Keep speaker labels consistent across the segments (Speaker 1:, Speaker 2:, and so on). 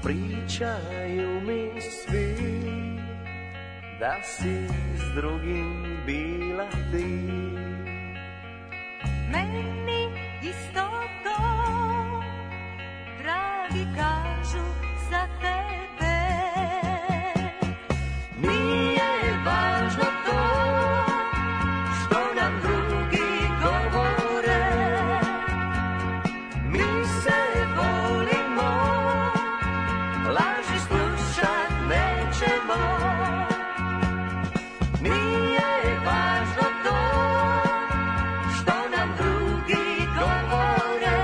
Speaker 1: pričaju mi svi da si s drugim bila ti.
Speaker 2: Meni isto to, dragi kažu za tebe. Nije važno to što nam drugi govore, mi se volimo, laži slušat nećemo. Nije važno to što nam drugi govore,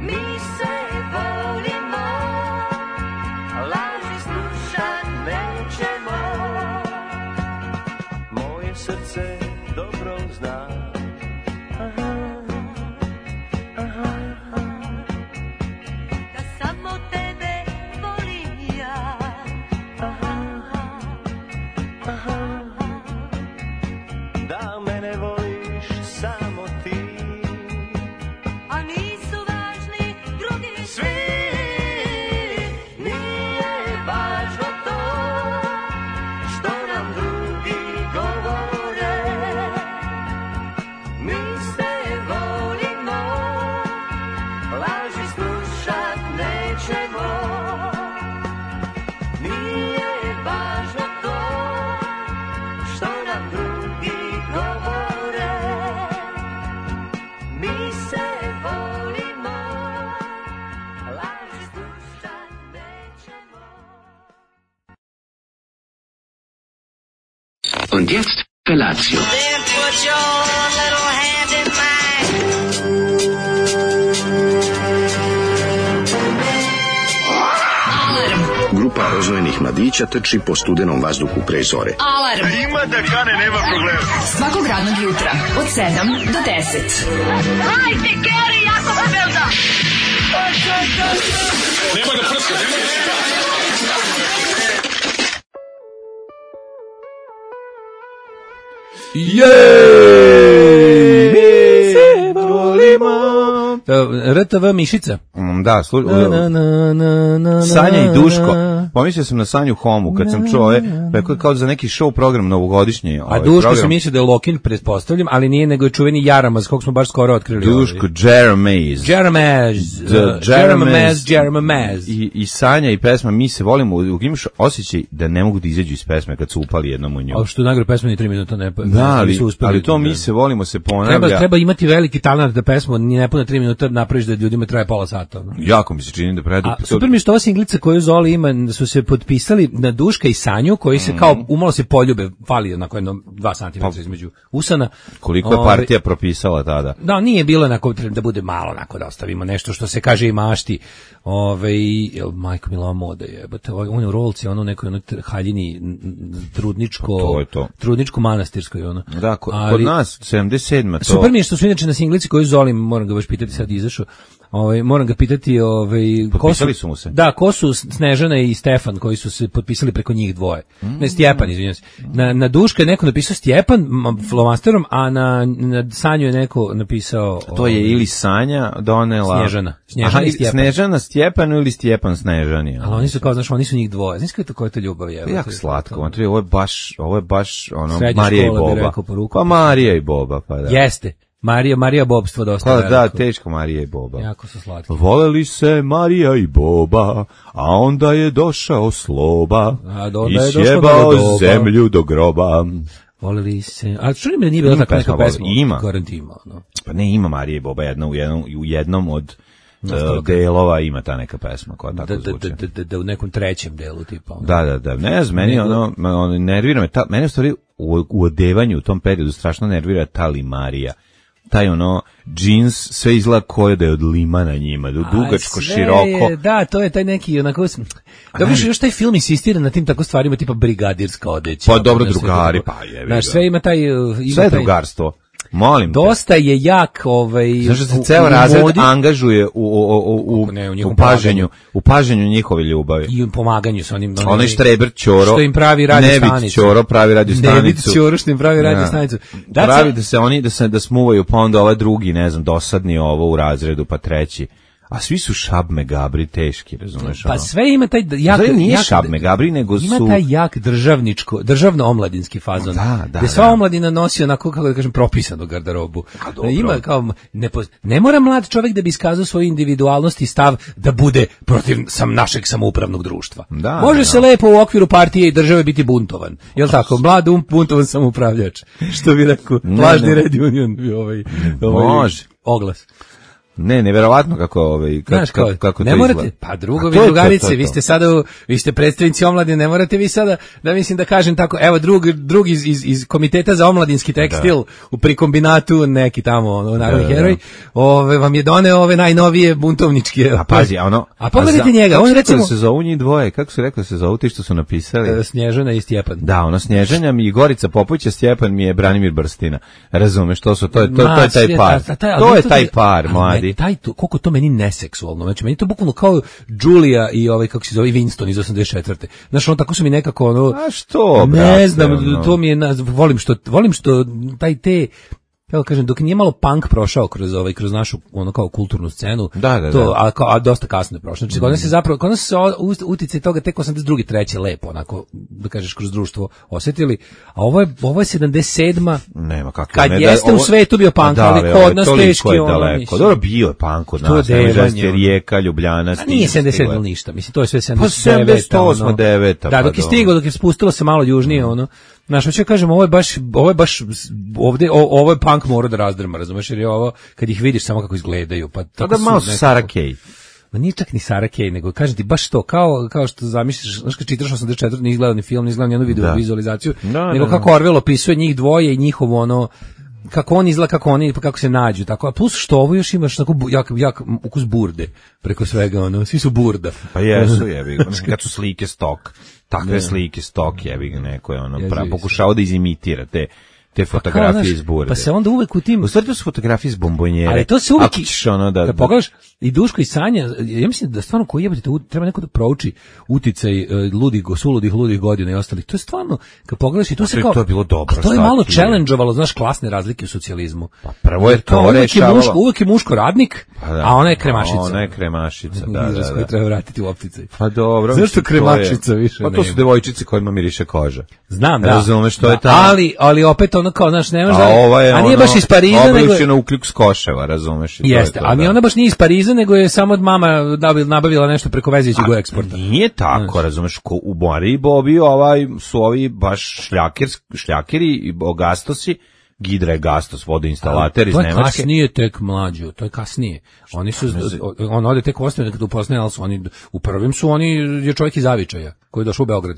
Speaker 2: mi se volimo, laži slušat nećemo.
Speaker 1: Moje srce dobro zna,
Speaker 2: Da samo tebe volim ja.
Speaker 1: da mene voliš samo ti.
Speaker 2: A nisu važni drugi
Speaker 1: Svi, nije važno to što nam drugi govore, mi se volimo, laži slušat nećemo. Nije važno to što nam drugi govore, mi se volimo, laži slušat nećemo.
Speaker 3: Und jetzt Felatio.
Speaker 4: Then put your little hand in mine.
Speaker 5: Grupa rozvojenih mladića trči po studenom vazduhu pre zore.
Speaker 6: Alarm.
Speaker 7: Ima da kane, nema problema.
Speaker 6: Svakog radnog jutra od 7 do 10.
Speaker 4: Hajde, Geri, jako se velda.
Speaker 7: Nemoj da prska, nemoj da prska.
Speaker 8: Jej! Se volimo. RTV Mišica.
Speaker 9: Da, Sanja i Duško. Pomislio sam na Sanju Homu kad sam čuo rekao je kao za neki show program novogodišnji.
Speaker 8: A Duško program. Sam mislio da je Lokin, pretpostavljam, ali nije, nego je čuveni Jaramaz, kog smo baš skoro otkrili.
Speaker 9: Duško, Jaramaz. I Sanja i pesma Mi se volimo, imaš osjećaj da ne mogu da izađu iz pesme kad su upali jednom u nju.
Speaker 8: A što najgore pesma ni 3 minuta ne pa.
Speaker 9: Da, ali to Mi se volimo se ponavlja.
Speaker 8: Treba imati veliki talent da pesmu ni ne pune 3 minuta napraviš da ljudima traje pola sata. No?
Speaker 9: Jako mi se čini da predu.
Speaker 8: Super mi što ova singlica koju Zoli ima, su se potpisali na Duška i Sanju, koji se kao umalo se poljube, fali onako jedno 2 cm između usana.
Speaker 9: Koliko je partija propisala tada?
Speaker 8: Da, nije bilo onako da bude malo onako da ostavimo nešto što se kaže i mašti. Majko Milova moda je, on je u rolci, ono nekoj haljini trudničko manastirskoj ono.
Speaker 9: Da, kod nas 77. to.
Speaker 8: Super mi je što su inače na singlici koju Zoli, moram ga baš pitati, sad izašao. Moram ga pitati,
Speaker 9: potpisali su mu se.
Speaker 8: Da, ko su Snežana i Stefan koji su se potpisali preko njih dvoje. Ne, Stjepan, izvinjavam se. Na Duška je neko napisao Stjepan flomasterom, a na Sanju je neko napisao...
Speaker 9: To je ili Sanja donela...
Speaker 8: Snežana i Stjepan.
Speaker 9: Snežana Stjepanu ili Stjepan Snežani.
Speaker 8: Ali oni su kao, znaš, oni su njih dvoje. Znaš kako je to ljubav je?
Speaker 9: Jako slatko. Ovo je baš ono, Marija i Boba. Pa Marija i Boba, pa da.
Speaker 8: Jeste. Marija Bobstvo dosta veliko.
Speaker 9: Da, teško Marija i Boba.
Speaker 8: Jako su slatki.
Speaker 9: Voleli se Marija i Boba, a onda je došao Sloba i sjebao zemlju do groba.
Speaker 8: Voleli se, ali čuli mi da nije bila takva neka pesma?
Speaker 9: Ima.
Speaker 8: Garant ima, no.
Speaker 9: Pa ne, ima Marija i Boba u jednom od delova ima ta neka pesma koja tako zvuči.
Speaker 8: Da u nekom trećem delu tipa.
Speaker 9: Da. Ne znam, meni ono nervira me. Mene u stvari u odevanju u tom periodu strašno nervira ta limarija. Taj ono džins sve izgleda koje da je od lima na njima, dugačko, široko.
Speaker 8: Da, to je taj neki onako... Dobro, još taj film insistira na tim tako stvarima tipa brigadirska odeća.
Speaker 9: Pa dobro, drugari, pa je.
Speaker 8: Znaš, sve ima taj...
Speaker 9: Sve je drugarstvo. Molim te.
Speaker 8: Dosta je jak
Speaker 9: Znaš da se ceo razred angažuje u paženju njihove ljubavi.
Speaker 8: I u pomaganju sa onim...
Speaker 9: Onaj Štreber Ćoro,
Speaker 8: što im pravi radio stanicu.
Speaker 9: Nebit Ćoro pravi radio stanicu.
Speaker 8: Nebit Ćoro što im pravi radio stanicu.
Speaker 9: Pravi da se oni da smuvaju, pa onda ovaj drugi, ne znam, dosadni ovo u razredu, pa treći. A svi su Šabme Gabri teški, razumeš?
Speaker 8: Pa
Speaker 9: ono?
Speaker 8: sve ima taj jak...
Speaker 9: Zar nije
Speaker 8: jak-
Speaker 9: Šabme Gabri, nego
Speaker 8: Ima
Speaker 9: su...
Speaker 8: taj jak državno-omladinski fazon.
Speaker 9: Da,
Speaker 8: gde sva omladina nosi onako, kako da kažem, propisanu garderobu.
Speaker 9: dobro.
Speaker 8: Ima kao, ne mora mlad čovjek da bi iskazao svoju individualnost i stav da bude protiv našeg samoupravnog društva.
Speaker 9: Da,
Speaker 8: Može
Speaker 9: da.
Speaker 8: se lepo u okviru partije i države biti buntovan. Jel tako? Mlad buntovan samoupravljač. Što bi rekao, lažni Red Union.
Speaker 9: Može.
Speaker 8: Oglas.
Speaker 9: Ne, neverovatno kako
Speaker 8: Znaš,
Speaker 9: kako
Speaker 8: ne
Speaker 9: to
Speaker 8: morate,
Speaker 9: izgleda.
Speaker 8: pa
Speaker 9: A
Speaker 8: drugovi,
Speaker 9: to je
Speaker 8: drugarice,
Speaker 9: to.
Speaker 8: vi ste sada, vi ste predstavnici omladine, ne morate vi sada, da mislim da kažem tako, evo drug iz komiteta za omladinski tekstil pri kombinatu, neki tamo, narodni heroj, vam je doneo ove najnovije buntovničke.
Speaker 9: A pazi,
Speaker 8: A pogledajte njega,
Speaker 9: kako
Speaker 8: on
Speaker 9: se
Speaker 8: recimo...
Speaker 9: rekao da se zovu njih dvoje, kako se rekao da se zovu ti što su napisali?
Speaker 8: Snježana i Stjepan.
Speaker 9: Da, Snježanja mi i Gorica Popović, a Stjepan mi je Branimir Brstina. Razumeš, to je taj par. To je taj par, mladi.
Speaker 8: Koliko to meni neseksualno, znači meni to bukvalno kao Julia i kako se zove, Winston iz 84. Znaš, tako su mi nekako
Speaker 9: A što, brate?
Speaker 8: Ne znam, to mi je, volim što taj te, kako kažem, dok nije malo punk prošao kroz našu kao kulturnu scenu,
Speaker 9: Da.
Speaker 8: a dosta kasno je prošao. Znači, kod nas se uticaj toga tek 82. treće lepo, onako, da kažeš, kroz društvo osjetili, a ovo je 77.
Speaker 9: Nema kako.
Speaker 8: Kad jeste u svetu bio punk, ali kod nas teški
Speaker 9: daleko. Dobro, bio je punk kod nas. To Rijeka, Ljubljana.
Speaker 8: Nije 77 ništa, mislim, to je sve 79.
Speaker 9: Pa 78, 9.
Speaker 8: Da, dok je stigao, dok je spustilo se malo južnije, znaš, hoću kažem, ovo je baš ovde, ovo je punk mora da razdrma, razumeš, jer je ovo, kad ih vidiš samo kako izgledaju, pa tako
Speaker 9: da malo su Sara Kay.
Speaker 8: Ma nije čak ni Sara Kay, nego kažem ti baš to, kao što zamisliš, znaš, kad čitaš 84, nije gledao ni film, nije gledao ni jednu vizualizaciju, nego kako Orwell opisuje njih dvoje i njihovo kako on izgleda, kako se nađu, tako, a plus što ovo još imaš tako jak ukus burde preko svega, svi su burda.
Speaker 9: Pa jesu, jebi, kad su slike stok, takve slike stok, jebi ga, neko je pokušao da izimitira te fotografije iz burde.
Speaker 8: Pa se onda uvek u tim...
Speaker 9: U stvari to su fotografije iz bombonjere.
Speaker 8: Ali to se uvek...
Speaker 9: Da
Speaker 8: pogledaš, i Duško i Sanja, ja mislim da stvarno koji jebate, treba neko da prouči uticaj suludih godina i ostalih. To je stvarno, kad pogledaš i to se kao...
Speaker 9: To je bilo dobro.
Speaker 8: To je malo challenge-ovalo, znaš, klasne razlike u socijalizmu.
Speaker 9: Pa prvo je to rešavalo.
Speaker 8: Uvek je muško radnik, a ona je kremašica.
Speaker 9: Ona je kremašica, da.
Speaker 8: Izraz koji treba vratiti u opticaj.
Speaker 9: Pa dobro.
Speaker 8: Zašto kremašica više
Speaker 9: nema? Pa to su devojčice kojima miriše koža.
Speaker 8: Znam, da.
Speaker 9: Razumeš što je tamo.
Speaker 8: Ali opet kao, znaš, nemaš
Speaker 9: a
Speaker 8: nije baš iz Pariza, nego
Speaker 9: je u Ukljuk s Koševa, razumeš?
Speaker 8: Jeste, a ni ona baš nije iz Pariza, nego je samo mama nabavila nešto preko veze iz Jugoeksporta.
Speaker 9: Nije tako, razumeš, u Bori i Bobi su ovi baš šljakeri i gastosi, Gidra je gastos, vodoinstalater iz Nemačke.
Speaker 8: To je kasnije tek mlađo, to je kasnije. Oni su, on ode tek ostane kad upoznaje, ali su oni, u prvim su oni, je čovjek iz Zavičaja, koji je došao u Beograd.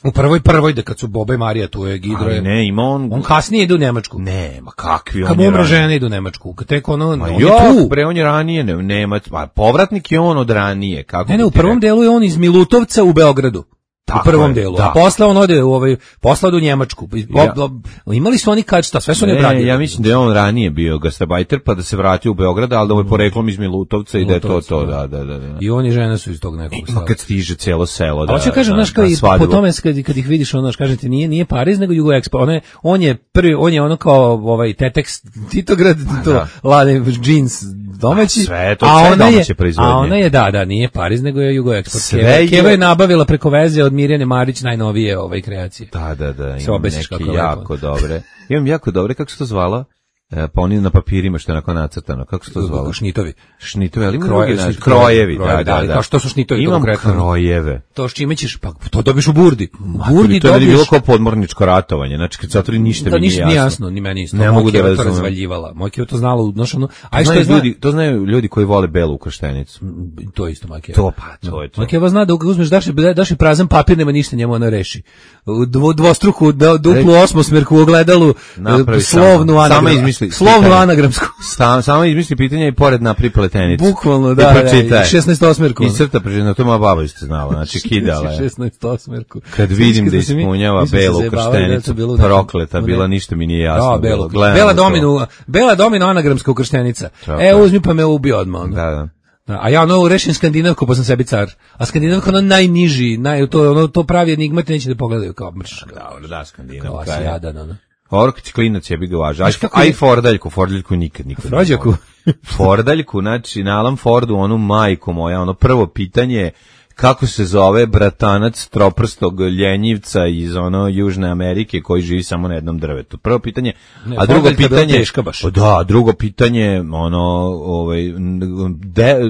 Speaker 8: U prvoj, da kad su Boba i Marija, tu je Gidro.
Speaker 9: Ali ne, ima on
Speaker 8: kasnije ide u Nemačku.
Speaker 9: Ne, ma kakvi on.
Speaker 8: Kad mu umre žena ide u Nemačku. Tek on je tu.
Speaker 9: Bre, on je ranije Nemac, a povratnik je on od ranije. Kako
Speaker 8: ne, u prvom delu je on iz Milutovca u Beogradu.
Speaker 9: Tako
Speaker 8: u prvom delu. A posle on ode u Njemačku. Imali su oni sve su oni bradili.
Speaker 9: Ja mislim da je on ranije bio gastarbajter, pa da se vratio u Beograd, ali da mu je poreklom iz Milutovca i da je to, da.
Speaker 8: I oni žene su iz tog nekog
Speaker 9: stava. Kad stiže celo selo, da.
Speaker 8: Hoće kažem, znaš, po tome kad ih vidiš, ono, kažem ti, nije Pariz, nego Jugoexpo. On je prvi, on je ono kao Tetex, Titograd, to lade džins domaći,
Speaker 9: sve to, sve domaće proizvodnje.
Speaker 8: A ona je, da, nije Pariz, nego je Jugoexport. Keva je nabavila preko veze od Mirjane Marić najnovije kreacije.
Speaker 9: Da, imam neke jako dobre. Imam jako dobre, kako se to zvalo? Pa oni na papirima što je onako nacrtano, kako se to zvalo?
Speaker 8: Šnitovi,
Speaker 9: ali krojevi, da.
Speaker 8: Kao što su šnitovi?
Speaker 9: Imam krojeve.
Speaker 8: To s čime ćeš, pa to dobiš u burdi.
Speaker 9: Burdi to je bilo kao podmorničko ratovanje, znači kad se otvori ništa mi nije
Speaker 8: jasno. Ni meni isto.
Speaker 9: Ne mogu da razumem.
Speaker 8: Razvaljivala. Moja Keva to znala,
Speaker 9: to znaju ljudi koji vole belu ukrštenicu.
Speaker 8: To isto Moja Keva.
Speaker 9: To je to.
Speaker 8: Moja Keva zna da uzmeš daš i prazan papir, nema ništa, njemu ona reši. Dvostruku, duplu osmosmerku u ogledalu, slovnu anagramsku.
Speaker 9: Samo izmisli pitanja i pored napri pletenicu.
Speaker 8: Bukvalno, da, 16 osmerku.
Speaker 9: I crta prežena, to moja baba isto znala, znači kidala je.
Speaker 8: 16 osmerku.
Speaker 9: Kad vidim da ispunjava belu ukrštenicu, prokleta, bila ništa mi nije jasno.
Speaker 8: Bela domino anagramska ukrštenica. Uzmi pa me ubi odmah.
Speaker 9: Da.
Speaker 8: A ja rešim skandinavku, pa sam sebi car. A skandinavka najniži, to pravi enigmate, neće da pogledaju kao mrš.
Speaker 9: Da, skandinavka.
Speaker 8: Kao jadan,
Speaker 9: Orkić klinac je bi ga važno. Aj Fordaljku nikad.
Speaker 8: Frođaku.
Speaker 9: Fordaljku, znači na Alan Fordu, onu majku moja, ono prvo pitanje kako se zove bratanac troprstog ljenjivca iz ono Južne Amerike koji živi samo na jednom drvetu. Prvo pitanje, a drugo pitanje
Speaker 8: teška baš.
Speaker 9: Da, drugo pitanje, ono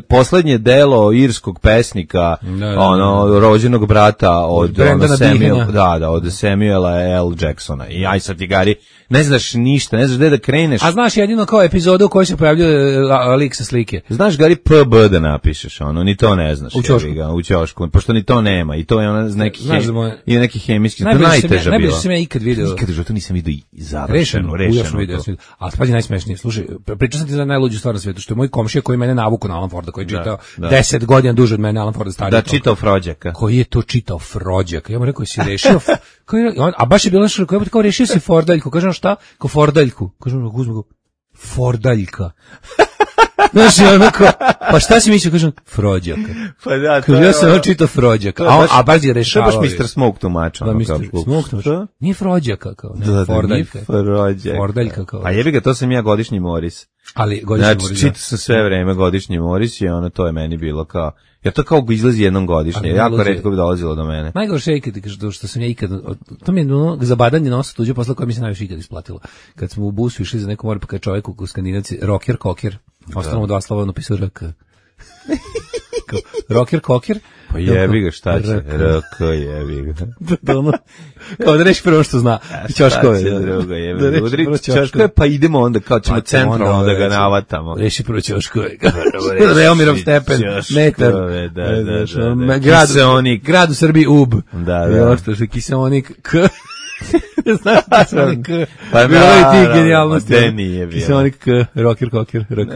Speaker 9: poslednje delo irskog pesnika, ono rođenog brata od od Samuela L. Jacksona. I aj sad ti Gari, ne znaš ništa, ne znaš gde da kreneš.
Speaker 8: A znaš jedino kao epizodu u kojoj se pojavljuje lik sa slike.
Speaker 9: Znaš Gari PB da napišeš, ono ni to ne znaš. U ćošku, pošto ni to nema i to je ona neki hemijski, to najteže bilo.
Speaker 8: Najbolje sam ja ikad video.
Speaker 9: Ikad u životu nisam video završeno.
Speaker 8: Video. A pazi najsmešnije, slušaj, pričao sam ti za najluđu stvar na svetu, što je moj komšija koji mene navuku na Alan Forda, koji je čitao 10 godina duže od mene Alan Forda stariji.
Speaker 9: Da, čitao Frođaka.
Speaker 8: Koji je to čitao Frođaka? Ja mu rekao, si rešio, a baš je bilo nešto, kao rešio si Fordaljku, kažem šta? Kao Fordaljku, kažem, uzmem go, Fordaljka. Znaš, onako, pa šta si mislio, kažem, Frođaka.
Speaker 9: Pa da,
Speaker 8: to je... Ja sam čitao Frođaka, a baš je rešavao.
Speaker 9: To je baš Mr. Smoke tumač.
Speaker 8: Da, Mr. Smoke tumač. Nije Frođaka, kao, ne, Fordaljka. Fordaljka, kao.
Speaker 9: A jebi ga, to sam ja godišnji Moris.
Speaker 8: Ali godišnji Moris,
Speaker 9: znači, čitao sam sve vreme godišnji Moris i ono, to je meni bilo kao, jer to kao izlazi jednom godišnje, jako retko bi dolazilo do mene.
Speaker 8: Najgorše je što sam ja ikad, to mi je zabadanje nosa tuđe posla koja mi se najviše ikad isplatilo. Kad smo u busu išli za neko more, pa kad čovjek u Skandinavci, rocker, kokir, ostalo dva slova, napisao RK. Rocker, kokir.
Speaker 9: Pa jebi ga, šta će? RK, jebi ga.
Speaker 8: Kao da reši prvo što zna. Ćoškove.
Speaker 9: Udri ćoškove, pa idemo onda, kao ćemo centralno da ga navatamo.
Speaker 8: Reši prvo ćoškove. Reomirov stepen, metar. Grad u Srbiji, UB. I ošto se Kiseonik, K. Znaš Kiseonik K.
Speaker 9: Pa
Speaker 8: bilo je ti genijalnosti.
Speaker 9: Nije bilo.
Speaker 8: Kiseonik K, rocker, kokir, RK.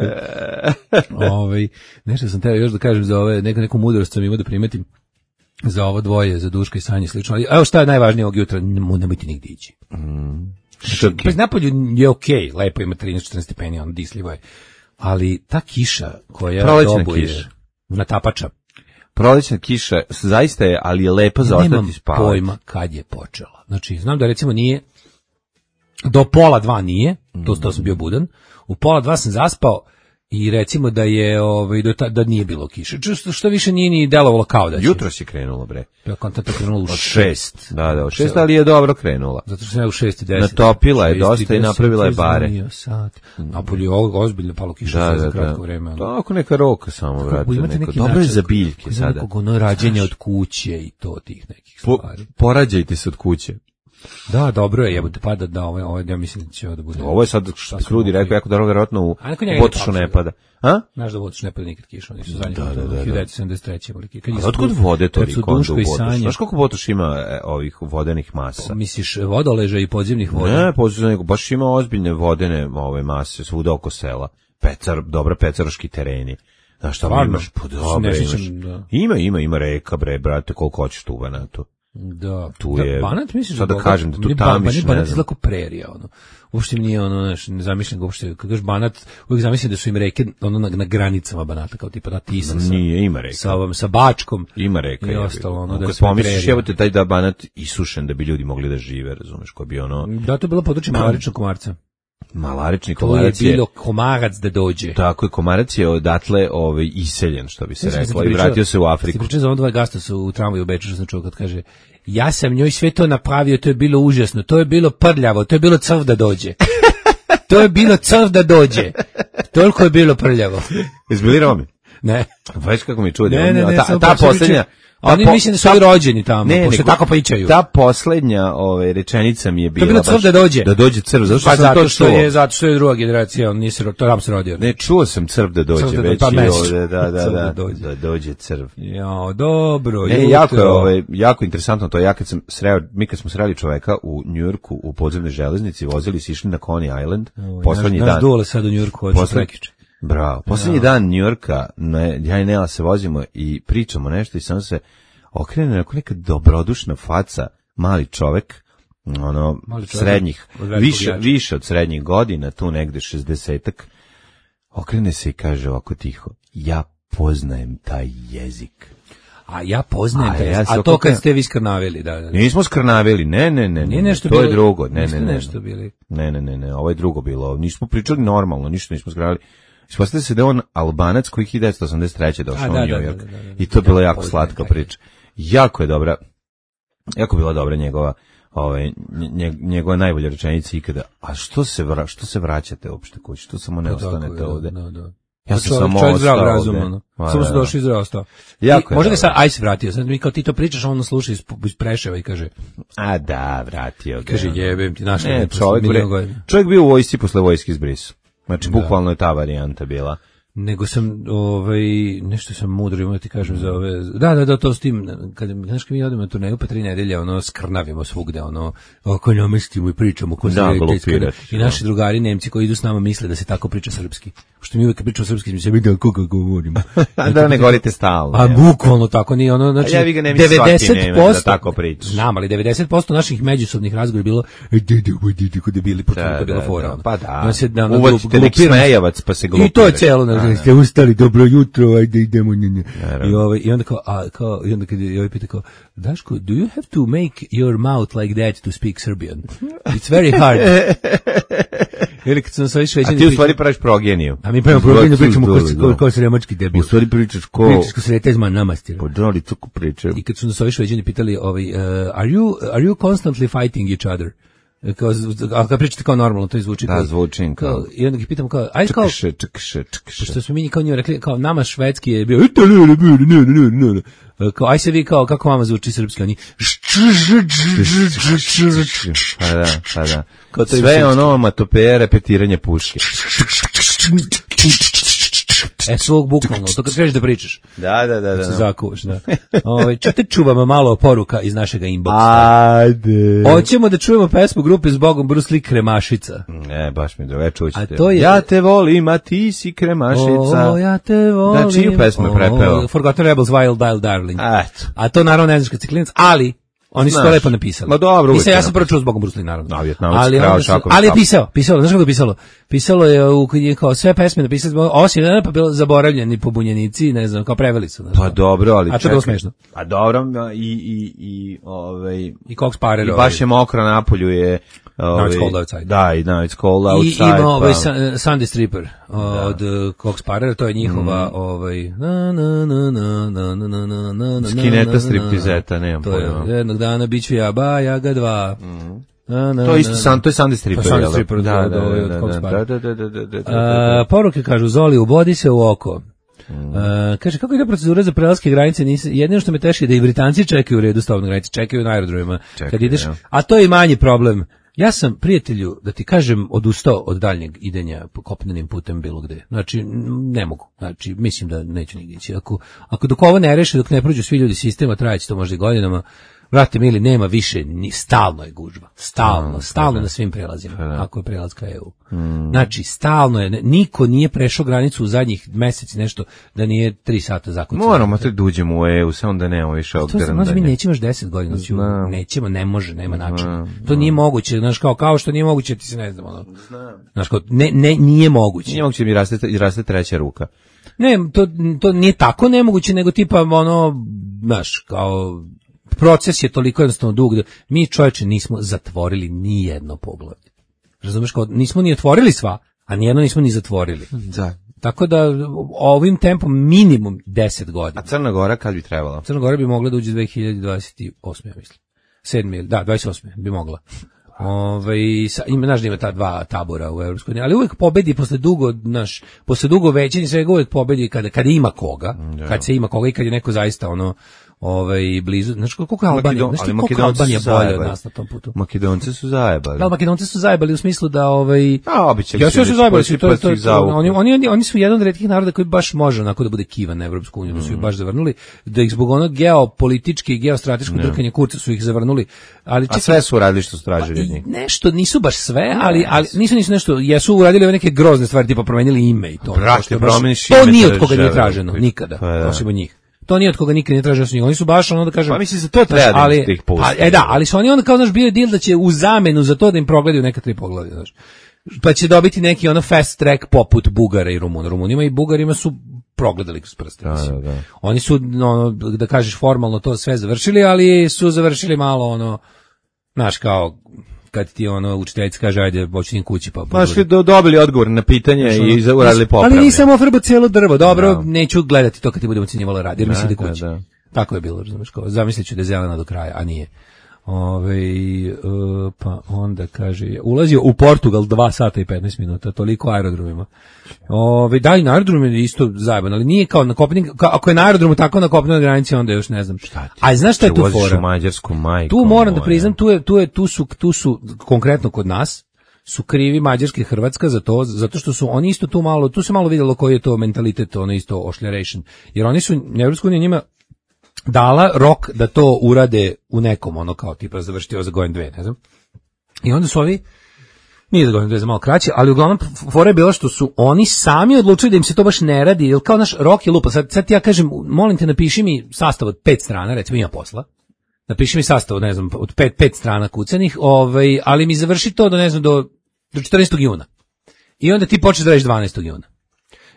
Speaker 8: Nešto sam teo još da kažem za ove, neku mudrost sam imao da primetim za ovo dvoje, za Duška i Sanje slično. Ali evo šta je najvažnije ovog jutra, nemojte nigde ići. Pa napolju je okej, lepo ima 13-14 stepeni, on disljivo je. Ali ta kiša koja dobuje natapača.
Speaker 9: Prolećna kiša zaista je, ali je lepo za ostati spavati.
Speaker 8: Nemam pojma kad je počela. Znači, znam da recimo nije, do 1:30 nije, to sam bio budan, u 1:30 sam zaspao i recimo da je da nije bilo kiše. Što više nije ni delovalo kao da će.
Speaker 9: Jutros je krenulo, bre.
Speaker 8: Ja kontakt krenulo u
Speaker 9: 6. Da, od 6, ali je dobro krenula.
Speaker 8: Zato što sam ja u 6:10.
Speaker 9: Natopila je dosta i napravila je bare.
Speaker 8: Napolju je ozbiljno palo kiša za kratko vreme.
Speaker 9: Tako neka roka samo, vrati. Dobro je za biljke sada.
Speaker 8: Nekog rađenja od kuće i to tih nekih stvari.
Speaker 9: Porađajte se od kuće.
Speaker 8: Da, dobro je, jebote, pada da ovo ja mislim da će ovo da bude.
Speaker 9: Ovo je sad Krudi rekao jako dobro, verovatno u Botošu ne pada. A?
Speaker 8: Znaš da Botoš ne pada nikad kiša, oni su zadnji put 1973.
Speaker 9: A otkud vode toliko onda u Botošu? Znaš koliko Botoš ima ovih vodenih masa?
Speaker 8: Misliš vodoleža i podzemnih voda?
Speaker 9: Ne, podzemnih, baš ima ozbiljne vodene ove mase svuda oko sela. Dobra pecaroški tereni. Znaš šta imaš? Ima reka, bre, brate, koliko hoćeš tu u Banatu.
Speaker 8: Da,
Speaker 9: tu je,
Speaker 8: Banat misliš
Speaker 9: sad da kažem da tu tamiš,
Speaker 8: Banat je zlako prerija, ono. Uopšte mi nije ono, ne zamišljam ga uopšte, kad kažeš Banat, uvijek zamišljam da su im reke ono na granicama Banata, kao tipa na Tisa.
Speaker 9: Nije, ima reka.
Speaker 8: Sa Bačkom.
Speaker 9: Ima reka.
Speaker 8: I ostalo, ono, da
Speaker 9: kad pomisliš, jebote, taj da Banat isušen da bi ljudi mogli da žive, razumeš, ko bi ono...
Speaker 8: Da, to je bilo područje malaričnog komarca.
Speaker 9: Malarični komarac
Speaker 8: to je bilo komarac da dođe.
Speaker 9: Tako je, komarac je odatle iseljen, što bi se reklo, i vratio se u Afriku.
Speaker 8: Ti pričao za dva gasta su u tramvaju u Beču, što sam čuo kad kaže, ja sam njoj sve to napravio, to je bilo užasno, to je bilo prljavo, to je bilo crv da dođe. To je bilo crv da dođe. Toliko je bilo prljavo.
Speaker 9: Izbili Romi?
Speaker 8: Ne.
Speaker 9: Već kako mi čudi.
Speaker 8: Ne,
Speaker 9: ta posljednja...
Speaker 8: Oni mislim da su ovi rođeni tamo, pošto tako pričaju.
Speaker 9: Ta poslednja rečenica mi je bila...
Speaker 8: To je bilo crv da dođe.
Speaker 9: Da dođe crv, zato što sam to čuo.
Speaker 8: Zato što je druga generacija, on nisi to nam se rodio.
Speaker 9: Ne, čuo sam crv da dođe, već i ovde, da dođe crv.
Speaker 8: Ja, dobro.
Speaker 9: Jako interesantno to, mi kad smo sreli čoveka u Njujorku u podzemnoj železnici, vozili se išli na Coney Island, poslednji dan.
Speaker 8: Naš dole sad u Njujorku, od Prekiče.
Speaker 9: Bravo. Poslednji dan Njujorka, ja i Nela se vozimo i pričamo nešto i samo se okrene neka dobrodušna faca, mali čovek, srednjih, više od srednjih godina, tu negde 60-ak, okrene se i kaže ovako tiho, ja poznajem taj jezik.
Speaker 8: A ja poznajem taj jezik. A to kad ste vi skrnavili, da.
Speaker 9: Nismo skrnavili, ne.
Speaker 8: Nije nešto
Speaker 9: to
Speaker 8: bilo,
Speaker 9: je drugo, ne.
Speaker 8: Nešto bili.
Speaker 9: Ne, ovo je drugo bilo. Nismo pričali normalno, ništa nismo skrnavili. Ispostavlja se da je on Albanac koji 1983. došao u
Speaker 8: da,
Speaker 9: New York.
Speaker 8: da.
Speaker 9: I to je bila jako
Speaker 8: poznajem
Speaker 9: slatka
Speaker 8: taj.
Speaker 9: priča. Jako je dobra, jako bila dobra njegova, njegova najbolja rečenica ikada. A što se vraćate uopšte kući? Što samo ne ostanete ovde?
Speaker 8: Da.
Speaker 9: Ja sam samo
Speaker 8: čovjek zdrav
Speaker 9: ostao
Speaker 8: razum,
Speaker 9: ovde.
Speaker 8: ono.
Speaker 9: Ma,
Speaker 8: Samo se
Speaker 9: da.
Speaker 8: došao i zdrav ostao.
Speaker 9: Jako je
Speaker 8: Možda ga
Speaker 9: dobro.
Speaker 8: sad Ice vratio, sad mi kao ti to pričaš, on sluša iz Preševa i kaže,
Speaker 9: A da, vratio ga.
Speaker 8: kaže jebem ti našao.
Speaker 9: Ne, čovjek bio u vojsci posle vojske izbrisu. Znači, bukvalno je ta varijanta bila.
Speaker 8: Nego sam, nešto sam mudro imao ti kažem za ove, da, to s tim, znaš kad mi odemo na turneju pa 3 nedelje, skrnavimo svugde, oko namestimo i pričamo ko se i naši drugari Nemci koji idu s nama misle da se tako priča srpski, što mi uvek pričamo srpski, mi se vidi kako govorimo.
Speaker 9: Da ne govorite stalno.
Speaker 8: A bukvalno tako nije, znači,
Speaker 9: ja vi ga ne mislim svaki Nemac da tako priča.
Speaker 8: Znam, ali 90% naših međusobnih razgovora je bilo, kod je bili počutno bila fora.
Speaker 9: Pa da, uvodite neki smejavac pa se glupira.
Speaker 8: I to je celo, ste ustali, dobro jutro, ajde idemo. I onda i onda kad je pita kao, Daško, do you have to make your mouth like that to speak Serbian? It's very hard. Ili kad sam sa Šveđani...
Speaker 9: A ti u stvari praviš progeniju.
Speaker 8: A mi pravimo progeniju, pričamo kao sremački debil.
Speaker 9: U stvari pričaš ko...
Speaker 8: Pričaš ko sretezman namastir.
Speaker 9: Po džoli, co ko pričaju.
Speaker 8: I kad su nas ovi Šveđani pitali, are you constantly fighting each other? A kad pričate kao normalno, to zvuči
Speaker 9: da, zvučim kao.
Speaker 8: I onda ih pitam kao, ajde kao...
Speaker 9: Čekše.
Speaker 8: Pošto smo mi kao njima rekli, kao nama švedski je bio... Kao, aj se vi kao, kako vama zvuči srpski, oni...
Speaker 9: Pa da. Sve je onomatopea repetiranje puške.
Speaker 8: Svog bukvalno, to kad kažeš da pričaš.
Speaker 9: Da.
Speaker 8: Se zakuvaš, da. Čete čuvamo malo poruka iz našega inboxa.
Speaker 9: Ajde.
Speaker 8: Hoćemo da čujemo pesmu grupe Zbogom Bruce Lee Kremašica.
Speaker 9: Ne, baš mi dobro, čućete.
Speaker 8: To je...
Speaker 9: Ja te volim, a ti si Kremašica.
Speaker 8: Ja te volim.
Speaker 9: Da, čiju pesmu je prepeo?
Speaker 8: Forgotten Rebels, Wild Dial Darling.
Speaker 9: Eto.
Speaker 8: A to naravno ne znaš kad si klinac, ali... Oni su to lepo napisali.
Speaker 9: Ma dobro,
Speaker 8: mislim, ja sam prvo čuo Zbogom Bruce Lee, naravno.
Speaker 9: Ali
Speaker 8: je pisalo, znaš kako je pisalo? Pisalo je kao sve pesme napisali, osim jedan pa bilo zaboravljeni pobunjenici, ne znam, kao preveli su.
Speaker 9: Pa dobro, ali
Speaker 8: a to je bilo smešno.
Speaker 9: A dobro,
Speaker 8: i Cox Parer.
Speaker 9: I baš je mokro na polju je...
Speaker 8: Now it's cold outside.
Speaker 9: Da, i Now it's cold outside.
Speaker 8: I ima Sunday Stripper od Cox Parera, to je njihova
Speaker 9: Skineta striptizeta, nemam pojma.
Speaker 8: Jednog dana bit ću ja ba, ja ga dva.
Speaker 9: To je Sunday Stripper.
Speaker 8: To je Sunday Stripper od Cox Parera. Poruke kažu, Zoli, ubodi se u oko. Kaže, kako ide procedura za prelaske granice? Jedino što me teši je da i Britanci čekaju u redu stavne granice, čekaju na aerodromima kad ideš, a to je i manji problem. Ja sam, prijatelju, da ti kažem, odustao od daljnjeg idenja kopnenim putem bilo gde. Znači, ne mogu. Znači, mislim da neću nigdje ići. Ako dok ovo ne reše, dok ne prođu svi ljudi sistema, trajeći to možda i godinama, vrate mili, nema više, stalno je gužva. Stalno na svim prelazima, ako je prelaz ka EU. Znači, stalno je, niko nije prešao granicu u zadnjih meseci nešto da nije 3 sata zakucano.
Speaker 9: Moramo te da uđemo u EU, samo da nemamo više odgrandanje.
Speaker 8: To mi nećemo još 10 godina, nećemo, ne može, nema načina. To nije moguće, znaš, kao što nije moguće, ti se ne znam, znaš, kao, nije moguće.
Speaker 9: Nije moguće mi raste treća ruka.
Speaker 8: Ne, to nije tako nemoguće, nego tipa, znaš, kao... Proces je toliko jednostavno dug da mi, čovječe, nismo zatvorili ni jedno poglavlje. Razumeš, kao nismo ni otvorili sva, a nijedno nismo ni zatvorili.
Speaker 9: Da.
Speaker 8: Tako da ovim tempom minimum 10 godina.
Speaker 9: A Crna Gora kad bi trebala?
Speaker 8: Crna Gora bi mogla da uđe 2028. ja mislim. 28. bi mogla. Znaš da ima ta dva tabora u Evropskoj uniji, ali uvijek pobedi posle dugo većine, svega uvijek pobedi kada ima koga, kad se ima koga i kad je neko zaista blizu, znači koliko je Albanija, znači koliko Albanija bolje od nas na tom putu.
Speaker 9: Makedonci su zajebali.
Speaker 8: Da, Makedonci su zajebali u smislu da
Speaker 9: ja
Speaker 8: su zajebali, oni su jedan od retkih naroda koji baš može onako da bude kivan na Evropsku uniju, da su ih baš zavrnuli, da ih zbog onog geopolitičke i geostrateškog drkanja kurca su ih zavrnuli, ali
Speaker 9: a sve su uradili što su tražili od njih.
Speaker 8: Nešto nisu baš sve, ali nisu nešto, jesu uradili ove neke grozne stvari, tipa promenili ime i to. To nije od koga nije traženo nikada, osim od njih. To nije od koga nikad ne traže su njih. Oni su baš da kažem...
Speaker 9: Pa mislim se to treba da ih pusti.
Speaker 8: Ali su oni onda kao bio je deal da će u zamenu za to da im progledaju neka 3 poglavlja, znaš. Pa će dobiti neki fast track poput Bugara i Rumuna. Rumunima i Bugarima su progledali kroz prste. Da. Oni su, da kažeš formalno to sve završili, ali su završili malo znaš, kao kad ti ono učiteljica kaže ajde počinjem kući pa
Speaker 9: Baš dobili odgovor na pitanje i uradili popravne.
Speaker 8: Ali nisam ofrbao cijelo drvo, dobro, neću gledati to kad ti budemo ocenjivalo rad, jer mi se ide kući. Tako je bilo, razumiješ, kao zamislit ću da je zelena do kraja, a nije. Pa onda kaže, ulazio u Portugal 2 sata i 15 minuta, toliko aerodromima. Da, i na aerodromu je isto zajeban, ali nije kao na kopnenim, ako je na aerodromu tako na kopnenoj granici, onda još ne znam šta ti. A znaš šta je tu fora?
Speaker 9: U Mađarsku majku.
Speaker 8: Tu moram da priznam, tu su konkretno kod nas, su krivi Mađarska i Hrvatska za to, zato što su oni isto tu malo, tu se malo vidjelo koji je to mentalitet, ono isto ošljaration, jer oni su, Evropska unija njima dala rok da to urade u nekom, ono kao tipa završiti ovo za godinu dve, ne znam. I onda su ovi, nije za godinu dve, za malo kraće, ali uglavnom fora je bila što su oni sami odlučili da im se to baš ne radi, jer kao naš rok je lupa. Sad ti ja kažem, molim te napiši mi sastav od 5 strana, recimo ima posla, napiši mi sastav od, ne znam, od 5 strana kucanih, ali mi završi to do, ne znam, do 14. juna. I onda ti počneš da radiš 12. juna.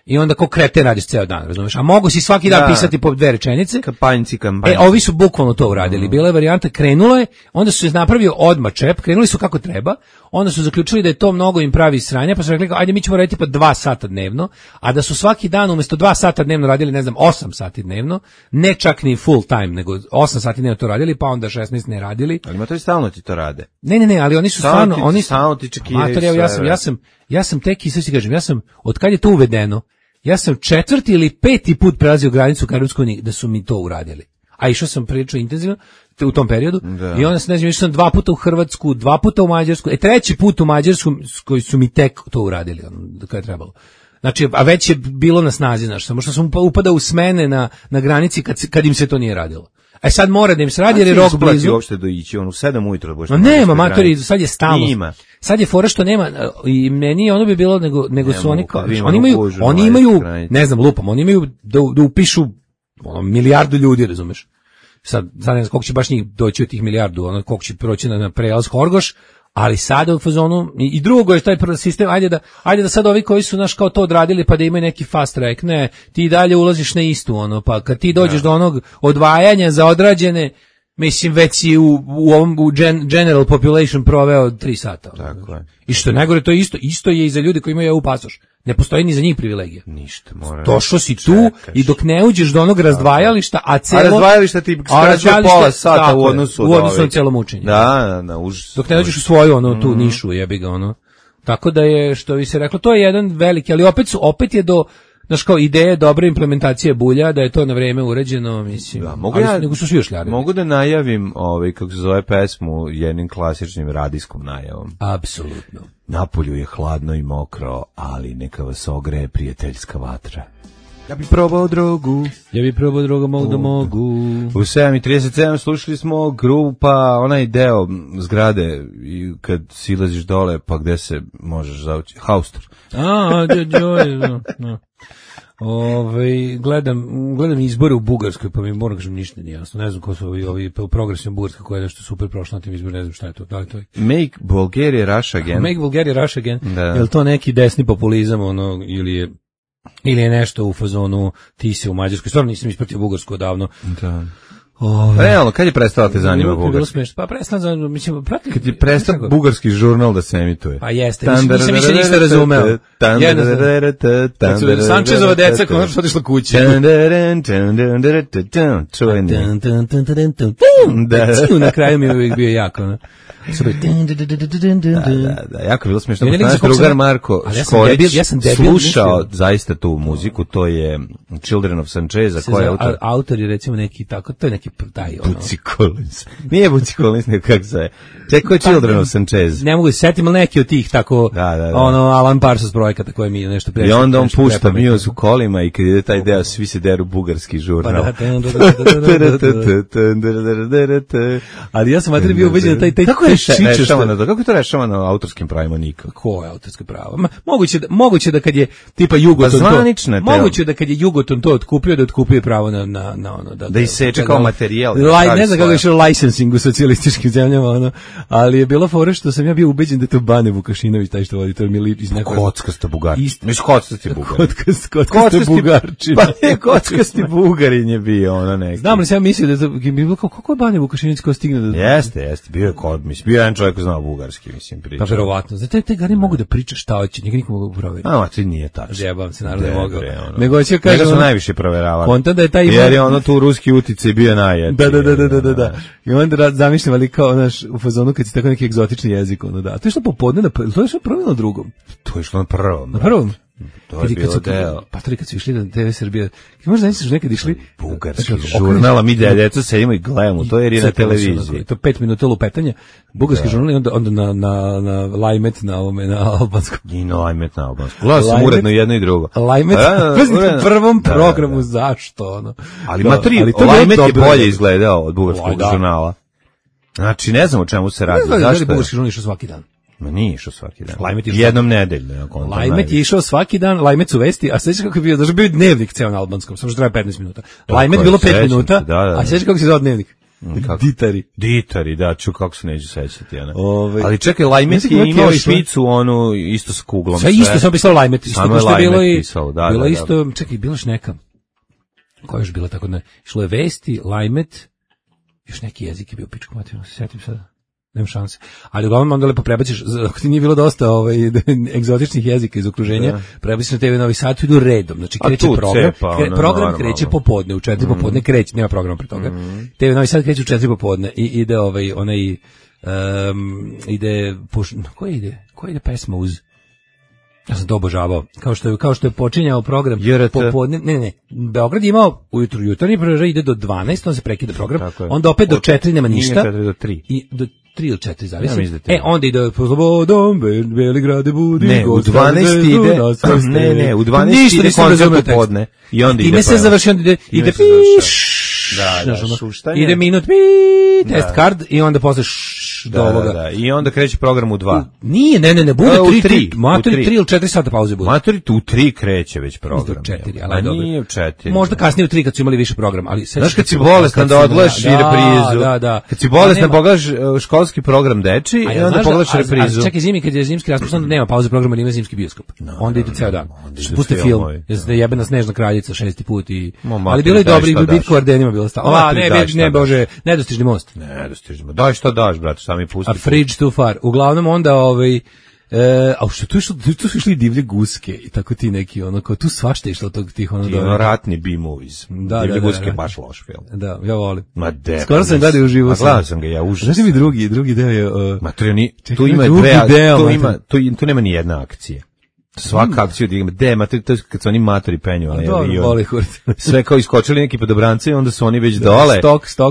Speaker 8: I onda ko kreten radiš ceo dan, razumeš? A mogu si svaki dan pisati po 2 rečenice.
Speaker 9: Kampanjci.
Speaker 8: Ovi su bukvalno to uradili. Bila je varijanta, krenulo je, onda su se napravio odmah čep, krenuli su kako treba, onda su zaključili da je to mnogo im pravi sranja, pa su rekli, ajde mi ćemo raditi pa 2 sata dnevno, a da su svaki dan umjesto 2 sata dnevno radili, ne znam, 8 sati dnevno, ne čak ni full time, nego 8 sati dnevno to radili, pa onda 16 ne radili.
Speaker 9: Ali ima to i stalno ti to rade.
Speaker 8: Ne, ali oni su stvarno,
Speaker 9: stalno ti čekiraju.
Speaker 8: Ja sam tek, i sve si kažem, od kad je to uvedeno, ja sam 4. ili 5. put prelazio granicu ka Evropskoj uniji da su mi to uradili. A išao sam prilično intenzivno u tom periodu. Da. I onda se ne znam, išao sam 2 puta u Hrvatsku, 2 puta u Mađarsku, 3. put u Mađarsku koji su mi tek to uradili, kada je trebalo. Znači, a već je bilo na snazi, znaš, samo što sam upadao u smene na granici kad im se to nije radilo. Sad mora da im se radi jer je rok blizu.
Speaker 9: Ti uopšte doići, u 7 ujutro da
Speaker 8: nema, matori, sad je stalno. Sad je fora što nema, i meni ono bi bilo, nego su oni kao, oni imaju, ne znam, lupam, oni imaju da upišu milijardu ljudi, razumeš? Sad ne znam koliko će baš njih doći od tih milijardu, koliko će proći na prelaz Horgoš, ali sada u fazonu, i drugo je taj sistem, ajde da sad ovi koji su kao to odradili pa da imaju neki fast track, ne, ti dalje ulaziš na istu, pa kad ti dođeš do onog odvajanja za odrađene, mislim već si u general population proveo 3 sata.
Speaker 9: Tako je.
Speaker 8: I što je najgore, to je isto je i za ljude koji imaju EU pasoš. Ne postoji ni za njih privilegija.
Speaker 9: Ništa, mora.
Speaker 8: Došao si tu i dok ne uđeš do onog razdvajališta, a
Speaker 9: razdvajališta ti skraćuje pola sata u odnosu
Speaker 8: na cijelo mučenje.
Speaker 9: Da, užas.
Speaker 8: Dok ne uđeš u svoju tu nišu, jebi ga Tako da je, što bi se reklo, to je jedan veliki, ali opet je do, znaš, kao ideje dobre implementacije bulja, da je to na vreme uređeno, mislim. Da, nego su svi ošljari.
Speaker 9: Mogu da najavim, kako se zove pesmu, jednim klasičnim radijskom najavom.
Speaker 8: Apsolutno.
Speaker 9: Napolju je hladno i mokro, ali neka vas ogreje prijateljska vatra. Ja bi probao drogu.
Speaker 8: Mogu da mogu.
Speaker 9: U 7:37 slušali smo grupa, onaj deo zgrade i kad silaziš dole, pa gde se možeš zaući, Haustor. Gledam izbore u Bugarskoj, pa mi moram kažem ništa nije jasno. Ne znam ko su ovi progresivna Bugarska koja je nešto super prošla na tim izborima, ne znam šta je to. Da li to je? Make Bulgaria Rush Again.
Speaker 8: Make Bulgaria Rush Again. Da. Je li to neki desni populizam, ili je nešto u fazonu ti se u Mađarskoj? Stvarno nisam ispratio Bugarsku odavno. Da.
Speaker 9: Realno, kad je prestala te zanima Bugarski?
Speaker 8: Pa prestala, mislim,
Speaker 9: kad je prestao bugarski žurnal da se emituje.
Speaker 8: Pa jeste, nisam više ništa razumeo. Sančezova deca konačno otišla kući. Na kraju mi je uvijek bio jako,
Speaker 9: Da, jako bilo smiješno. Naš drugar Marko Škorić slušao zaista tu muziku, to je Children of Sanchez, koja je autor.
Speaker 8: Autor je recimo neki tako, to je neki taj
Speaker 9: Bootsy Collins. Nije Bootsy Collins, nego kako se je. Čekaj, Children of Sanchez.
Speaker 8: Ne mogu se setiti, ali neki od tih tako, Alan Parsons projekata koje mi nešto prešli.
Speaker 9: I onda on pušta Muse u kolima i kad ide taj deo, svi se deru bugarski žurnal.
Speaker 8: Ali ja sam bio ubeđen da taj
Speaker 9: kako je to rešavano autorskim pravima nikako?
Speaker 8: Ko je autorsko pravo? Moguće da kad je tipa Jugoton
Speaker 9: to,
Speaker 8: moguće da kad je Jugoton to otkupio, da otkupio pravo na ono
Speaker 9: da iseče kao materijal.
Speaker 8: Ne znam kako je išao licensing u socijalističkim zemljama, ono, ali je bila fora što sam ja bio ubeđen da je to Bane Vukašinović, taj što vodi, to mi liči iz nekog...
Speaker 9: Kockasta Bugarčina. Mislim, kockasti Bugarin.
Speaker 8: Kockasti Bugarčina.
Speaker 9: Pa ne, kockasti Bugarin je bio, ono neki.
Speaker 8: Znam li sam ja mislio da je bilo kako je Bane Vukašinović ko stigne da...
Speaker 9: Jeste, bio je kod, mislim, bio je jedan čovjek ko znao bugarski, mislim, priča.
Speaker 8: Pa verovatno. Znate, te gari mogu da priča šta hoće, njega niko mogu provjeriti.
Speaker 9: A, to nije tačno.
Speaker 8: Zjebam se, naravno ne mogu. Nego će kažem...
Speaker 9: Njega su najviše proveravali.
Speaker 8: Konta da je taj...
Speaker 9: Jer je ono tu ruski uticaj bio najjači.
Speaker 8: Da. I onda zamišljam, ali kao, znaš, u fazonu kad si tako neki egzotični jezik, ono da. To je što popodne, to je što prvo na drugom.
Speaker 9: To je što na prvom.
Speaker 8: Na prvom?
Speaker 9: To je bilo deo.
Speaker 8: Pa kad su išli na TV Srbija, možda nisi nekad išli...
Speaker 9: Bugarski žurnal, mi djeca sedimo i gledamo, to je i na televiziji.
Speaker 8: To 5 minuta lupetanja, bugarski žurnal i onda na Lajmet, na albanskom.
Speaker 9: I na Lajmet na albanskom. Gledao sam uredno jedno i drugo.
Speaker 8: Lajmet, u prvom programu, zašto, ono?
Speaker 9: Ali Lajmet je bolje izgledao od bugarskog žurnala. Znači, ne znam o čemu se radi.
Speaker 8: Ne znam da li bugarski žurnal išao svaki dan.
Speaker 9: Ma nije išao svaki dan. Jednom nedeljno.
Speaker 8: Lajmet je išao svaki dan, Lajmet su vesti, a sveći kako je bio, znači bio dnevnik ceo na albanskom, samo što treba 15 minuta. Lajmet bilo 5 minuta, a sveći kako se zove dnevnik. Ditari, da, kako se neću sećati. Ali čekaj, Lajmet je imao špicu, onu, isto s kuglom. Sve isto, samo pisalo Lajmet, isto ko što je bilo isto, čekaj, bilo još neka, koja još bila tako, ne, išlo je vesti, Lajmet, još neki jezik je bio pičko materijalno, se sjetim sada. Nema šanse. Ali uglavnom onda lepo prebaciš, ako ti nije bilo dosta egzotičnih jezika iz okruženja, prebaciš na TV Novi Sad, idu redom. Znači kreće program, program kreće popodne, u 4 popodne kreće, nema programa pre toga. TV Novi Sad kreće u 4 popodne i ide koja ide pesma uz... Ja sam to obožavao. Kao što je počinjao program popodne. Ne. Beograd je imao ujutru jutarnji program, ide do 12, onda se prekida program. Onda opet do 4 nema ništa.
Speaker 9: Nije 4 do 3.
Speaker 8: I do 3 ili 4 zavisi. Onda ide po slobodom, Beligrade budi.
Speaker 9: Ne, u 12 ide. Ne, u 12 ide koncert popodne. I onda ide. Time
Speaker 8: se završi, onda ide ide minut, test card i onda posle do ovoga.
Speaker 9: I onda kreće program u 2.
Speaker 8: Nije, ne, bude 3. Matori 3 ili 4 sata pauze bude.
Speaker 9: Matori u 3 kreće već program.
Speaker 8: U 4, ali dobro.
Speaker 9: Nije u 4.
Speaker 8: Možda kasnije u 3 kad su imali više program, ali
Speaker 9: znaš kad si bolestan da odgledaš i reprizu. Da. Kad si bolestan pogledaš školski program deči i onda pogledaš reprizu.
Speaker 8: A čekaj, zimi kad je zimski raspust, onda nema pauze programa, ima zimski bioskop. Onda ide ceo dan. Puste film. Jeste jebena Snežna kraljica 6. put i ali bilo je dobri bitku u Ardenima bilo stalo. Ne, bože, nedostižni most.
Speaker 9: Nedostižni. Daj šta daš, brate, sami pusti.
Speaker 8: A Fridge too far. Uglavnom onda a što tu su išli divlje guske i tako ti neki ono kao tu svašta išlo tog tih ono
Speaker 9: ratni B-movies. Divlje guske je baš loš film.
Speaker 8: Da, ja volim.
Speaker 9: Skoro
Speaker 8: sam gledao uživo.
Speaker 9: Gledao sam ga ja uživo.
Speaker 8: Znaš mi drugi deo je
Speaker 9: tu ima tu nema ni jedna akcija. Svaka akcija to je kad su oni matori penju, ali sve kao iskočili neki podobranci i onda su oni već dole.
Speaker 8: Stok.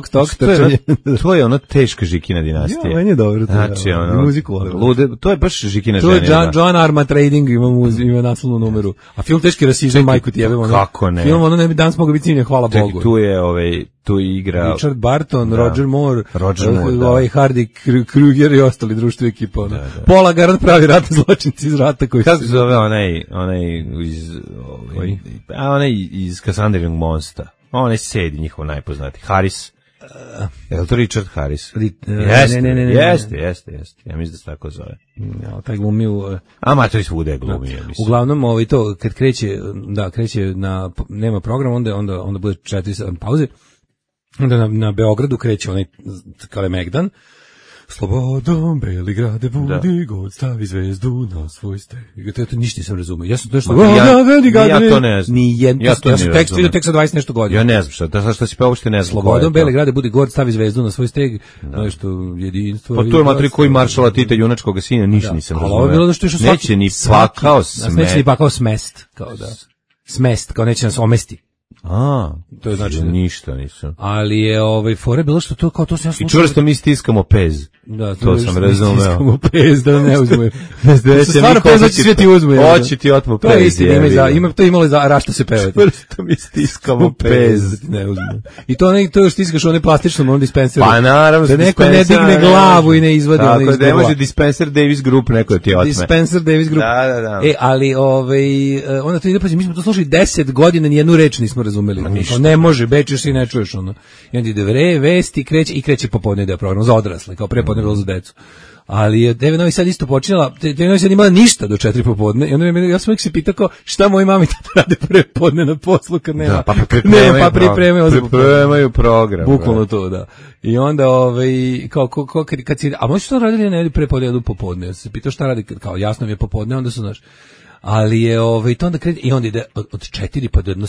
Speaker 9: To je ono teška Žikina dinastija.
Speaker 8: Ja, meni je dobro.
Speaker 9: Znači, ono,
Speaker 8: muziku volim.
Speaker 9: To je baš Žikina
Speaker 8: žena. To je John Arma Trading, ima naslovnu numeru. A film teški rasizam, majku ti jebemo.
Speaker 9: Kako ne?
Speaker 8: Film, ne bi danas mogu biti snimljen, hvala Bogu.
Speaker 9: Tu igra
Speaker 8: Richard Barton, Roger Moore, Hardy Kruger i ostali društvo ekipa. Pola garant pravi ratni zločinci iz rata koji
Speaker 9: kako se zove onaj iz Cassandrinog mosta. Onaj sedi njihov najpoznati. Harris. Je li to Richard Harris? Jeste. Ja mislim da se tako zove.
Speaker 8: Ja, taj glumi u...
Speaker 9: to je svude glumi.
Speaker 8: Uglavnom, to, kad kreće nema program, onda bude 4 pauze. Onda na Beogradu kreće onaj Kalemegdan. Slobodom, Beligrade budi, god stavi zvezdu na svoj steg. To ništa nisam razumio. Ja sam to što...
Speaker 9: Ja to ne znam.
Speaker 8: Ja sam tekst vidio tek sa 20 nešto godina.
Speaker 9: Ja ne znam šta si pa uopšte ne znam.
Speaker 8: Slobodom, Beligrade budi, god stavi zvezdu na svoj steg. Nešto jedinstvo...
Speaker 9: Pa to je matri koji maršala Tita junačkog sina, ništa nisam razumio.
Speaker 8: Ali ovo je bilo da što je što
Speaker 9: neće ni pakao smest.
Speaker 8: Neće ni pakao smest. Smest, kao neće nas omesti.
Speaker 9: To je znači ništa nisam.
Speaker 8: Ali je fore bilo što to kao to se ja
Speaker 9: slušao. I čvrsto mi stiskamo pez.
Speaker 8: Da,
Speaker 9: to sam razumeo.
Speaker 8: Stiskamo pez da ne uzme. Stvarno pez hoće sve ti uzme.
Speaker 9: Hoće ti otmu pez.
Speaker 8: To je istina, to imalo za rašta se pevati.
Speaker 9: Čvrsto mi stiskamo pez.
Speaker 8: Ne uzme. I to stiskaš one plastičnom onom dispenseru.
Speaker 9: Pa naravno.
Speaker 8: Da neko ne digne glavu i ne izvadi ono iz
Speaker 9: glavu. Tako da ne može Dispenser Davis Group neko ti otme.
Speaker 8: Dispenser Davis Group.
Speaker 9: Da.
Speaker 8: Ali onda to ide pa mi smo to slušali 10 godina, ni jednu reč nismo nismo razumeli. Ne može, Beč još i ne čuješ ono. I onda ide vesti, kreće popodne ide program za odrasle, kao prepodne bilo za decu. Ali je TV Novi Sad isto počinjala, TV Novi Sad imala ništa do 4 popodne. I onda ja sam uvijek se pitao kao, šta moji mami tada rade prepodne na poslu kad nema,
Speaker 9: da, pa
Speaker 8: pripremaju
Speaker 9: program.
Speaker 8: Bukvalno to, da. I onda, kad si, a možeš što radili ne prepodne, jedu popodne. Ja sam se pitao šta radi, kao jasno mi je popodne, onda su, znaš, ali je, to onda kredi, i onda ide od 4 pa do jedno,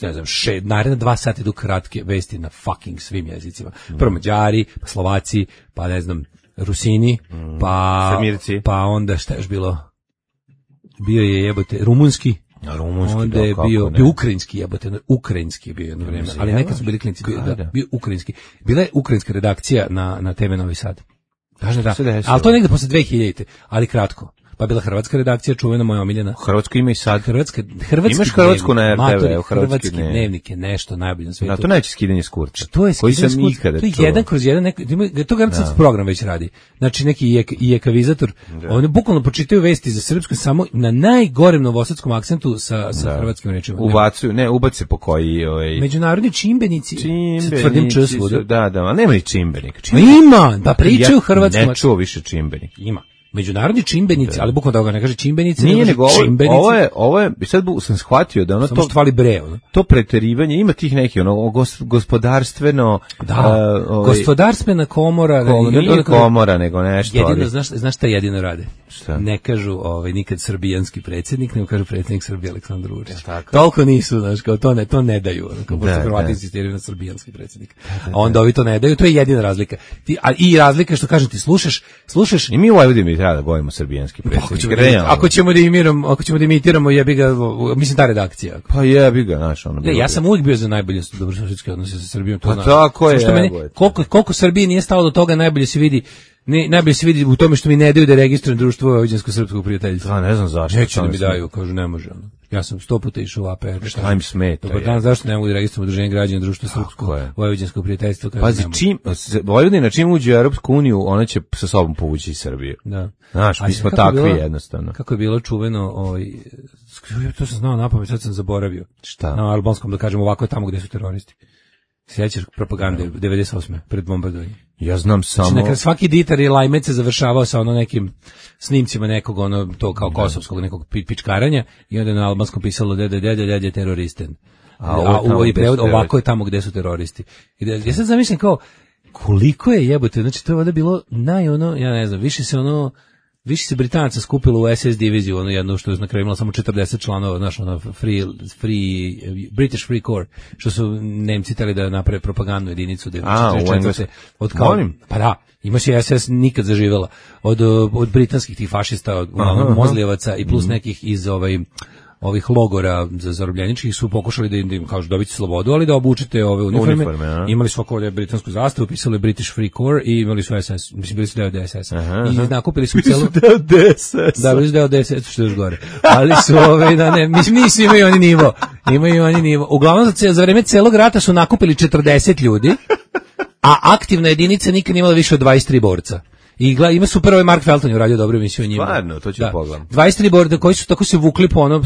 Speaker 8: ne znam, naredne 2 sata idu kratke vesti na fucking svim jezicima. Prvo Mađari, pa Slovaci, pa ne znam, Rusini, pa onda šta je još bilo? Bio je jebote rumunski. Onda je bio ukrajinski jebote, ukrajinski je bio jedno vreme, ali nekad su bili klinci, bio ukrajinski. Bila je ukrajinska redakcija na TV Novi Sad. Da. Ali to je negde posle 2000-te, ali kratko. Pa bila hrvatska redakcija, čuvena moja omiljena.
Speaker 9: Hrvatsko ima i sad.
Speaker 8: Hrvatski
Speaker 9: imaš Hrvatsku na RTV,
Speaker 8: hrvatski dnevnik je nešto najbolje na svijetu.
Speaker 9: Da, to neće skidanje s kurca.
Speaker 8: To je skidanje s kurca. To je jedan kroz jedan, to garantiran program već radi. Znači neki ijekavizator, oni bukvalno pročitaju vesti za srpsku samo na najgorem novosadskom akcentu sa hrvatskim rečima.
Speaker 9: Ubace po koji
Speaker 8: međunarodni čimbenici. Tvrdim č svuda.
Speaker 9: Da, ali nema ni čimbenika.
Speaker 8: Ima, da pričaju hrvatskom.
Speaker 9: Ne čuo više čimbenik.
Speaker 8: Ima. Međunarodni čimbenici, ali bukvalno da ga ne kaže čimbenici,
Speaker 9: nije nego ovo je, sad sam shvatio da ono
Speaker 8: samo to hvali bre, ono.
Speaker 9: To preterivanje ima tih neki gospodarstveno,
Speaker 8: gospodarstvena komora,
Speaker 9: nije komora nego nešto.
Speaker 8: Jedino znaš šta jedino rade? Šta? Ne kažu nikad srbijanski predsjednik, nego kažu predsjednik Srbije Aleksandar Vučić. Toliko nisu, znaš, kao to ne daju, kao pošto Hrvati insistiraju na srbijanski predsjednik. A onda ovi to ne daju, to je jedina razlika. I razlika što kažem ti slušaš
Speaker 9: i mi u Vojvodini treba da govorimo srbijanski predsjednik.
Speaker 8: Ako ćemo da imitiramo, jebi ga, mislim ta redakcija.
Speaker 9: Pa jebi ga, znaš, ono.
Speaker 8: Ja sam uvijek bio za najbolje dobrosusjedske odnose sa Srbijom, to
Speaker 9: znaš. Pa tako je.
Speaker 8: Koliko Srbiji nije stalo do toga, najbolje se vidi u tome što mi ne daju da registrujem društvo vojvođansko-srpskog prijateljstva.
Speaker 9: Da, ne znam zašto.
Speaker 8: Neće da mi daju, kažu ne može. Ono. Ja sam 100 puta išao u APR.
Speaker 9: Šta im smeta?
Speaker 8: Dobar dan, zašto ne mogu da registrujem udruženje građana društva srpskog vojvođanskog prijateljstva?
Speaker 9: Pazi, Vojvodina čim uđe u Europsku uniju, ona će sa sobom povući Srbiju.
Speaker 8: Da.
Speaker 9: Znaš, mi smo takvi jednostavno.
Speaker 8: Kako je bilo čuveno, to sam znao napamet, sad sam zaboravio.
Speaker 9: Šta?
Speaker 8: Na albanskom, da kažem, ovako je tamo gde su teroristi. Sjećaš propagande 98. pred bombardovanje?
Speaker 9: Ja znam samo.
Speaker 8: Znači, svaki ditar i lajmet se završavao sa nekim snimcima nekog to kao kosovskog nekog pičkaranja i onda na albanskom pisalo dede teroristen. A u prevod ovako je tamo gde su teroristi. Ja sad zamislim kao koliko je jebote, znači to je valjda bilo ja ne znam, više se Britanaca skupilo u SS diviziju, jedno što je na kraju imalo samo 40 članova, znaš, British Free Corps, što su Nemci tali da naprave propagandnu jedinicu.
Speaker 9: U Engleskoj.
Speaker 8: Pa da, imaš i SS nikad zaživela. Od britanskih tih fašista, od Mozlijevaca i plus nekih iz ovih logora za zarobljeničkih su pokušali da im kažu dobiti slobodu, ali da obučete ove uniforme. Imali su ovdje britansku zastavu, pisali British Free Corps i imali su SS, mislim bili su deo DSS. I nakupili su celu...
Speaker 9: Bili su deo DSS.
Speaker 8: Da, bili su deo DSS, što je još gore. Ali su mislim nisu, imaju oni nivo. Uglavnom za vreme celog rata su nakupili 40 ljudi, a aktivna jedinica nikad nije imala više od 23 borca. I ima super Mark Felton je uradio dobru emisiju o njima.
Speaker 9: Stvarno, to ću pogledati.
Speaker 8: 23 borda koji su tako se vukli po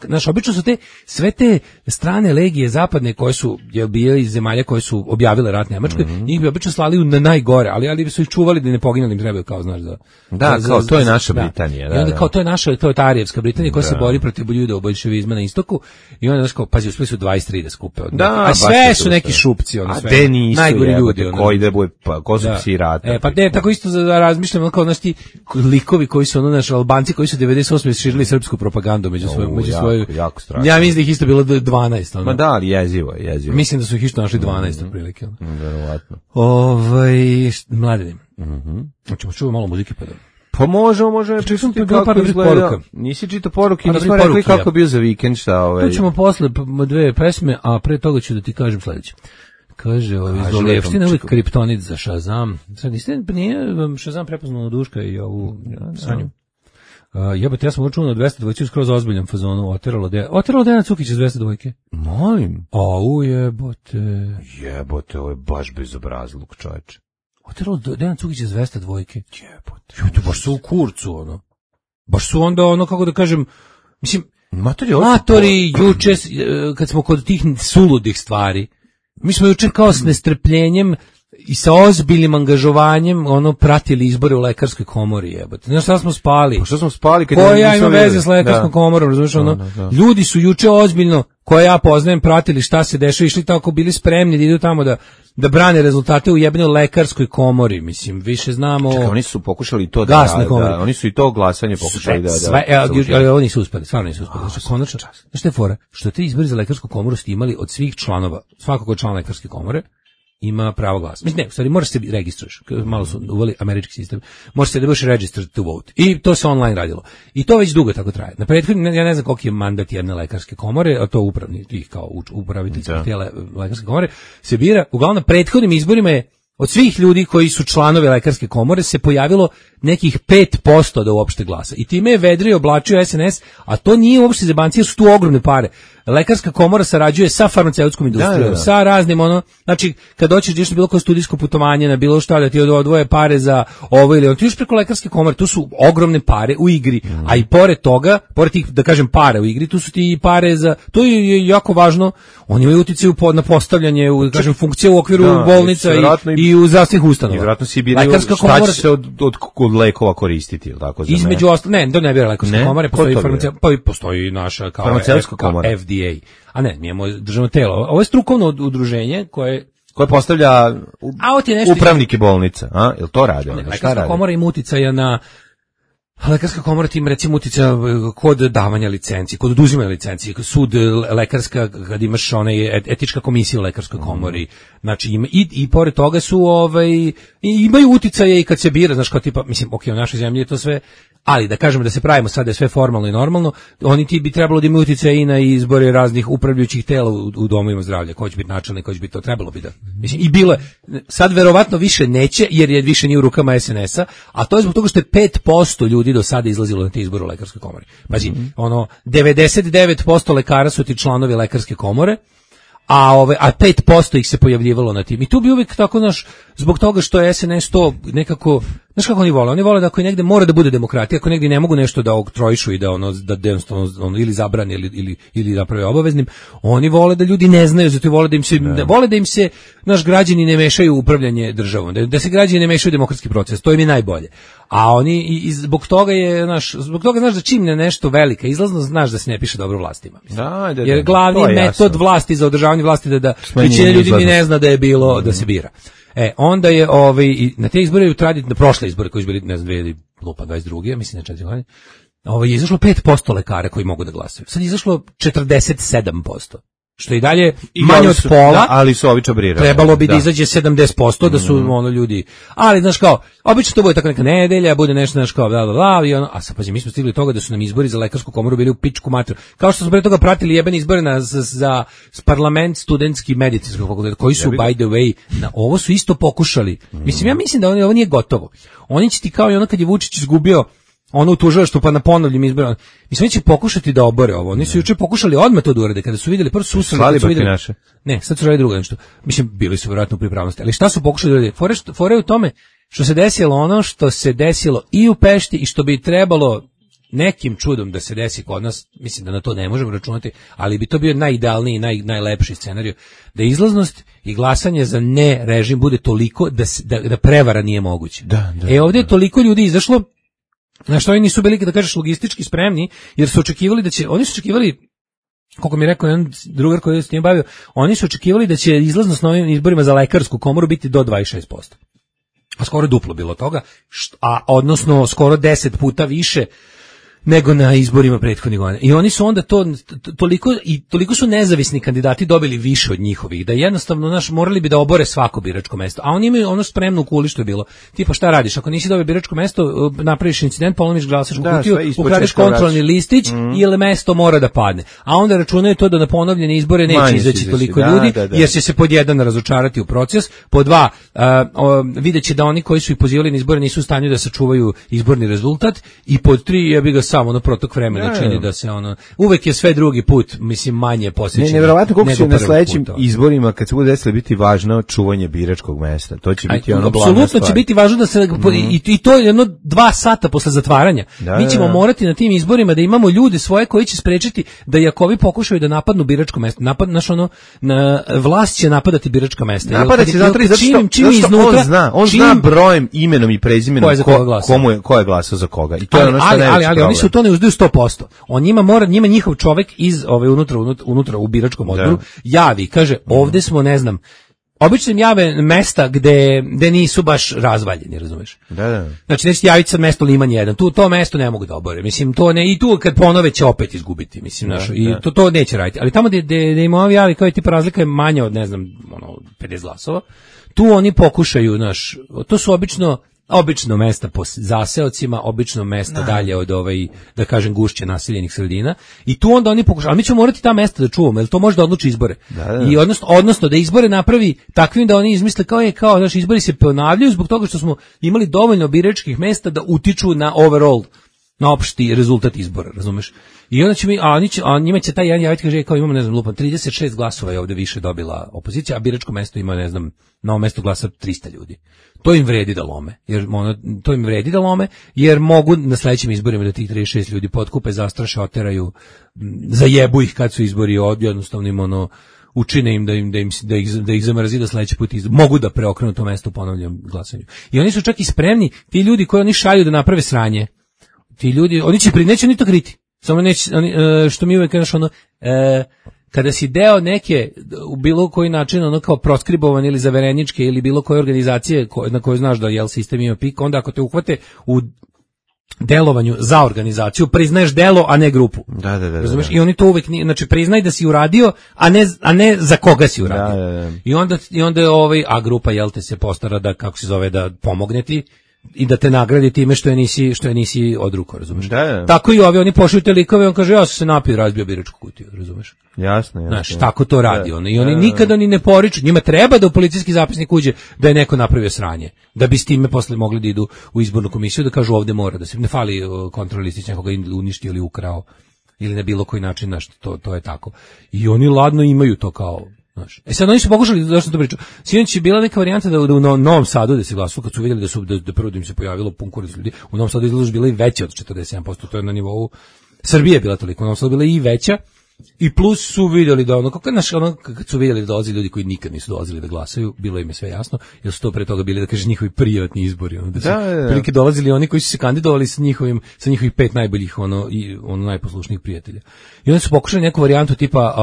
Speaker 8: znaš, obično su sve te strane legije zapadne koje su bile iz zemalja koje su objavile rat Nemačkoj, njih bi obično slali na najgore, ali su ih čuvali da ne poginu, im trebaju kao, znaš,
Speaker 9: to je naša Britanija.
Speaker 8: I onda kao to je ta Arijevska Britanija koja se bori protiv bolševizma na istoku i onda, znaš, kao, pazi, uspeli su 23 da skupe. A sve su neki šupci, najgori ljudi.
Speaker 9: Ko su psi rata?
Speaker 8: Pa tako isto razmišljam, kao znaš ti likovi koji su naši Albanci koji su 98. širili srpsku propagandu među svoju.
Speaker 9: Jako strašno.
Speaker 8: Ja mislim da ih isto bilo 12.
Speaker 9: Ma da, ali jezivo.
Speaker 8: Mislim da su ih isto našli 12 otprilike.
Speaker 9: Verovatno.
Speaker 8: Mladine. Hoćemo čuti malo muzike pa da.
Speaker 9: Pa možemo čitati kako izgleda. Nisi čitao poruke, nismo rekli kako bio za vikend, šta
Speaker 8: To ćemo posle dve pesme, a pre toga ću da ti kažem sledeće. Kaže, Zolijevština uvijek kriptonit za Shazam. Sad nije Shazam prepoznao Duška i ovu Sanju. Jebote, ja sam učuo na 202 skroz ozbiljnom fazonu. Oteralo Dejana Cukić iz 202.
Speaker 9: Molim.
Speaker 8: Jebote,
Speaker 9: ovo je baš bezobrazluk, čoveče.
Speaker 8: Oteralo Dejana Cukić iz 202. Jebote. Baš su u kurcu, Baš su onda, kako da kažem, mislim, Matori, juče, kad smo kod tih suludih stvari, mi smo juče kao s nestrpljenjem i sa ozbiljnim angažovanjem pratili izbore u lekarskoj komori, jebote. Znaš šta smo spali?
Speaker 9: Pa što smo spali kad
Speaker 8: ja imam veze s lekarskom komorom, razumiješ Ljudi su juče ozbiljno, koje ja poznajem, pratili šta se dešava, išli tako, bili spremni da idu tamo da brane rezultate u jebenoj lekarskoj komori, mislim, više znamo.
Speaker 9: Čekaj, oni su pokušali to da oni su i to glasanje pokušali
Speaker 8: ali oni nisu uspeli, stvarno nisu uspeli. Znači, konačno, znaš šta je fora? Što te izbori za lekarsku komoru ste imali od svih članova, svakog od člana lekarske komore, ima pravo glasa. Mislim, ne, u stvari, moraš se registruješ. Malo su uveli američki sistem. Možeš se da budeš registered to vote. I to se online radilo. I to već dugo tako traje. Na prethodnim, ja ne znam koliki je mandat jedne lekarske komore, a to upravni, tih kao upraviteljskih tijela lekarske komore, se bira. Uglavnom, na prethodnim izborima je od svih ljudi koji su članovi lekarske komore se pojavilo nekih 5% da uopšte glasa. I time je vedrio oblačio SNS, a to nije uopšte zebancija, jer su tu ogromne pare. Lekarska komora sarađuje sa farmaceutskom industrijom, sa raznim znači kad dođeš bilo koje studijsko putovanje na bilo šta da ti odvoje pare za ovo ili ti još preko lekarske komore, tu su ogromne pare u igri, a i pored toga, pored tih da kažem pare u igri, tu su ti i pare za, to je jako važno, oni imaju uticaj na postavljanje, kažem funkcije u okviru bolnica i u zdravstvenih ustanova.
Speaker 9: Vjerojatno si biraju šta će se od lekova koristiti, ili tako?
Speaker 8: Između ostalo, ne bira lekarske komore, postoji naša kao
Speaker 9: farmaceutska komora.
Speaker 8: FDA. A ne, mi imamo državno telo. Ovo je strukovno udruženje koje
Speaker 9: postavlja upravnike bolnica, a? Jel to radi?
Speaker 8: Lekarska komora ima uticaja na lekarska komora tim recimo uticaja kod davanja licenci, kod oduzimanja licenci, sud lekarska, kad imaš etička komisija u lekarskoj komori, znači ima i pored toga su imaju uticaje i kad se bira, znaš kao tipa, mislim, u našoj zemlji je to sve, ali da kažemo da se pravimo sad da je sve formalno i normalno, oni ti bi trebalo da imaju uticaje i na izbore raznih upravljajućih tela u domovima zdravlja, ko će biti načelnik, ko će biti to, trebalo bi da. Mislim, i bilo je, sad verovatno više neće, jer je više nije u rukama SNS-a, a to je zbog toga što je 5% ljudi do sada izlazilo na te izbore u lekarskoj komori. Pazi, 99% lekara su ti članovi lekarske komore, a 5% ih se pojavljivalo na tim. I tu bi uvijek tako, zbog toga što je SNS to nekako, znaš kako oni vole? Oni vole da ako negde mora da bude demokratija, ako negde ne mogu nešto da oktrojišu i da jednostavno ili zabrani ili naprave obaveznim, oni vole da ljudi ne znaju, zato vole da im se naš građani ne mešaju u upravljanje državom, da se građani ne mešaju u demokratski proces, to im je najbolje. A oni i zbog toga znaš da čim ne nešto velika izlaznost, znaš da se ne piše dobro vlastima. Jer glavni metod vlasti za održavanje vlasti da većina ljudi ni ne zna da je bilo da se bira. Onda je na te izbore na prošle izbore koji su bili, ne znam, 2022, mislim na 4 godine, je izašlo 5% lekara koji mogu da glasaju. Sad je izašlo 47%. Što i dalje manje od pola,
Speaker 9: ali su ovi čabrirali.
Speaker 8: Trebalo bi da izađe 70%, da su ljudi. Ali znaš kao, obično to bude tako neka nedelja, bude nešto znaš kao i a sad pazi, mi smo stigli do toga da su nam izbori za lekarsku komoru bili u pičku materiju. Kao što smo pre toga pratili jebeni izbore za parlament studentski medicinskog fakulteta, koji su by the way, ovo su isto pokušali. Mislim, ja mislim da ovo nije gotovo. Oni će ti kao i kad je Vučić izgubio u tužilaštvu pa na ponovljim izborima. Mislim, će pokušati da obore ovo. Oni su juče pokušali odmah to da urade. Kada su vidjeli, prvo su vidjeli. Ne, sad su radili drugo nešto. Mislim, bili su vjerojatno u pripravnosti. Ali šta su pokušali da urade? Fore u tome što se desilo ono što se desilo i u Pešti i što bi trebalo nekim čudom da se desi kod nas, mislim da na to ne možemo računati, ali bi to bio najidealniji, najlepši scenarij, da izlaznost i glasanje za ne režim bude toliko da prevara nije moguće. Ovdje je toliko ljudi izašlo, na što oni nisu bili, da kažeš, logistički spremni, jer su očekivali oni su očekivali, koliko mi je rekao jedan drugar koji se tim bavio, oni su očekivali da će izlaznost na ovim izborima za lekarsku komoru biti do 26%. A skoro duplo bilo toga, odnosno skoro 10 puta više nego na izborima prethodnih godina. I oni su onda toliko su nezavisni kandidati dobili više od njihovih, da jednostavno morali bi da obore svako biračko mesto. A oni imaju ono spremno u kuli što je bilo. Tipa šta radiš? Ako nisi dobio biračko mesto, napraviš incident, polomiš glasačku kutiju, ukradeš kontrolni listić ili mesto mora da padne. A onda računaju to da na ponovljene izbore neće izaći toliko ljudi, jer će se pod jedan razočarati u proces, pod dva vidjet će da oni koji su ih pozivali na izbore nisu u stanju da sačuvaju izborni rezultat, i pod tri, ja bih ga samo ono protok vremena čini da se ono, uvek je sve drugi put, mislim, manje posvećeno.
Speaker 9: Neverovatno koliko će na sledećim izborima, kad se bude desilo, biti važno čuvanje biračkog mesta. To će biti ono glavna stvar.
Speaker 8: Apsolutno će biti važno da se, i to je jedno 2 sata posle zatvaranja. Mi ćemo morati na tim izborima da imamo ljude svoje koji će sprečiti da Jakovi pokušaju da napadnu biračko mesto. Vlast će napadati biračka mesta.
Speaker 9: Napada će zato što on zna brojem, imenom i prezimenom ko je glasao za koga. I to je ono što
Speaker 8: ali oni su to ne uzdaju 100%. On njima njihov čovek iz unutra u biračkom odboru javi, kaže, ovde smo, ne znam, obično im jave mesta gde nisu baš razvaljeni, razumeš?
Speaker 9: Da.
Speaker 8: Znači, neće javiti sad mesto Liman 1, to mesto ne mogu da obore. Mislim, to ne, i tu kad ponove će opet izgubiti, mislim, i to neće raditi. Ali tamo gde im ovi javi, kao je tipa razlika je manja od, ne znam, 50 glasova, tu oni pokušaju, to su obično mesta po zaseocima, obično mesta dalje od da kažem, gušće naseljenih sredina, i tu onda oni pokušaju, ali mi ćemo morati ta mesta da čuvamo, jer to može da odluči izbore. I odnosno da izbore napravi takvim da oni izmisle kao naši izbori se ponavljaju zbog toga što smo imali dovoljno biračkih mesta da utiču na overall, na opšti rezultat izbora, razumeš? I onda će njima će taj jedan javiti, kaže, kao imamo, ne znam, lupam, 36 glasova je ovde više dobila opozicija, a biračko mesto ima, ne znam, na ovom mestu glasa 300 ljudi. To im vredi da lome, jer mogu na sledećim izborima da tih 36 ljudi potkupe, zastraše, oteraju, zajebu ih kad su izbori, jednostavno im učine im da ih zamrzi da sledeći put mogu da preokrenu to mesto u ponovljenom glasanju. I oni su čak i spremni, ti ljudi koji oni šalju da naprave sranje, ti ljudi, oni će neće ni to kriti. Samo neće, što mi uvek kažeš, kada si deo neke, u bilo koji način, kao proskribovan ili zavereničke ili bilo koje organizacije na kojoj znaš da sistem ima pik, onda ako te uhvate u delovanju za organizaciju, priznaješ delo, a ne grupu.
Speaker 9: Da.
Speaker 8: Razumeš? I oni to uvek, znači priznaj da si uradio, a ne za koga si uradio.
Speaker 9: Da.
Speaker 8: I onda a grupa, te se postara da, kako se zove, da pomogne ti i da te nagradi time što je nisi odruko, razumeš?
Speaker 9: Da.
Speaker 8: Tako i oni pošalju te likove, on kaže, ja sam se napio, razbio biračku kutiju, razumeš?
Speaker 9: Jasno.
Speaker 8: Znaš, tako to radi on. I oni nikada ni ne poriču, njima treba da u policijski zapisnik uđe da je neko napravio sranje, da bi s time posle mogli da idu u izbornu komisiju, da kažu ovde mora, da se ne fali kontrolistić nekoga uništio ili ukrao, ili na bilo koji način, znaš, to je tako. I oni ladno imaju to kao, znaš. Sad oni su pokušali, zašto to pričam, sinoć je bila neka varijanta da u Novom Sadu da se glasuje, kad su vidjeli da prvo da im se pojavilo pun kurac ljudi, u Novom Sadu izlaž bila i veća od 47%, to je na nivou Srbije bila toliko, u Novom Sadu bila i veća, i plus su vidjeli da kad su vidjeli da dolazi ljudi koji nikad nisu dolazili da glasaju, bilo im je sve jasno, jer su to pre toga bili, da kaže, njihovi privatni izbori, da su prilike dolazili oni koji su se kandidovali sa njihovih 5 najboljih najposlušnijih prijatelja. I onda su pokušali neku varijantu tipa,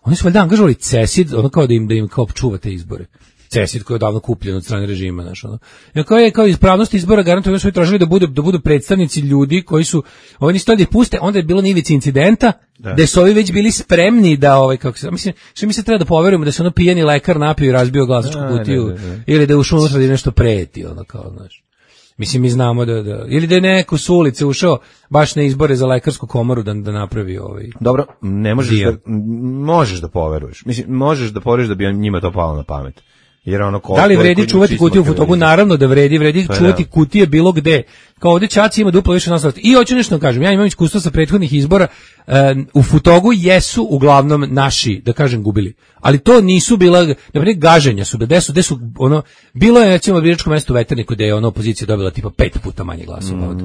Speaker 8: oni su valjda angažovali CESID, kao da im kao čuva te izbore. CESID koji je odavno kupljen od strane režima, znaš, kao ispravnost izbora garantuju, su tražili da budu predstavnici ljudi koji su, oni su to da puste, onda je bilo na ivici incidenta, gde su ovi već bili spremni da, mi se treba da poverujemo da se pijeni lekar napio i razbio glasačku kutiju, ili da je ušao unutra da nešto preti, kao, znaš. Mislim, mi znamo da ili da je neko s ulice ušao baš na izbore za lekarsku komoru da napravi
Speaker 9: Dobro, ne možeš da poveruješ. Mislim, možeš da poveruješ da bi njima to palo na pamet. Jer
Speaker 8: da li vredi čuvati kutiju u fotogu? Naravno da vredi čuvati kutije bilo gde. Kao ovdje Čaci ima duplo više nas. I hoću nešto da kažem, ja imam iskustvo sa prethodnih izbora, u fotogu jesu uglavnom naši, da kažem, gubili. Ali to nisu bila, naprimjer, gaženja su, gde su bilo je, recimo, biračko mesto u Veterniku gde je opozicija dobila tipa 5 puta manje glasova.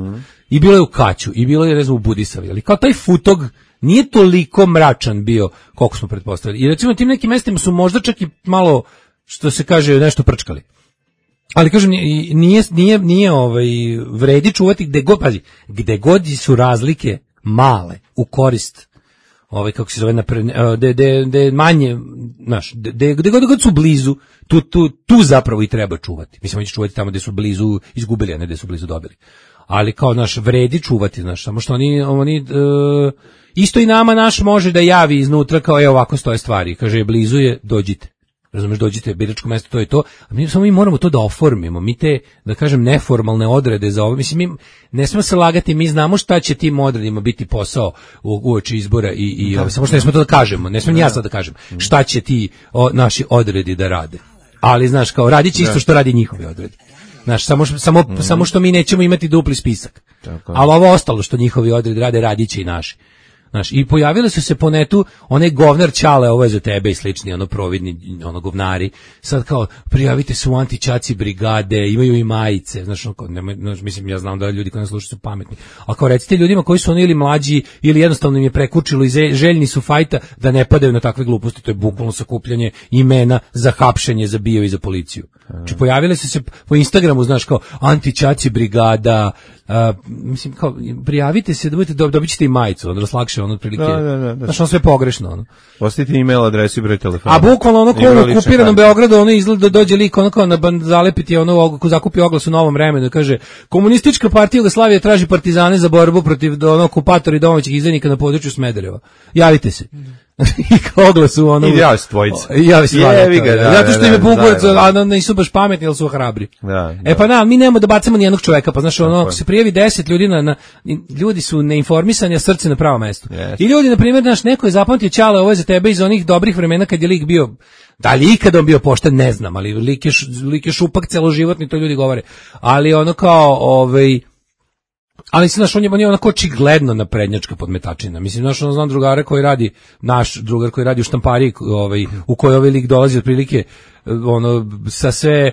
Speaker 8: I bilo je u Kaću, i bilo je, recimo, u Budisavi. Ali kao taj fotog nije toliko mračan bio koliko smo pretpostavili. I recimo tim nekim mestima su možda čak i malo, što se kaže, nešto prčkali. Ali kažem, nije vredi čuvati gde god su razlike male u korist, kako se zove, gde manje, znaš, gde god su blizu, tu zapravo i treba čuvati. Mislim, oni će čuvati tamo gde su blizu izgubili, a ne gde su blizu dobili. Ali kao, naš, vredi čuvati, znaš, samo što oni isto i nama naš može da javi iznutra kao, ovako stoje stvari, kaže, blizu je, dođite. Razumeš, dođite, biračko mesto, to je to, a mi moramo to da oformimo, mi te, da kažem, neformalne odrede za ovo, mislim, mi ne smemo se lagati, mi znamo šta će tim odredima biti posao uoči izbora i samo što ne smemo to da kažemo, ne smemo ni ja sad da kažem, šta će ti naši odredi da rade, ali, znaš, kao, radit će isto što radi njihovi odredi, znaš, samo što mi nećemo imati dupli spisak. Ali ovo ostalo što njihovi odredi rade, radiće i naši. Znaš, i pojavile su se po netu onaj govnar Ćale, ovo je za tebe i slični, ono providni, ono govnari. Sad kao, prijavite se u antićaci brigade, imaju i majice. Znaš, ono, mislim, ja znam da ljudi koji nas slušaju su pametni. Ali kao recite ljudima koji su oni ili mlađi, ili jednostavno im je prekučilo i željni su fajta da ne padaju na takve gluposti. To je bukvalno sakupljanje imena za hapšenje, za bio i za policiju. Znači, pojavile su se po Instagramu, znaš, kao antićaci brigada, mislim, kao, prijavite se da budete, dobit ćete i majicu, onda vas lakše, ono, otprilike, znaš, ono sve pogrešno, ono.
Speaker 9: Ostavite email adresu i broj telefona.
Speaker 8: A bukvalno, ono, ko u okupiranom Beogradu, ono, izgleda da dođe lik, ono, kao zalepiti, ono, ko zakupi oglas u Novom vremenu, da kaže, Komunistička partija Jugoslavije traži partizane za borbu protiv, ono, okupatora i domaćih izdajnika na području Smedereva. Javite se. I kao oglas u ono...
Speaker 9: I javi se dvojice.
Speaker 8: Javi se zato što im je Bugovac, a nisu baš pametni, ali su hrabri. Pa da, mi nemamo da bacamo nijednog čoveka, pa znaš, ono, ako se prijavi 10 ljudi, ljudi su neinformisani, a srce na pravo mesto. I ljudi, na primjer, znaš, neko je zapamtio Ćale, ovo je za tebe iz onih dobrih vremena kad je lik bio, da li ikada on bio pošten, ne znam, ali lik je šupak celoživotni, to ljudi govore. Ali ono kao, ali znaš, on je onako očigledno naprednjačka podmetačina. Mislim, znaš, znam drugara koji radi, naš drugar koji radi u štampariji, u kojoj ovaj lik dolazi otprilike, ono, sa sve,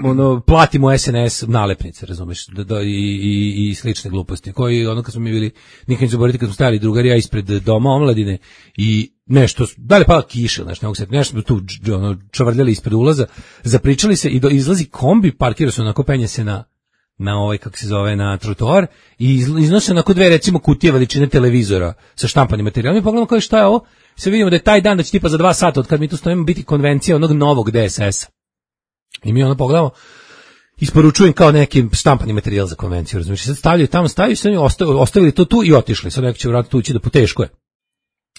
Speaker 8: ono, platimo SNS nalepnice, razumeš, i slične gluposti, koji, ono, kad smo mi bili, nikad ne zaboraviti, kad smo stajali drugari, ja ispred doma omladine, i nešto, da li pada kiša, znaš, nešto smo tu, ono, čavrljali ispred ulaza, zapričali se i izlazi kombi, parkira se onako, penje se na ovaj, kako se zove, na trotoar i iznose onako dve, recimo, kutije veličine televizora sa štampanim materijalom i pogledamo kao šta je ovo, se vidimo da je taj dan da će tipa za 2 sata od kad mi tu stojimo biti konvencija onog novog DSS-a. I mi ono pogledamo, isporučujem kao neki štampani materijal za konvenciju, razumiješ, sad stavljaju tamo, se oni ostavili to tu i otišli, sad neko će vratiti tu ući da poteško je.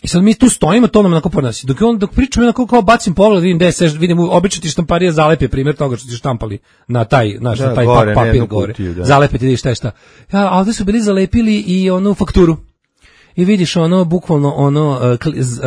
Speaker 8: I sad mi tu stojimo, to nam onako podnosi. Dok pričam, onako kao bacim pogled, vidim DSS, vidim obično ti štamparija zalepe primjer toga što ti štampali na taj, znaš, na taj papir gore. Zalepe ti šta je šta. Ja, a ovdje su bili zalepili i onu fakturu. I vidiš ono, bukvalno ono,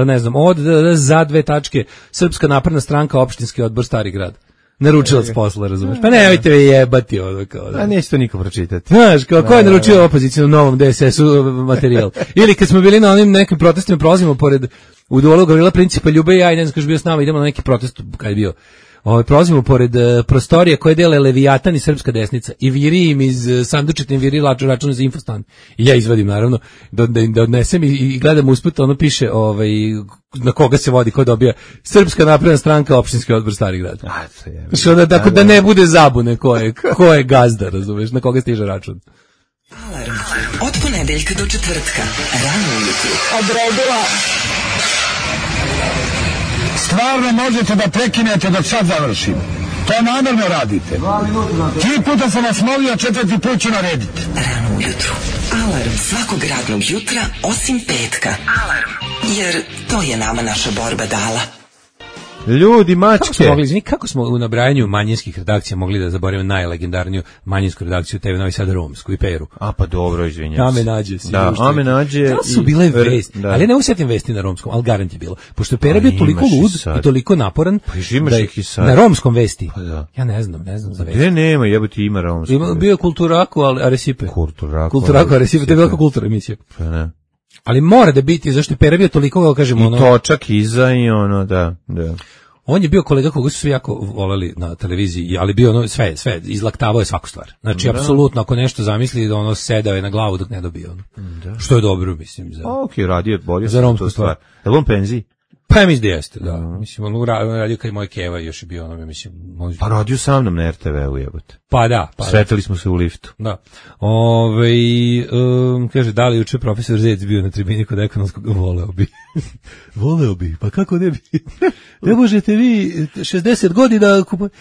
Speaker 8: ne znam, od za 2 tačke, Srpska napredna stranka, opštinski odbor Stari grad. Naručilac posla, razumeš? Pa nemojte me jebati ono kao da.
Speaker 9: A neće to niko pročitati.
Speaker 8: Znaš, kao ko je naručio opoziciju novom DSS-u materijal? Ili kad smo bili na onim nekim protestima, prolazimo pored u Dolu Gavrila Principa Ljube i ja, i ne znam kaš bio s nama, idemo na neki protest, kad je bio. Prolazimo pored prostorije koje dele Leviatan i Srpska desnica i viri im iz sandučeta im viri račun za Infostan. I ja izvadim naravno da odnesem i gledam usput, ono piše na koga se vodi, ko dobija Srpska napredna stranka, opštinski odbor Stari grad. Što da ne bude zabune ko je gazda, razumeš, na koga stiže račun.
Speaker 10: Alarm od ponedeljka do četvrtka, rano ujutru. Odredila.
Speaker 11: Stvarno možete da prekinete dok sad završim. To namjerno radite. 3 puta sam vas molio, 4. put ću narediti.
Speaker 10: Rano ujutru. Alarm svakog radnog jutra osim petka. Alarm. Jer to je nama naša borba dala.
Speaker 9: Ljudi, mačke.
Speaker 8: Kako smo u nabrajanju manjinskih redakcija mogli da zaboravimo najlegendarniju manjinsku redakciju TV Novi Sad romsku i Peru.
Speaker 9: A pa dobro, izvinjam se.
Speaker 8: Ame nađe.
Speaker 9: Da, Ame nađe.
Speaker 8: Da su bile vesti, ali ne usetim vesti na romskom, ali garant je bilo. Pošto je Pera bio toliko lud i toliko naporan
Speaker 9: da je
Speaker 8: na romskom vesti. Pa da. Ja ne znam za vesti.
Speaker 9: Nema, jebote ima romsko.
Speaker 8: Bio je Kulturaku, ali Aresipe.
Speaker 9: Kulturaku,
Speaker 8: Aresipe, to je velika kultura emisija.
Speaker 9: Pa ne.
Speaker 8: Ali mora da biti, zašto je Pera bio toliko, kako kažemo, ono...
Speaker 9: I točak iza i ono, da.
Speaker 8: On je bio kolega koga su svi jako voleli na televiziji, ali bio ono sve, izlaktavao je svaku stvar. Znači, apsolutno, ako nešto zamisli, da ono sedao je na glavu dok ne dobije ono. Što je dobro, mislim, za...
Speaker 9: Okej, radio je bolje
Speaker 8: za romsku stvar.
Speaker 9: Je li on penziji?
Speaker 8: Pa ja mislim da jeste, da. Mislim, on radio kad je moj Keva još je bio ono, mislim...
Speaker 9: Pa radio sa mnom na RTV-u, jebote.
Speaker 8: Pa da.
Speaker 9: Sretali smo se u liftu.
Speaker 8: Da. Kaže, da li juče profesor Zec bio na tribini kod ekonomskog? Voleo bi, pa kako ne bi? Ne možete vi 60 godina kupati.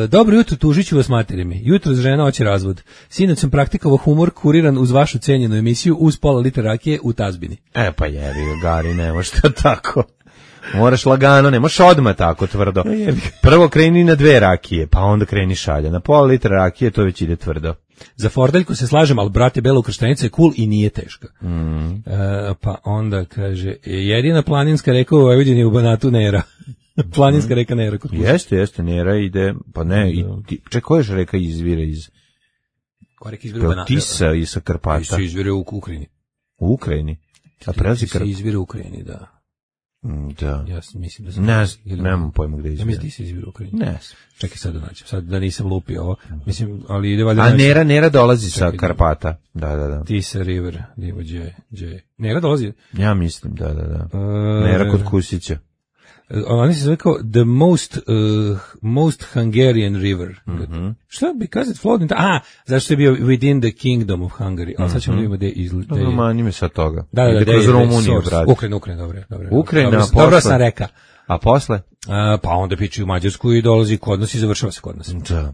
Speaker 8: Dobro jutro, tužit ću vas materimi. Jutro žena hoće razvod. Sinoć sam praktikovao humor kuriran uz vašu cenjenu emisiju uz pola litra rakije u tazbini.
Speaker 9: Pa jebi, Gari, ne može to tako. Moraš lagano, ne možeš odmah tako tvrdo. Prvo kreni na 2 rakije, pa onda kreni šalja. Na pola litra rakije to već ide tvrdo.
Speaker 8: Za fordeljku se slažem, ali brate, Bela ukrštenica je cool i nije teška. Pa onda kaže, jedina planinska reka u Vojvodini u Banatu Nera. Planinska reka Nera.
Speaker 9: Jeste, Nera ide, pa ne, čekaj, koja je reka izvire iz...
Speaker 8: Korek izvire u Banatu.
Speaker 9: Tisa i sa Karpata.
Speaker 8: Tisa izvire u Ukrajini.
Speaker 9: U Ukrajini? A prelazi
Speaker 8: Tisa izvire u Ukrajini, da.
Speaker 9: Da.
Speaker 8: Ja mislim da sam...
Speaker 9: Nemam pojma gde izvire.
Speaker 8: Ja mislim da Tisa izvire u Ukrajini.
Speaker 9: Ne.
Speaker 8: Čekaj sad da nađem. Sad da nisam lupio ovo. Mislim, ali ide valjda...
Speaker 9: A Nera dolazi sa Karpata. Da.
Speaker 8: Tisa River, Divo Dje. Nera dolazi?
Speaker 9: Ja mislim, da. Nera kod Kusića.
Speaker 8: Oni se zove kao the most Hungarian river. Šta? Because it flowed into... zašto je bio within the kingdom of Hungary. Ali sad ćemo vidimo gde izgleda.
Speaker 9: Mani me sad toga.
Speaker 8: Da,
Speaker 9: ide kroz Rumuniju, brate.
Speaker 8: Ukrajina, dobro.
Speaker 9: Ukrajina, a
Speaker 8: dobro sam reka.
Speaker 9: A posle?
Speaker 8: Pa onda piče u Mađarsku i dolazi kod nas i završava se kod nas.
Speaker 9: Da.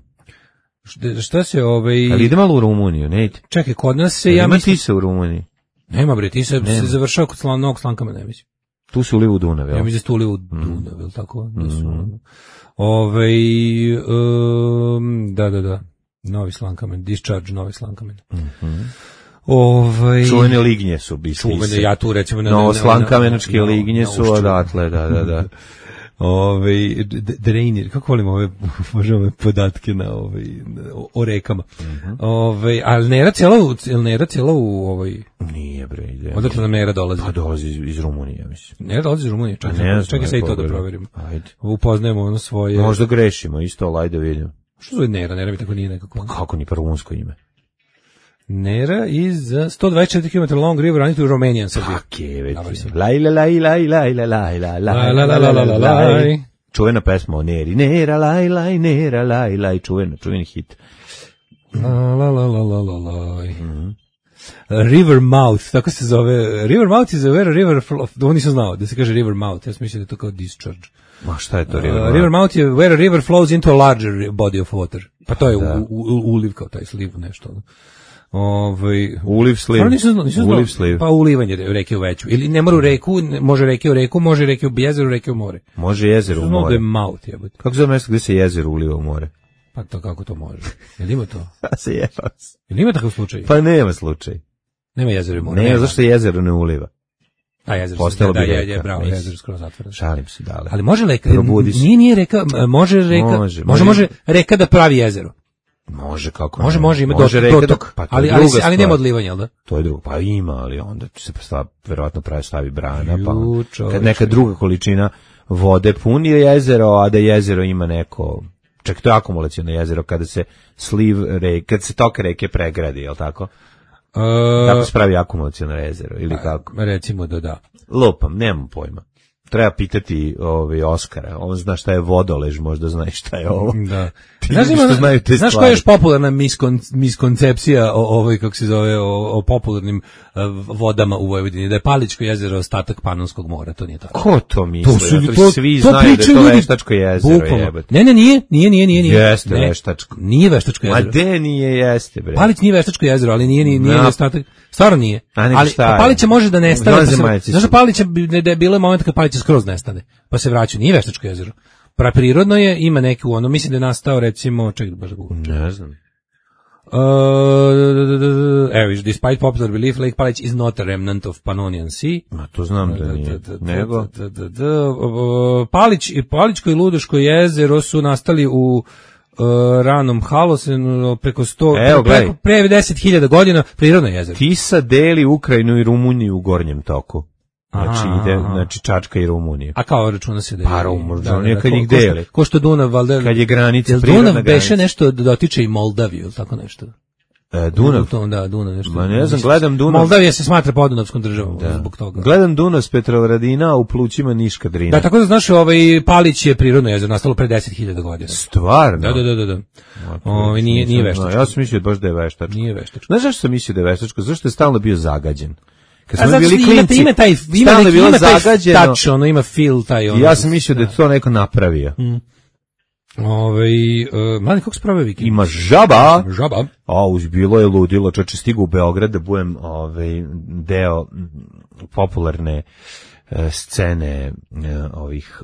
Speaker 8: Šta se
Speaker 9: Ali ide malo u Rumuniju, ne ide?
Speaker 8: Čekaj, kod nas se...
Speaker 9: Ima Tisa u Rumuniji?
Speaker 8: Nema bre, Tisa se završava kod Novog Slankama, ne mislim.
Speaker 9: Tu su ulivu u Dunav, jel?
Speaker 8: Ja mislim da su ulivu u Dunav, jel tako? Da. Novi Slankamen, discharge Novi Slankamen.
Speaker 9: Čuvene lignje su biti.
Speaker 8: Čuvene, ja tu recimo...
Speaker 9: Novoslankamenočke lignje su odatle, da.
Speaker 8: Drainir, kako volim ove podatke o rekama. Ali Nera cijela u
Speaker 9: Nije bre, ide.
Speaker 8: Odakle nam Nera dolazi?
Speaker 9: Pa dolazi iz Rumunije, mislim.
Speaker 8: Nera dolazi iz Rumunije, čekaj sad i to da proverimo.
Speaker 9: Ajde.
Speaker 8: Upoznajemo ono svoje...
Speaker 9: Možda grešimo, isto, ajde vidimo.
Speaker 8: Što zove Nera? Nera mi tako nije nekako.
Speaker 9: Kako ni rumunsko ime?
Speaker 8: Nera is 124 km long river running to Romanian Serbia.
Speaker 9: Laj. Čuvena pesma o Neri. Nera, laj, Nera, laj. Čuveni hit.
Speaker 8: River Mouth, tako se zove. River Mouth is a river flow. Ovo nisam znao da se kaže River Mouth. Ja sam mislio da je to kao discharge.
Speaker 9: Ma šta je to River Mouth?
Speaker 8: River Mouth je where a river flows into a larger body of water. Pa to je uliv kao taj sliv, nešto.
Speaker 9: Uliv sliv. Uliv sliv.
Speaker 8: Pa ulivanje reke u veću. Ili ne mora u reku, može reke u reku, može reke u jezero, reke u more.
Speaker 9: Može jezero u more.
Speaker 8: Mouth, jebote.
Speaker 9: Kako zove mjesto gdje se jezero uliva u more?
Speaker 8: Pa to kako to može? Jel ima to?
Speaker 9: Pa se jeba.
Speaker 8: Jel ima takav slučaj?
Speaker 9: Pa nema slučaj.
Speaker 8: Nema jezero u more.
Speaker 9: Ne, zašto jezero ne uliva?
Speaker 8: A jezero
Speaker 9: postalo
Speaker 8: bi
Speaker 9: reka.
Speaker 8: Je, bravo, jezero skroz zatvoreno.
Speaker 9: Šalim se, dale.
Speaker 8: Ali može reka, nije reka, može reka da pravi jezero.
Speaker 9: Može, kako
Speaker 8: može, ima dotok, ali nema odlivanja, jel da?
Speaker 9: To je drugo, pa ima, ali onda se verovatno stavi brana, pa kad neka druga količina vode puni jezero, a da jezero ima neko, čak to je akumulaciono jezero, kada se kad se tok reke pregradi, jel tako? Tako se pravi akumulaciono jezero, ili kako?
Speaker 8: Recimo da.
Speaker 9: Lupam, nemam pojma. Treba pitati Oskara. On zna šta je vodolež, možda zna šta je ovo.
Speaker 8: Da.
Speaker 9: Znaš
Speaker 8: koja je još popularna miskoncepcija kako se zove, o popularnim vodama u Vojvodini? Da je Palićko jezero ostatak Panonskog mora, to nije tako.
Speaker 9: Ko to misli? Svi znaju da je to Veštačko jezero.
Speaker 8: Ne, nije.
Speaker 9: Jeste Veštačko.
Speaker 8: Nije Veštačko jezero.
Speaker 9: Ma de nije, jeste bre.
Speaker 8: Palić nije Veštačko jezero, ali nije ostatak. Stvarno nije. Ali Palića može da nestane. Znaš da Palića da je bilo moment kad Palića skroz nestane, pa se vraća. Nije Veštačko jezero. Prirodno je, ima neki mislim da je nastao recimo,
Speaker 9: ne znam.
Speaker 8: Evo, despite popular belief, Lake Palić is not a remnant of Pannonian Sea.
Speaker 9: Ma to znam da nije. Nego?
Speaker 8: Palićko i Ludoško jezero su nastali u ranom Halosenu preko 100, pre 10.000 godina, prirodno jezero.
Speaker 9: Tisa deli Ukrajinu i Rumuniju u gornjem toku. Znači Čačka i Rumunija.
Speaker 8: A kao računa se da je...
Speaker 9: Pa Rumunija kad njih deli.
Speaker 8: Ko što Dunav, valjda...
Speaker 9: Kad je granica, prirodna granica.
Speaker 8: Dunav beše nešto dotiče i Moldaviju, ili tako nešto?
Speaker 9: Dunav?
Speaker 8: Da, Dunav nešto.
Speaker 9: Ma ne znam, gledam Dunav...
Speaker 8: Moldavija se smatra podunavskom državom zbog toga.
Speaker 9: Gledam Dunav s Petrovaradina, u plućima Niška Drina.
Speaker 8: Da, tako da znaš, Palić je prirodno jezero, nastalo pre 10.000 godina.
Speaker 9: Stvarno?
Speaker 8: Da. Nije Veštačko.
Speaker 9: Ja sam mislio baš da je Veštačko.
Speaker 8: Nije Veštačko.
Speaker 9: Znaš zašto sam mislio da je Veštačko? Zašto je stalno bio zagađen?
Speaker 8: Kad smo bili klinci, ima taj touch, ima feel taj.
Speaker 9: Ja sam mislio da je to neko napravio.
Speaker 8: Mladi, kako se prave vikend?
Speaker 9: Ima žaba.
Speaker 8: Žaba.
Speaker 9: Bilo je ludilo, čoče stigu u Beograd da budem deo popularne scene ovih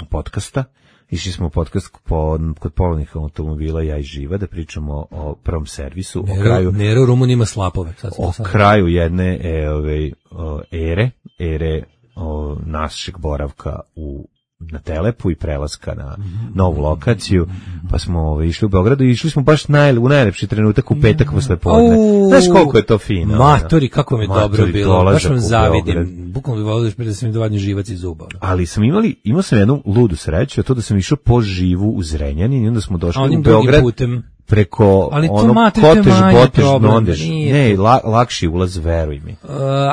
Speaker 9: podcasta. Išli smo u podcast kod polovnih automobila, ja i Živa, da pričamo o prvom servisu, o kraju...
Speaker 8: Nera u Rumuniji ima slapove.
Speaker 9: Kraju jedne ere našeg boravka u na Telepu i prelaska na novu lokaciju, pa smo išli u Beogradu i išli smo baš u najlepši trenutak u petak posle podne. Znaš koliko je to fino?
Speaker 8: Matori, kako mi je dobro bilo, baš vam zavidim. Bukvalno bi volio da sam mi dovadio živac iz zuba.
Speaker 9: Ali imao sam jednu ludu sreću, a to da sam išao po živu u Zrenjanin i onda smo došli u Beograd preko Kotež, Botež, Nondež. Ne, lakši ulaz, veruj mi.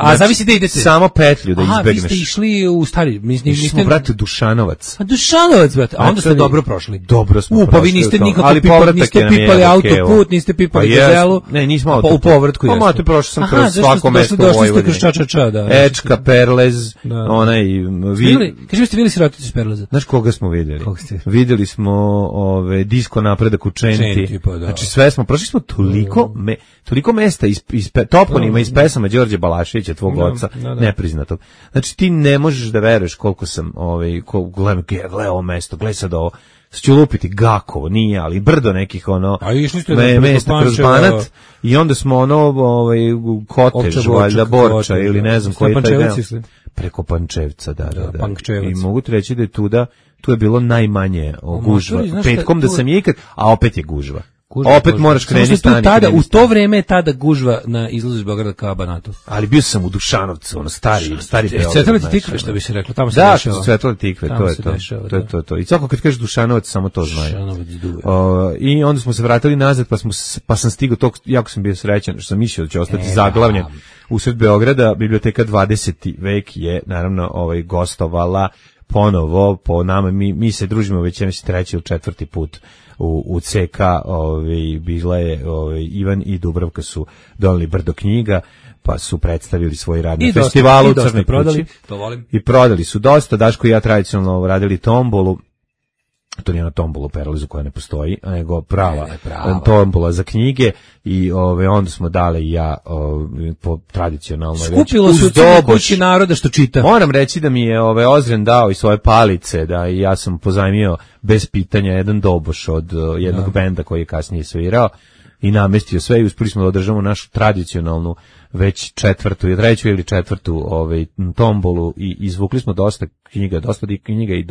Speaker 8: A zavisi da idete.
Speaker 9: Samo petlju da izbegneš.
Speaker 8: Vi ste išli u stari...
Speaker 9: Išli smo, brate, Dušanovac.
Speaker 8: A Dušanovac, brate. A onda ste dobro prošli.
Speaker 9: Dobro smo prošli.
Speaker 8: Pa vi niste nikako pipali autoput, niste pipali gazelu.
Speaker 9: Ne, nismo autoput.
Speaker 8: Pa u povratku
Speaker 9: jeste. Pa mate, prošli sam kroz svako mesto u Vojvodini.
Speaker 8: Došli ste kroz Čačača, da.
Speaker 9: Ečka, Perlez, onaj...
Speaker 8: Kaži mi ste vidjeli siroticu iz Perleza?
Speaker 9: Znaš koga smo vidjeli? Vidjeli smo Disko napredak u Čenti. Znači sve smo, prošli smo toliko mesta iz toponima iz pesama Đorđe Balaševića, tvog oca, nepriznatog. Znači ti ne možeš da veruješ koliko sam, gledaj ovo mesto, gledaj sad ovo, sad ću lupiti Gakovo, nije, ali brdo nekih mesta kroz Banat i onda smo Kotež, valjda Borča ili ne znam koji je taj deo. Preko Pančevca, da. I mogu ti reći da je tu je bilo najmanje gužva. Petkom da sam je ikad, a opet je gužva. Opet moraš krenuti stani.
Speaker 8: U to vreme je tada gužva na izlazu iz Beograda ka Banatu.
Speaker 9: Ali bio sam u Dušanovcu, stari Beograd.
Speaker 8: Cvetale tikve, što bi se reklo, tamo se dešava.
Speaker 9: Da, Cvetale tikve, to je to. I svako kad kažeš Dušanovac, samo to znaju. I onda smo se vratili nazad, pa sam stigao, jako sam bio srećan, što sam mislio da će ostati zaglavljen usred Beograda. Biblioteka 20. vek je, naravno, gostovala ponovo po nama. Mi se družimo već, ja mislim, 3. ili 4. put u CK, bila je Ivan i Dubravka su doneli brdo knjiga, pa su predstavili svoj rad na festivalu u Crnoj kući. I prodali su dosta. Daško i ja tradicionalno radili tombolu. To nije ona tombola u Perlezu koja ne postoji, nego prava tombola za knjige i onda smo dali i ja po tradicionalnoj
Speaker 8: skupilo se u Crnoj kući naroda što čita.
Speaker 9: Moram reći da mi je Ozren dao i svoje palice, da i ja sam pozajmio bez pitanja jedan doboš od jednog benda koji je kasnije svirao i namestio sve i uspeli smo da održamo našu tradicionalnu već treću ili četvrtu tombolu i izvukli smo dosta knjiga i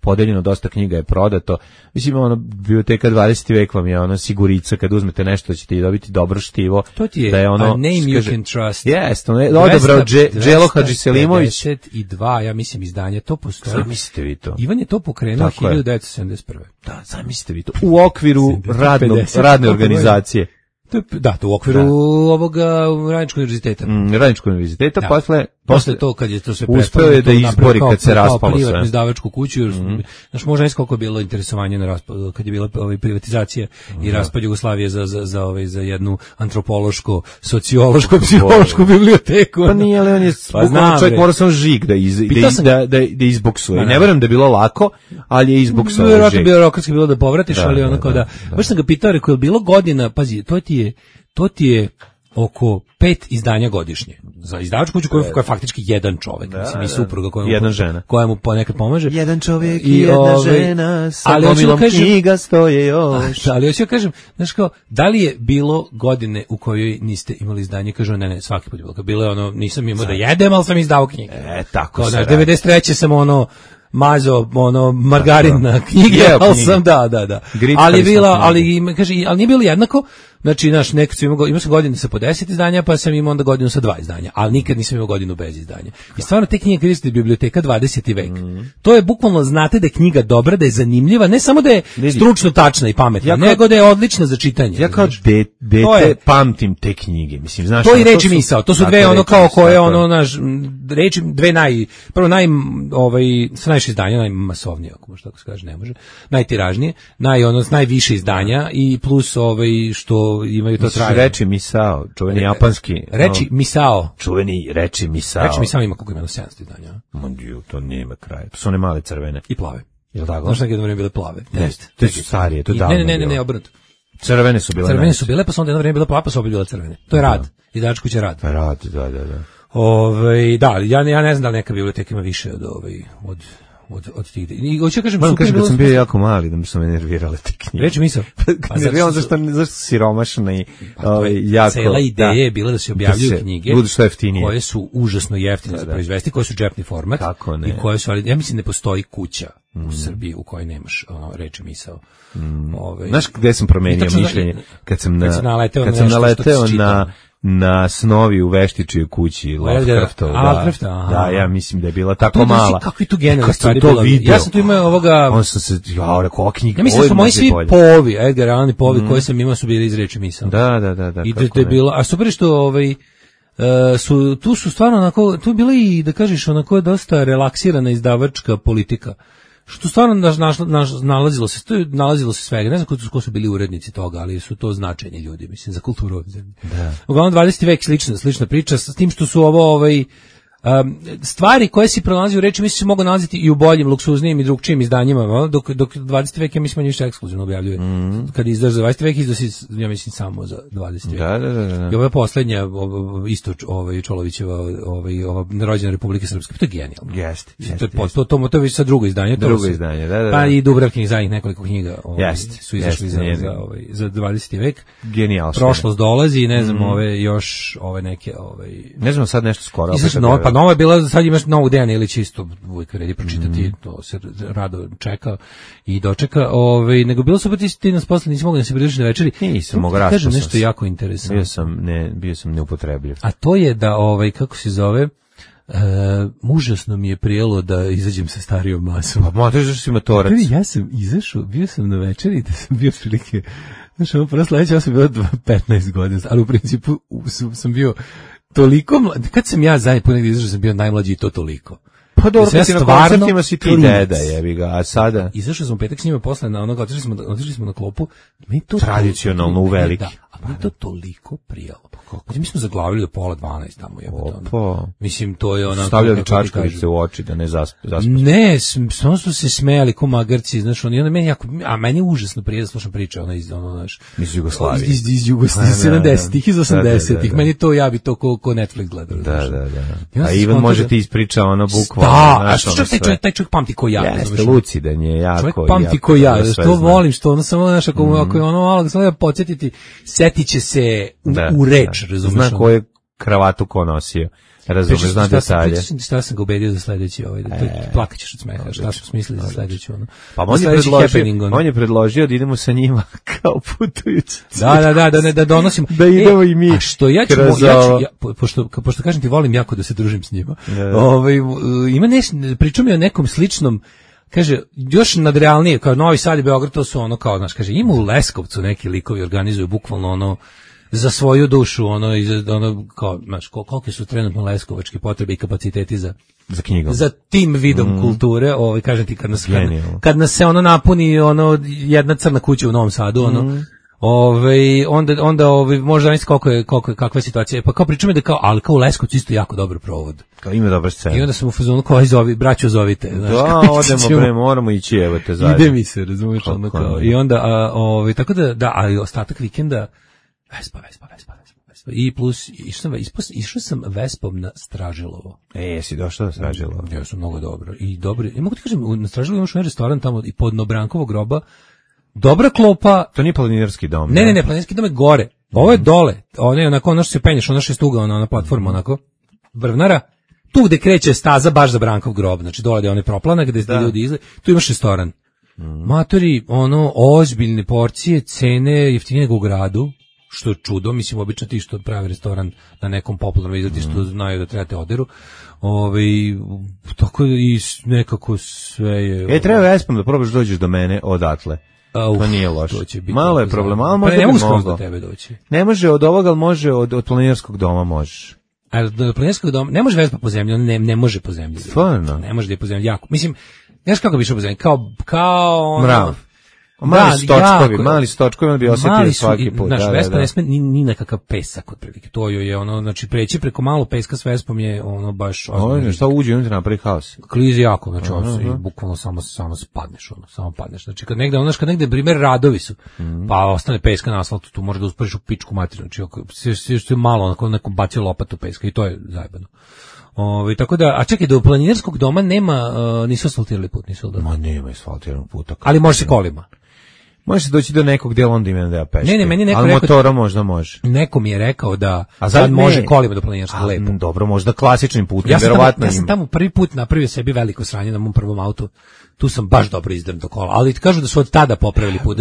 Speaker 9: podeljeno, dosta knjiga je prodato. Mislim, biblioteka 20. vek vam je sigurica, kad uzmete nešto ćete i dobiti dobro štivo.
Speaker 8: To ti je
Speaker 9: da je
Speaker 8: a name you can trust.
Speaker 9: Jeste, odabrao Đelo Hadžisselimović.
Speaker 8: 252, ja mislim, izdanje, to postoji.
Speaker 9: Zamislite vi to.
Speaker 8: Ivan je to pokrenuo 1971.
Speaker 9: Da, zamislite vi to. U okviru radne organizacije.
Speaker 8: To u okviru ovoga Radničkog univerziteta.
Speaker 9: Radničkog univerziteta,
Speaker 8: posle to kad je to sve
Speaker 9: uspeo je da izbori kad se raspalo sve.
Speaker 8: Privatnu izdavačku kuću, znaš, možda ne koliko je bilo interesovanje kad je bila privatizacija i raspad Jugoslavije za jednu antropološko, sociološko, psihološku biblioteku.
Speaker 9: Pa nije, ali on je čovjek mora sam žig da izboksuje. Ne verujem da je bilo lako, ali je izboksovao žig.
Speaker 8: Vjerojatno birokratski bilo da povratiš, ali onako da. Baš sam ga pitao, rekao, je bilo godina, pazi, to ti je oko 5 izdanja godišnje. Za izdavačku kuću koja je faktički jedan čovjek, mislim, i supruga koja mu ponekad pomaže.
Speaker 9: Jedan čovjek i jedna žena, sa gomilom knjiga stoje još.
Speaker 8: Ali hoću kažem, znaš kao, da li je bilo godine u kojoj niste imali izdanje? Kažu, ne, svaki put je bilo. Bilo je nisam imao da jedem, ali sam izdao knjige.
Speaker 9: Tako se radi.
Speaker 8: 93. sam mazo margarin na knjige, ali sam da. Ali nije bilo jednako. Znači, imao sam godinu sa po 10 izdanja, pa sam imao onda godinu sa 2 izdanja, ali nikad nisam imao godinu bez izdanja. I stvarno te knjige koriste biblioteka 20. vek. To je bukvalno, znate da je knjiga dobra, da je zanimljiva, ne samo da je stručno tačna i pametna, nego da je odlična za čitanje.
Speaker 9: Ja kao dete pamtim te knjige. Mislim, znaš,
Speaker 8: to je reči misao, to su dve kao koje reči, dve sa najviše izdanja, najmasovnije, ako možda tako se kaže, ne može, najtiražnije, najviše izdanja i plus što imaju to trajanje.
Speaker 9: Reči misao, čuveni japanski.
Speaker 8: Reči misao.
Speaker 9: Čuveni reči misao.
Speaker 8: Reči misao ima koliko ima 700 izdanja.
Speaker 9: To nema kraja. To su one male crvene.
Speaker 8: I plave.
Speaker 9: Jel tako?
Speaker 8: Znaš nekada vreme bile plave?
Speaker 9: To su starije, to je davno.
Speaker 8: Ne, obrnuto.
Speaker 9: Crvene su bile.
Speaker 8: Crvene su bile, pa su onda jedno vreme bile plave, pa su opet bile crvene. To je rad. Izdavačka kuća rad.
Speaker 9: Rad, da.
Speaker 8: Ja ne znam da li neka biblioteka ima više od od tih. I hoću kažem,
Speaker 9: moram kažem, kad sam bio jako mali, da mi su me nervirale te knjige.
Speaker 8: Reći misao.
Speaker 9: Nerviralo zašto siromašna i jako...
Speaker 8: Cela ideja je bila da se objavljuju knjige
Speaker 9: budu što jeftinije,
Speaker 8: koje su užasno jeftine za proizvesti, koje su džepni format i koje su, ali ja mislim ne postoji kuća u Srbiji u kojoj nemaš reči misao.
Speaker 9: Znaš gde sam promenio mišljenje? Kad sam naleteo na snovi u Veštičijoj kući Lovecraftov. Da, ja mislim da je bila tako mala.
Speaker 8: Kakvi tu generalni stvari bilo. Ja sam tu imao ovoga...
Speaker 9: On sam se, rekao, ova knjiga...
Speaker 8: Ja mislim da su moji svi povi, Edgar Allan povi koje sam imao su bili iz reči misao.
Speaker 9: Da.
Speaker 8: I da je bilo... A super što tu su stvarno onako, tu je bila i, da kažeš, onako dosta relaksirana izdavačka politika. Što stvarno nalazilo se svega. Ne znam ko su bili urednici toga, ali su to značajni ljudi, mislim, za kulturu ove zemlje. Uglavnom 20. vek slična priča, s tim što su ovo stvari koje si pronalazio u reči, mislim se mogu nalaziti i u boljim, luksuznijim i drugčijim izdanjima, dok 20. vek ja mislim više ekskluzivno objavljuje. Kad izdaš za 20. vek, izdaš ja mislim samo za 20. vek.
Speaker 9: Da.
Speaker 8: I ova posljednja, isto Čolovićeva, ova rođena Republike Srpske, to je genijalno.
Speaker 9: Jeste.
Speaker 8: To je već sa drugo izdanje.
Speaker 9: Da.
Speaker 8: Pa i Dubravkin zadnjih nekoliko knjiga su izašli za 20. vek.
Speaker 9: Genijalno.
Speaker 8: Prošlost dolazi i ne znam, još neke...
Speaker 9: Ne znam, sad nešto skoro.
Speaker 8: Pa nova je bila, sad imaš novog Dejana Ilića isto, uvijek vredi pročitati, to se rado čeka i dočeka, nego bilo su ti nas posle nisi mogli da se pridružiš na večeri.
Speaker 9: Nisam mogao raspao.
Speaker 8: Kažem nešto jako interesantno.
Speaker 9: Bio sam neupotrebljiv.
Speaker 8: A to je da, kako se zove, užasno mi je prijelo da izađem sa starijom masom.
Speaker 9: Pa možeš da si matorac.
Speaker 8: Ja sam izašao, bio sam na večeri da sam bio prilike, znaš, prvo sledeće, ja sam bio 15 godina, ali u principu sam bio toliko kad sam ja zadnji put negdje izašao, sam bio najmlađi i to toliko.
Speaker 9: Pa dobro, kad si na koncertima si ti deda, jebi ga, a sada...
Speaker 8: Izašao sam u petak s njima posle na onoga, otišli smo na klopu.
Speaker 9: Tradicionalno u veliki.
Speaker 8: Da, a mi to toliko prijelo. Mi smo zaglavili do 11:30 tamo, jebote. Mislim, to je onako...
Speaker 9: Stavljali čačkavice u oči da ne zaspaš.
Speaker 8: Ne, samo su se smejali ko magarci, znaš, meni jako... A meni je užasno prije da slušam priče, znaš...
Speaker 9: Iz Jugoslavije.
Speaker 8: Iz Jugoslavije, iz 70-ih, iz 80-ih. Meni to, ja bi to ko Netflix gledao.
Speaker 9: Da. A Ivan može ti ispriča bukvalno.
Speaker 8: Da, a što taj čovjek pamti ko ja.
Speaker 9: Jeste, lucidan je, jako.
Speaker 8: Čovjek pamti ko ja, što volim, što ono samo, znaš, ako je ono malo, samo da podsjetiti, setit će se u reč, razumiješ?
Speaker 9: Zna koju kravatu ko nosio, razumiješ, zna detalje.
Speaker 8: Šta sam ga ubedio za sledeći, plakat ćeš od smeha, šta smo smislili za sledeći, ono.
Speaker 9: Pa on je predložio da idemo sa njima kao putujući.
Speaker 8: Da donosimo.
Speaker 9: Da idemo i mi.
Speaker 8: A što ja ću, pošto kažem ti, volim jako da se družim s njima. Ima pričao mi o nekom sličnom, kaže, još nadrealnije, kao Novi Sad i Beograd, to su ono kao, znaš, kaže, ima u Leskovcu neki likovi organizuju bukvalno ono, za svoju dušu, kao, znaš, kolike su trenutno leskovačke potrebe i kapaciteti za
Speaker 9: knjigom.
Speaker 8: Za tim vidom kulture, kažem ti, kad nas se ono napuni, jedna crna kuća u Novom Sadu, onda možda nisi kakva je situacija, pa kao pričamo da ali kao u Leskovcu isto jako dobro provod.
Speaker 9: Kao ima dobra scena.
Speaker 8: I onda sam u fazonu kao braćo zovite.
Speaker 9: Da, odemo moramo ići, evo te zajedno.
Speaker 8: Ide mi se, razumiješ, i onda, tako da, ali ostatak vikenda, Vespa. I plus, išao sam Vespom na Stražilovo.
Speaker 9: Jesi došao na Stražilovo?
Speaker 8: Ja sam mnogo dobro. I dobri, mogu ti kažem, na Stražilovo imaš restoran tamo i pod Nobrankovog groba, dobra klopa.
Speaker 9: To nije planinarski dom.
Speaker 8: Ne, planinarski dom je gore. Ovo je dole. Ono je onako, ono što se penješ, ono što je stuga, ona platforma, onako, vrvnara. Tu gde kreće staza baš za Brankov grob, znači dole je onaj proplana gde ljudi izle, tu imaš restoran. Matori, ozbiljne porcije, cene jeftinije nego u gradu, što je čudo, mislim, obično ti što pravi restoran na nekom popularnom izleti što znaju da trebate oderu. Tako i nekako sve je...
Speaker 9: treba Vespom da probaš dođeš do mene odatle. To nije loše. Malo je problem, ali možda
Speaker 8: ne mogu skroz do tebe doći.
Speaker 9: Ne može od ovoga, ali može od planinarskog doma možeš.
Speaker 8: A od planinarskog doma, ne može Vespa po zemlji, on ne može po zemlji.
Speaker 9: Stvarno?
Speaker 8: Ne može da je po zemlji, jako. Mislim, znaš kako bi išao po zemlji? Kao
Speaker 9: mrav. Mali stočkovi bi osjetili svaki put.
Speaker 8: Naš Vespa ne sme ni nekakav pesak otprilike. To je znači preći preko malo peska s Vespom je baš...
Speaker 9: Šta uđe unutra napravi haos?
Speaker 8: Klizi jako, znači bukvalno samo spadneš, samo padneš. Znači kad negde primjer radovi su, pa ostane peska na asfaltu, tu može da usporiš u pičku materiju. Znači sve što je malo, onako neko bacio lopatu peska i to je zajebano. Tako da, a čekaj, do planinarskog doma nema, nisu asfaltirali put, nisu da.
Speaker 9: Ma nema asfaltiranog puta.
Speaker 8: Ali može se kolima.
Speaker 9: Može se doći do nekog dela, onda ima da ja peške.
Speaker 8: Ne, meni neko
Speaker 9: ali
Speaker 8: rekao,
Speaker 9: motora možda može.
Speaker 8: Neko mi je rekao da sad može kolima do planinarskog lepo.
Speaker 9: Dobro, možda klasičnim putem, verovatno.
Speaker 8: Ja sam tamo prvi put napravio sebi veliko sranje na mom prvom autu. Tu sam baš dobro izdrmto kola, ali kažu da su od tada popravili put,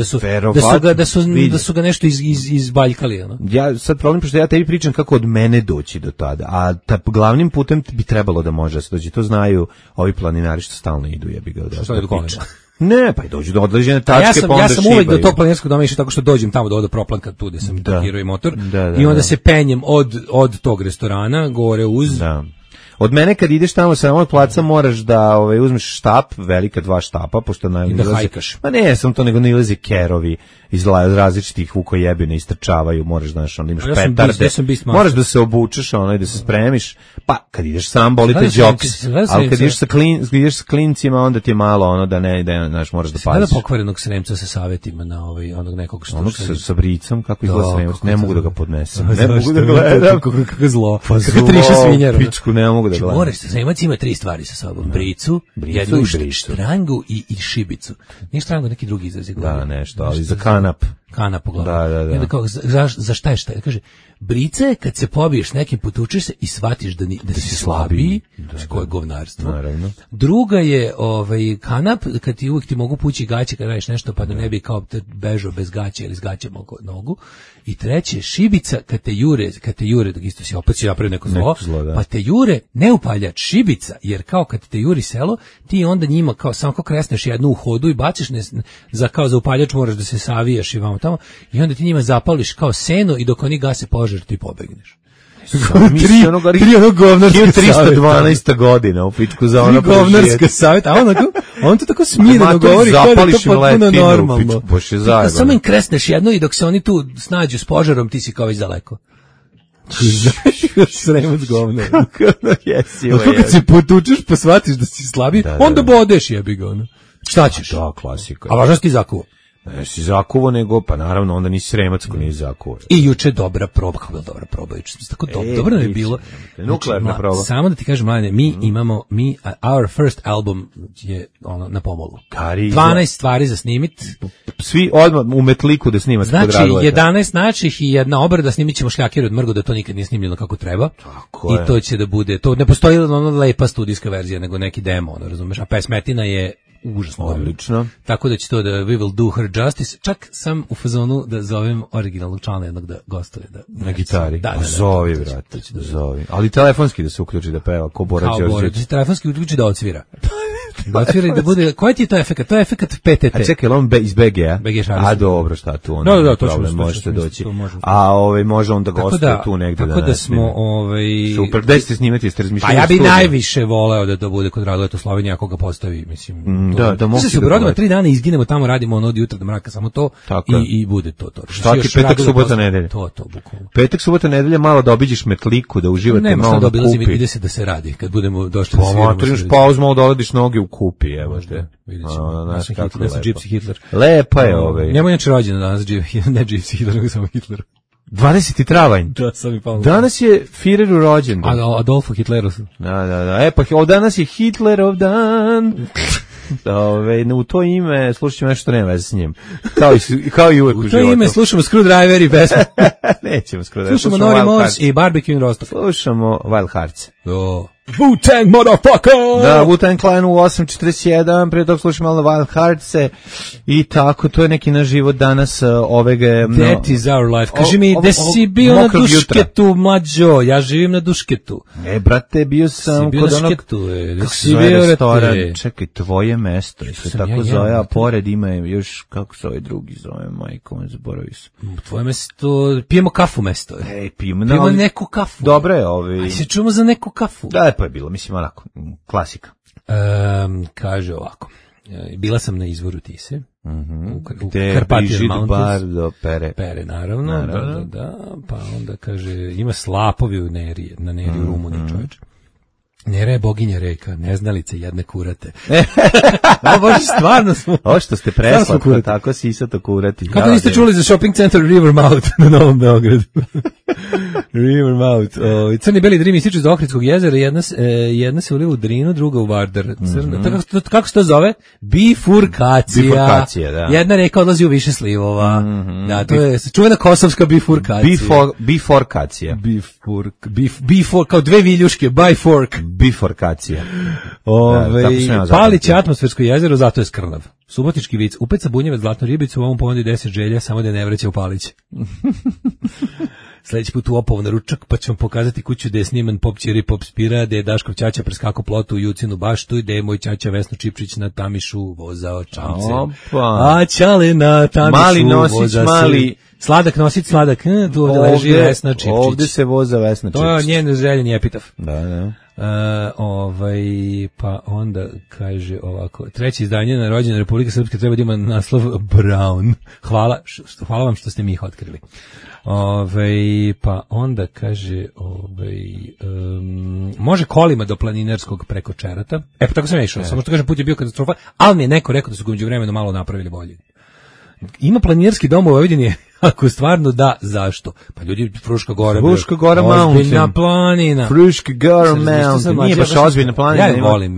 Speaker 8: da su ga nešto izbaljkali. Ono.
Speaker 9: Ja sad problem, pošto ja tebi pričam kako od mene doći do tada, a glavnim putem bi trebalo da može se doći, to znaju ovi planinari što stalno idu, jebi ga.
Speaker 8: Što je do kolima?
Speaker 9: Ne, pa i dođu do određene tačke, pa onda
Speaker 8: ja sam uvek do tog planinarskog doma išao tako što dođem tamo do ovde proplanka tu gde sam parkirao i motor i onda se penjem od tog restorana gore uz...
Speaker 9: Da. Od mene kad ideš tamo sa ovog placa moraš da uzmeš štap, velika 2 štapa, pošto
Speaker 8: i da hajkaš.
Speaker 9: Pa ne, sam to nego nailazi kerovi iz različitih vukojebina istrčavaju, moraš, znaš, onda imaš petarde, moraš da se obučeš, i da se spremiš, pa kad ideš sam boli te džoks, ali kad ideš sa klincima, onda ti je malo da znaš, moraš da paziš.
Speaker 8: Sada pokvarenog Sremca sa savjetima na onog nekog što...
Speaker 9: Onog sa bricom, kako izgleda Sremac, ne mogu da ga podnesem, ne mogu da gledam.
Speaker 8: Kako zlo,
Speaker 9: kako triša svinjara. Pičku, ne mogu da gledam.
Speaker 8: Sremac ima 3 stvari sa sobom, bricu, jednu štrangu i šibicu. Nije štrangu, neki drugi izraz je govorio.
Speaker 9: Da, nešto, ali za kanap uglavnom. Da.
Speaker 8: I onda kao, za šta je šta? Kaže, brica je kad se pobiješ nekim, potučeš se i shvatiš da si slabiji, koje je govnarstvo.
Speaker 9: Naravno.
Speaker 8: Druga je kanap, kad ti uvijek ti mogu pući gaće kad radiš nešto, pa da ne bi kao bežao bez gaće ili s gaćem oko nogu. I treće, šibica, kad te jure, dok isto si opet si napravio neko zlo, pa te jure, ne upaljač, šibica, jer kao kad te juri selo, ti onda njima kao samo kao kresneš jednu u hodu i baciš za upaljač moraš da se savijaš i vamo tamo, i onda ti njima zapališ kao seno i dok oni gase požar ti pobegneš.
Speaker 9: 3 onog govnarska 312. godina u pičku za ono
Speaker 8: govnarska savjet, a on to tako smireno govori kao da je to potpuno normalno. Samo im kresneš jedno i dok se oni tu snađu s požarom, ti si kao već daleko. Sremac govnar. Kako kad se potučeš pa shvatiš da si slabiji, onda bodeš, jebi ga. Šta ćeš?
Speaker 9: Da, klasika.
Speaker 8: A važno si ti zakuo.
Speaker 9: Ne si zakuvo, nego, pa naravno, onda nisi Sremac ko nisi zakuvo.
Speaker 8: I juče dobra proba, kako je dobra proba, juče tako dobro nam je bilo.
Speaker 9: Nuklearna proba.
Speaker 8: Samo da ti kažem, mladine, mi imamo, our first album je na pomolu. 12 stvari za snimit.
Speaker 9: Svi odmah u metliku da snimate.
Speaker 8: Znači, 11 naših i jedna obrada, snimit ćemo Šljakir od Mrgo, da to nikad nije snimljeno kako treba.
Speaker 9: Tako je.
Speaker 8: I to će da bude, to ne postoji lepa studijska verzija, nego neki demo, razumeš, a pesmetina je užasno.
Speaker 9: Odlično.
Speaker 8: Tako da će to da we will do her justice. Čak sam u fazonu da zovem originalnog člana jednog da gostuje.
Speaker 9: Na gitari.
Speaker 8: Da,
Speaker 9: zovi, brate. Zovi. Ali telefonski da se uključi da peva, ko Bora Đorđević.
Speaker 8: Telefonski uključi da odsvira. Da odsvira i da bude, koji ti je to efekat? To je efekat PTT.
Speaker 9: A čekaj, on iz BG-a?
Speaker 8: A
Speaker 9: dobro, šta tu? Da, to problem, možete doći. A može onda gostuje tu negde.
Speaker 8: Tako da smo,
Speaker 9: super, gde ste snimati, jeste razmišljali?
Speaker 8: Pa ja bi najviše voleo da to bude kod Raduleta Slovenija, ako ga postavi, mislim.
Speaker 9: Da mogu
Speaker 8: se Brodova 3 dana izginemo tamo, radimo od jutra do mraka, samo to i bude to.
Speaker 9: Šta ti petak, subota, nedelja?
Speaker 8: To, bukvalno.
Speaker 9: Petak, subota, nedelja, malo da obiđeš metliku, da uživate malo na kupi.
Speaker 8: Ide se da se radi, kad budemo došli da sviramo.
Speaker 9: Pa pauzu, malo dovodiš noge u kupi, evo te.
Speaker 8: Vidjet ćemo. Ja sam Gypsy Hitler.
Speaker 9: Lepa je
Speaker 8: Njemu inače rođen danas, ne Gypsy Hitler, nego samo Hitler.
Speaker 9: 20. travanj.
Speaker 8: Da, sam mi palo.
Speaker 9: Danas je Führeru rođendan.
Speaker 8: Adolfo Hitleru.
Speaker 9: Da. Pa danas je Hitlerov dan. U to ime slušat ćemo nešto što nema veze s njim. Kao i uvek u životu.
Speaker 8: U to ime slušamo Screwdriver i pesme.
Speaker 9: Nećemo Screwdriver.
Speaker 8: Slušamo Nori Morse i Barbecue in Rostov.
Speaker 9: Slušamo Wild Hearts.
Speaker 8: Wu-Tang motherfucker!
Speaker 9: Da, Wu-Tang Clan u 8.47, prije toga slušamo malo Wild Hearts-e i tako, to je neki naš život danas ovega...
Speaker 8: That is our life. Kaži mi, gde si bio na Dušketu, mlađo? Ja živim na Dušketu.
Speaker 9: Brate, bio sam kod onog...
Speaker 8: Kako si bio restoran?
Speaker 9: Čekaj, tvoje mesto, se tako zove, a pored ima još, kako se ovaj drugi zove, majko, zaboravio sam.
Speaker 8: Tvoje mesto, pijemo kafu mesto.
Speaker 9: Pijemo
Speaker 8: neku kafu.
Speaker 9: Dobro je ovi...
Speaker 8: Aj se čujemo za neku kafu.
Speaker 9: Da, pa je bilo, mislim, onako, klasika.
Speaker 8: Kaže ovako, bila sam na izvoru Tise, u
Speaker 9: Carpathian Mountains. Bar do Pere.
Speaker 8: Pere, naravno. Da, pa onda kaže, ima slapovi na Neri u Rumuniji, čovječ. Nera je boginja reka, neznalice jedne kurate. A bože, stvarno smo.
Speaker 9: Ovo što ste preslatko, tako sisato kurati.
Speaker 8: Kako niste čuli za shopping center Rivermouth na Novom Beogradu? Rivermouth. Crni beli drim ističu iz Ohridskog jezera, jedna se uliva u Drinu, druga u Vardar. Kako se to zove? Bifurkacija.
Speaker 9: Bifurkacija, da.
Speaker 8: Jedna reka odlazi u više slivova. Da, to je čuvena kosovska bifurkacija.
Speaker 9: Bifurkacija.
Speaker 8: Kao dve viljuške, by fork.
Speaker 9: Bifurkacija.
Speaker 8: Palić je atmosfersko jezero, zato je skrnav. Subotički vic, upeca bunjevac zlatnu ribicu, u ovom ponudi 10 želja, samo da je ne vreća u Palić. Sljedeći put u Opovo na ručak, pa ću vam pokazati kuću gde je sniman Pop Ćiri Pop Spira, gde je Daškov ćaća preskako plotu u Jucinu baštu, gde je moj ćaća Vesno Čipčić na Tamišu vozao čamce. A ćale na Tamišu
Speaker 9: mali nosić,
Speaker 8: voza
Speaker 9: mali...
Speaker 8: Sladak nosić, sladak, tu ovdje leži Vesna Čipčić.
Speaker 9: Ovdje se voza Vesna Čipčić.
Speaker 8: To je njen željeni epitaf.
Speaker 9: Da.
Speaker 8: Pa onda kaže ovako, treće izdanje na rođendan Republike Srpske treba da ima naslov Brown. Hvala vam što ste mi ih otkrili. Pa onda kaže može kolima do Planinarskog preko Čerata. Pa tako sam išao, samo što kažem put je bio katastrofa, ali mi je neko rekao da su ga međuvremenu malo napravili bolje. Ima planinarski dom u Vojvodini, ako stvarno da, zašto? Pa ljudi, Fruška Gora
Speaker 9: Mountain.
Speaker 8: Ozbiljna planina.
Speaker 9: Fruška Gora Mountain. Nije baš ozbiljna planina.
Speaker 8: Ja je volim.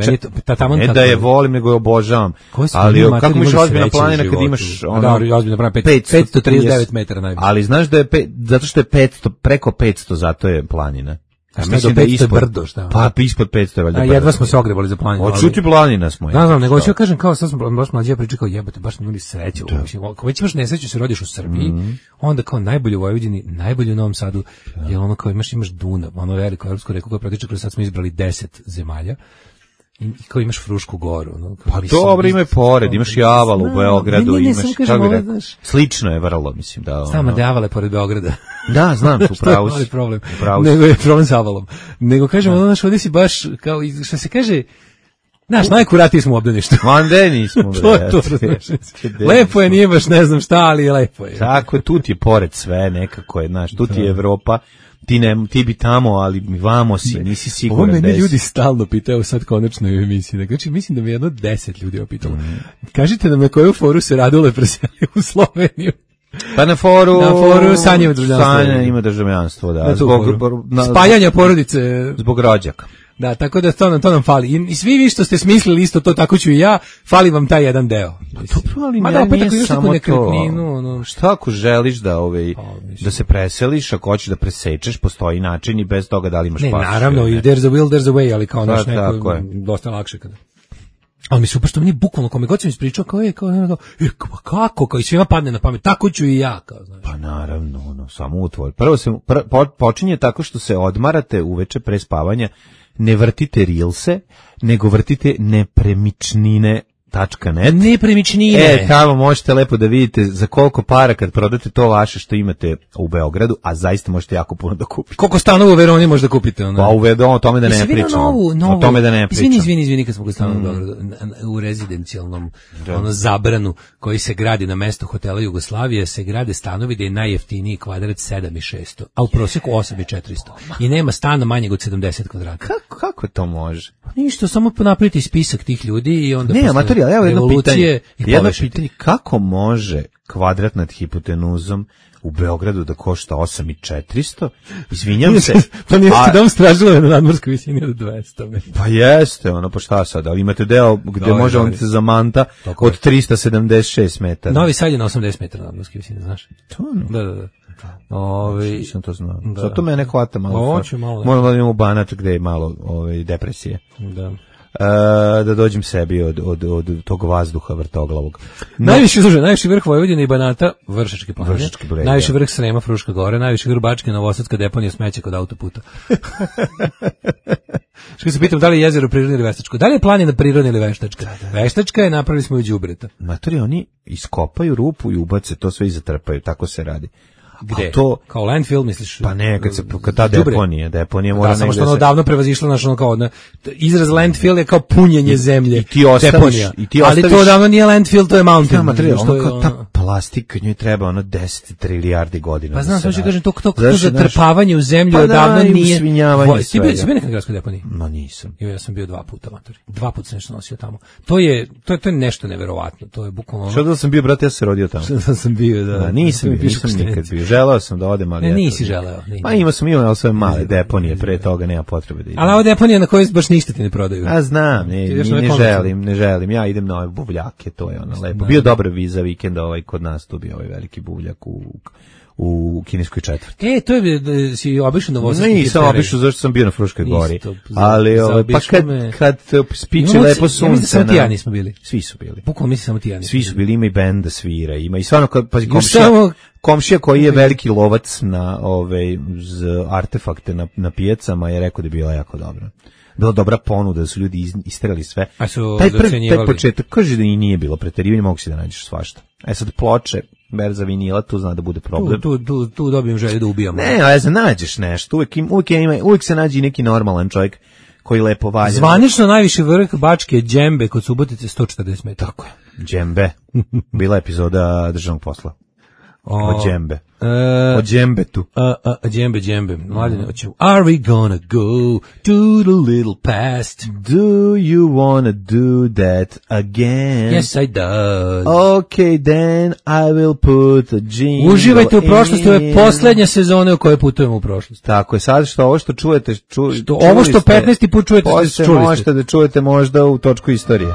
Speaker 9: Ne da je volim, nego je obožavam.
Speaker 8: Ali
Speaker 9: kako imaš ozbiljna planina kad imaš...
Speaker 8: Da, ozbiljna planina, 539 metara najbolje.
Speaker 9: Ali znaš da je, zato što je 500, preko 500, zato je planina.
Speaker 8: A mislim da je ispod brdo, šta?
Speaker 9: Pa ispod 500 je valjda.
Speaker 8: A jedva smo se ogrebali za planinu.
Speaker 9: Odšuti planina smo.
Speaker 8: Da, znam, nego ću kažem kao sad smo baš mlađi pričao kao jebote, baš smo imali sreću. Ako već imaš nesreću se rodiš u Srbiji, onda kao najbolje u Vojvodini, najbolje u Novom Sadu, je ono kao imaš Dunav, ono veliko evropsko reku koja protiče kroz sad smo izbrali 10 zemalja. I kao imaš Frušku Goru. No,
Speaker 9: pa dobro, ima je pored, imaš Javalu u Beogradu, imaš, kako bi slično je vrlo, mislim. Da,
Speaker 8: samo da Javale pored Beograda.
Speaker 9: Da, znam, tu pravu si.
Speaker 8: Problem. Nego je problem s Avalom. Nego kažemo, znaš, ovdje si baš, kao, što se kaže, znaš, najkuratiji smo u obdaništu.
Speaker 9: Mande nismo.
Speaker 8: To je to, lepo je, nije baš ne znam šta, ali lepo je.
Speaker 9: Tako je, tu ti je pored sve, nekako je, znaš, tu ti je Evropa. Ti bi tamo, ali vamo si, nisi siguran.
Speaker 8: Ovo mene ljudi stalno pitaju sad konačno u emisiji. Znači, mislim da me jedno 10 ljudi opitalo. Kažite nam na koju foru se Radule preselio u Sloveniju.
Speaker 9: Pa na foru
Speaker 8: Sanja ima državljanstvo.
Speaker 9: Sanja ima državljanstvo, da.
Speaker 8: Spajanja porodice.
Speaker 9: Zbog rođaka.
Speaker 8: Da, tako da to nam fali. I svi vi što ste smislili isto to, tako ću i ja, fali vam taj jedan deo.
Speaker 9: Dobro, ali nije samo to. Šta ako želiš da se preseliš, ako hoćeš da presečeš, postoji način i bez toga da li imaš pasoš.
Speaker 8: Ne, naravno, there's a will, there's a way, ali kao naš neko dosta lakše kada. Ali mi super što mi nije bukvalno, kome god sam ispričao, kako, kao i svima padne na pamet, tako ću i ja, kao, znaš.
Speaker 9: Pa naravno, samo u tvoj. Prvo se počinje tako što se odmarate uveče pre spavanja, ne vrtite rilse, nego vrtite nepremičnine.net.
Speaker 8: Nepremičnine.
Speaker 9: Tamo možete lepo da vidite za koliko para kad prodate to vaše što imate u Beogradu, a zaista možete jako puno da kupite.
Speaker 8: Koliko stanova u Veroni možda kupite?
Speaker 9: Pa o tome da ne pričam. O tome da ne pričam.
Speaker 8: Izvini kad smo kod stanova u Beogradu, u rezidencijalnom zabranu koji se gradi na mestu hotela Jugoslavije, se grade stanovi da je najjeftiniji kvadrat 7.600, a u prosjeku 8.400. I nema stana manjeg od 70 kvadrata.
Speaker 9: Kako to može?
Speaker 8: Ništa, samo napraviti spisak tih ljudi i onda...
Speaker 9: Evo jedno pitanje, kako može kvadrat nad hipotenuzom u Beogradu da košta 8.400? Izvinjam se.
Speaker 8: Pa nijeste dom Stražilove na nadmorskoj visini od 200.
Speaker 9: Pa jeste, pa šta sad, ali imate deo gde može on se zamanta od 376 metara.
Speaker 8: Novi Sad je na 80 metara nadmorskoj visini, znaš? Da.
Speaker 9: Sam to znao. Zato mene hvata malo. Moram da imamo Banat gde je malo depresije.
Speaker 8: Da.
Speaker 9: Da dođem sebi od tog vazduha vrtoglavog.
Speaker 8: Najviši vrh Vojvodine i Banata, Vršačke planine, najviši vrh Srema, Fruška Gora, najviši vrh Bačke, Novosadska deponija smeća kod autoputa. Što se pitam, da li je jezero prirodno ili veštačko? Da li je planina prirodna ili veštačka? Veštačka je, napravili smo i đubreta.
Speaker 9: Matori, oni iskopaju rupu i ubace to sve i zatrpaju, tako se radi.
Speaker 8: Gde? To, kao landfill, misliš?
Speaker 9: Pa ne, kad ta deponija mora
Speaker 8: samo što ono davno prevazišlo naš ono kao izraz landfill je kao punjenje zemlje.
Speaker 9: I ti ostaviš,
Speaker 8: ali to davno nije landfill, to je mountain.
Speaker 9: Ta plastika, njoj treba ono 10 trilijardi godina.
Speaker 8: Pa znam,
Speaker 9: da
Speaker 8: što kažem, to
Speaker 9: Znaš,
Speaker 8: zatrpavanje u zemlju
Speaker 9: pa
Speaker 8: odavno
Speaker 9: i
Speaker 8: nije...
Speaker 9: usvinjavanje
Speaker 8: Ti bio nekad na gradskoj deponiji?
Speaker 9: Ma nisam.
Speaker 8: Ja sam bio 2 puta, matori. 2 puta sam nešto nosio tamo. To je nešto neverovatno. To je bukvalno...
Speaker 9: Što da sam bio, brate, ja se rodio tamo.
Speaker 8: Što sam bio, da.
Speaker 9: Nisam nikad bio. Želeo sam da odem, ali...
Speaker 8: Nisi želeo.
Speaker 9: Pa imao ali sve male deponije, pre toga nema potrebe da idem.
Speaker 8: Ali ovo deponija na kojoj baš ništa ti ne prodaju.
Speaker 9: A znam, ne želim. Ja idem na ove buvljake, to je ono lepo. Bio dobar viza vikenda kod nas, tu bio ovaj veliki buvljak u kineskoj četvrti.
Speaker 8: To je, si obišao Novosadski hipsteri?
Speaker 9: Nisam obišao, zašto sam bio na Fruškoj gori. Ali, pa kad spiče lepo sunce...
Speaker 8: Ja mislim da samo ti ja nismo bili.
Speaker 9: Svi su bili.
Speaker 8: Bukvalno mislim samo ti ja nismo
Speaker 9: bili. Svi su bili, ima i bend da svira, ima i stvarno, pazi, komšija koji je veliki lovac na artefakte na pijacama je rekao da je bila jako dobra. Bila dobra ponuda, da su ljudi isterali sve.
Speaker 8: A su
Speaker 9: taj početak, kaže da i nije bilo preterivanje, mogu si da nađeš svašta. Sad ploče, berza vinila, tu zna da bude problem.
Speaker 8: Tu dobijem želju da ubijamo.
Speaker 9: Ne, nađeš nešto, uvijek se nađe neki normalan čovjek koji lepo valja.
Speaker 8: Zvanično najviši vrh Bačke je Džembe kod Subotice 140 metara.
Speaker 9: Tako je, Džembe. Bila epizoda državnog posla. O Džembe. O Džembetu.
Speaker 8: Džembe. Mladine, hoćemo. Are we gonna go to the little past?
Speaker 9: Do you wanna do that again?
Speaker 8: Yes, I does.
Speaker 9: Okay, then I will put a jingle.
Speaker 8: Uživajte u prošlosti, ovo je posljednja sezona u kojoj putujemo u prošlost.
Speaker 9: Tako je, sad ovo što čujete,
Speaker 8: ovo što 15. put čujete, čuli
Speaker 9: možete da čujete možda u točku istorije.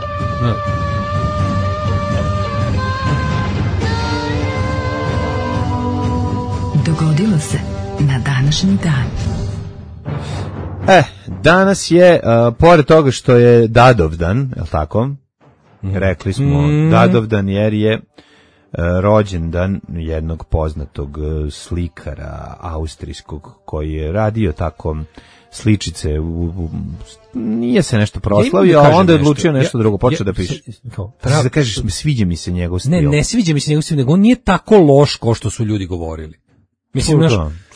Speaker 6: Dogodilo se na današnji dan.
Speaker 9: Danas je, pored toga što je Dadovdan, je li tako? Rekli smo Dadovdan jer je rođendan jednog poznatog slikara austrijskog koji je radio tako sličice, nije se nešto proslavio, a onda je odlučio nešto drugo, počeo da piše. Da kažeš, sviđa mi se njegov stil.
Speaker 8: Ne sviđa mi se njegov stil, nego on nije tako loš kao što su ljudi govorili. Mislim,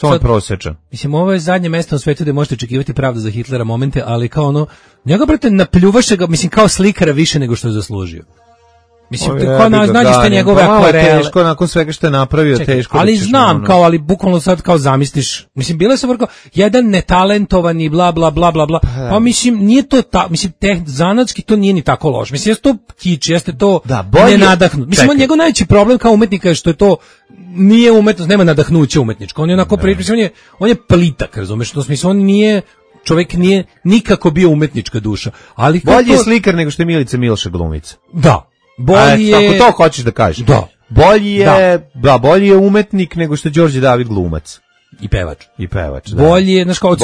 Speaker 9: samo prosječan.
Speaker 8: Mislim, ovo je zadnje mesto na svetu gde možete očekivati pravdu za Hitlera momente, ali kao ono, njega, brate, napljuvaše ga, mislim, kao slikara više nego što je zaslužio. Mislim, kao nađeš te njegove akvarele.
Speaker 9: Teško, nakon svega što je napravio, teško.
Speaker 8: Ali znam, ali bukvalno sad kao zamisliš. Mislim, bile su vrlo jedan netalentovani, bla, bla, bla, bla, bla. Pa mislim, nije to mislim, zanatski to nije ni tako loš. Mislim, jeste to kič, jeste to nenadahnut. Mislim, njegov najveći problem kao umetnika je što je to nije umetnost, nema nadahnuća umetničko. On je onako on je plitak, razumeš, u smislu on nije čovjek nije nikako bio umetnička duša. Ali
Speaker 9: bolji je slikar nego što je Milica Milša glumica.
Speaker 8: Da. Bolji je...
Speaker 9: Ako to hoćeš da kažeš.
Speaker 8: Da.
Speaker 9: Bolji je umetnik nego što je Đorđe David glumac.
Speaker 8: I pevač.
Speaker 9: Da.
Speaker 8: Bolji je, znaš kao...
Speaker 9: Od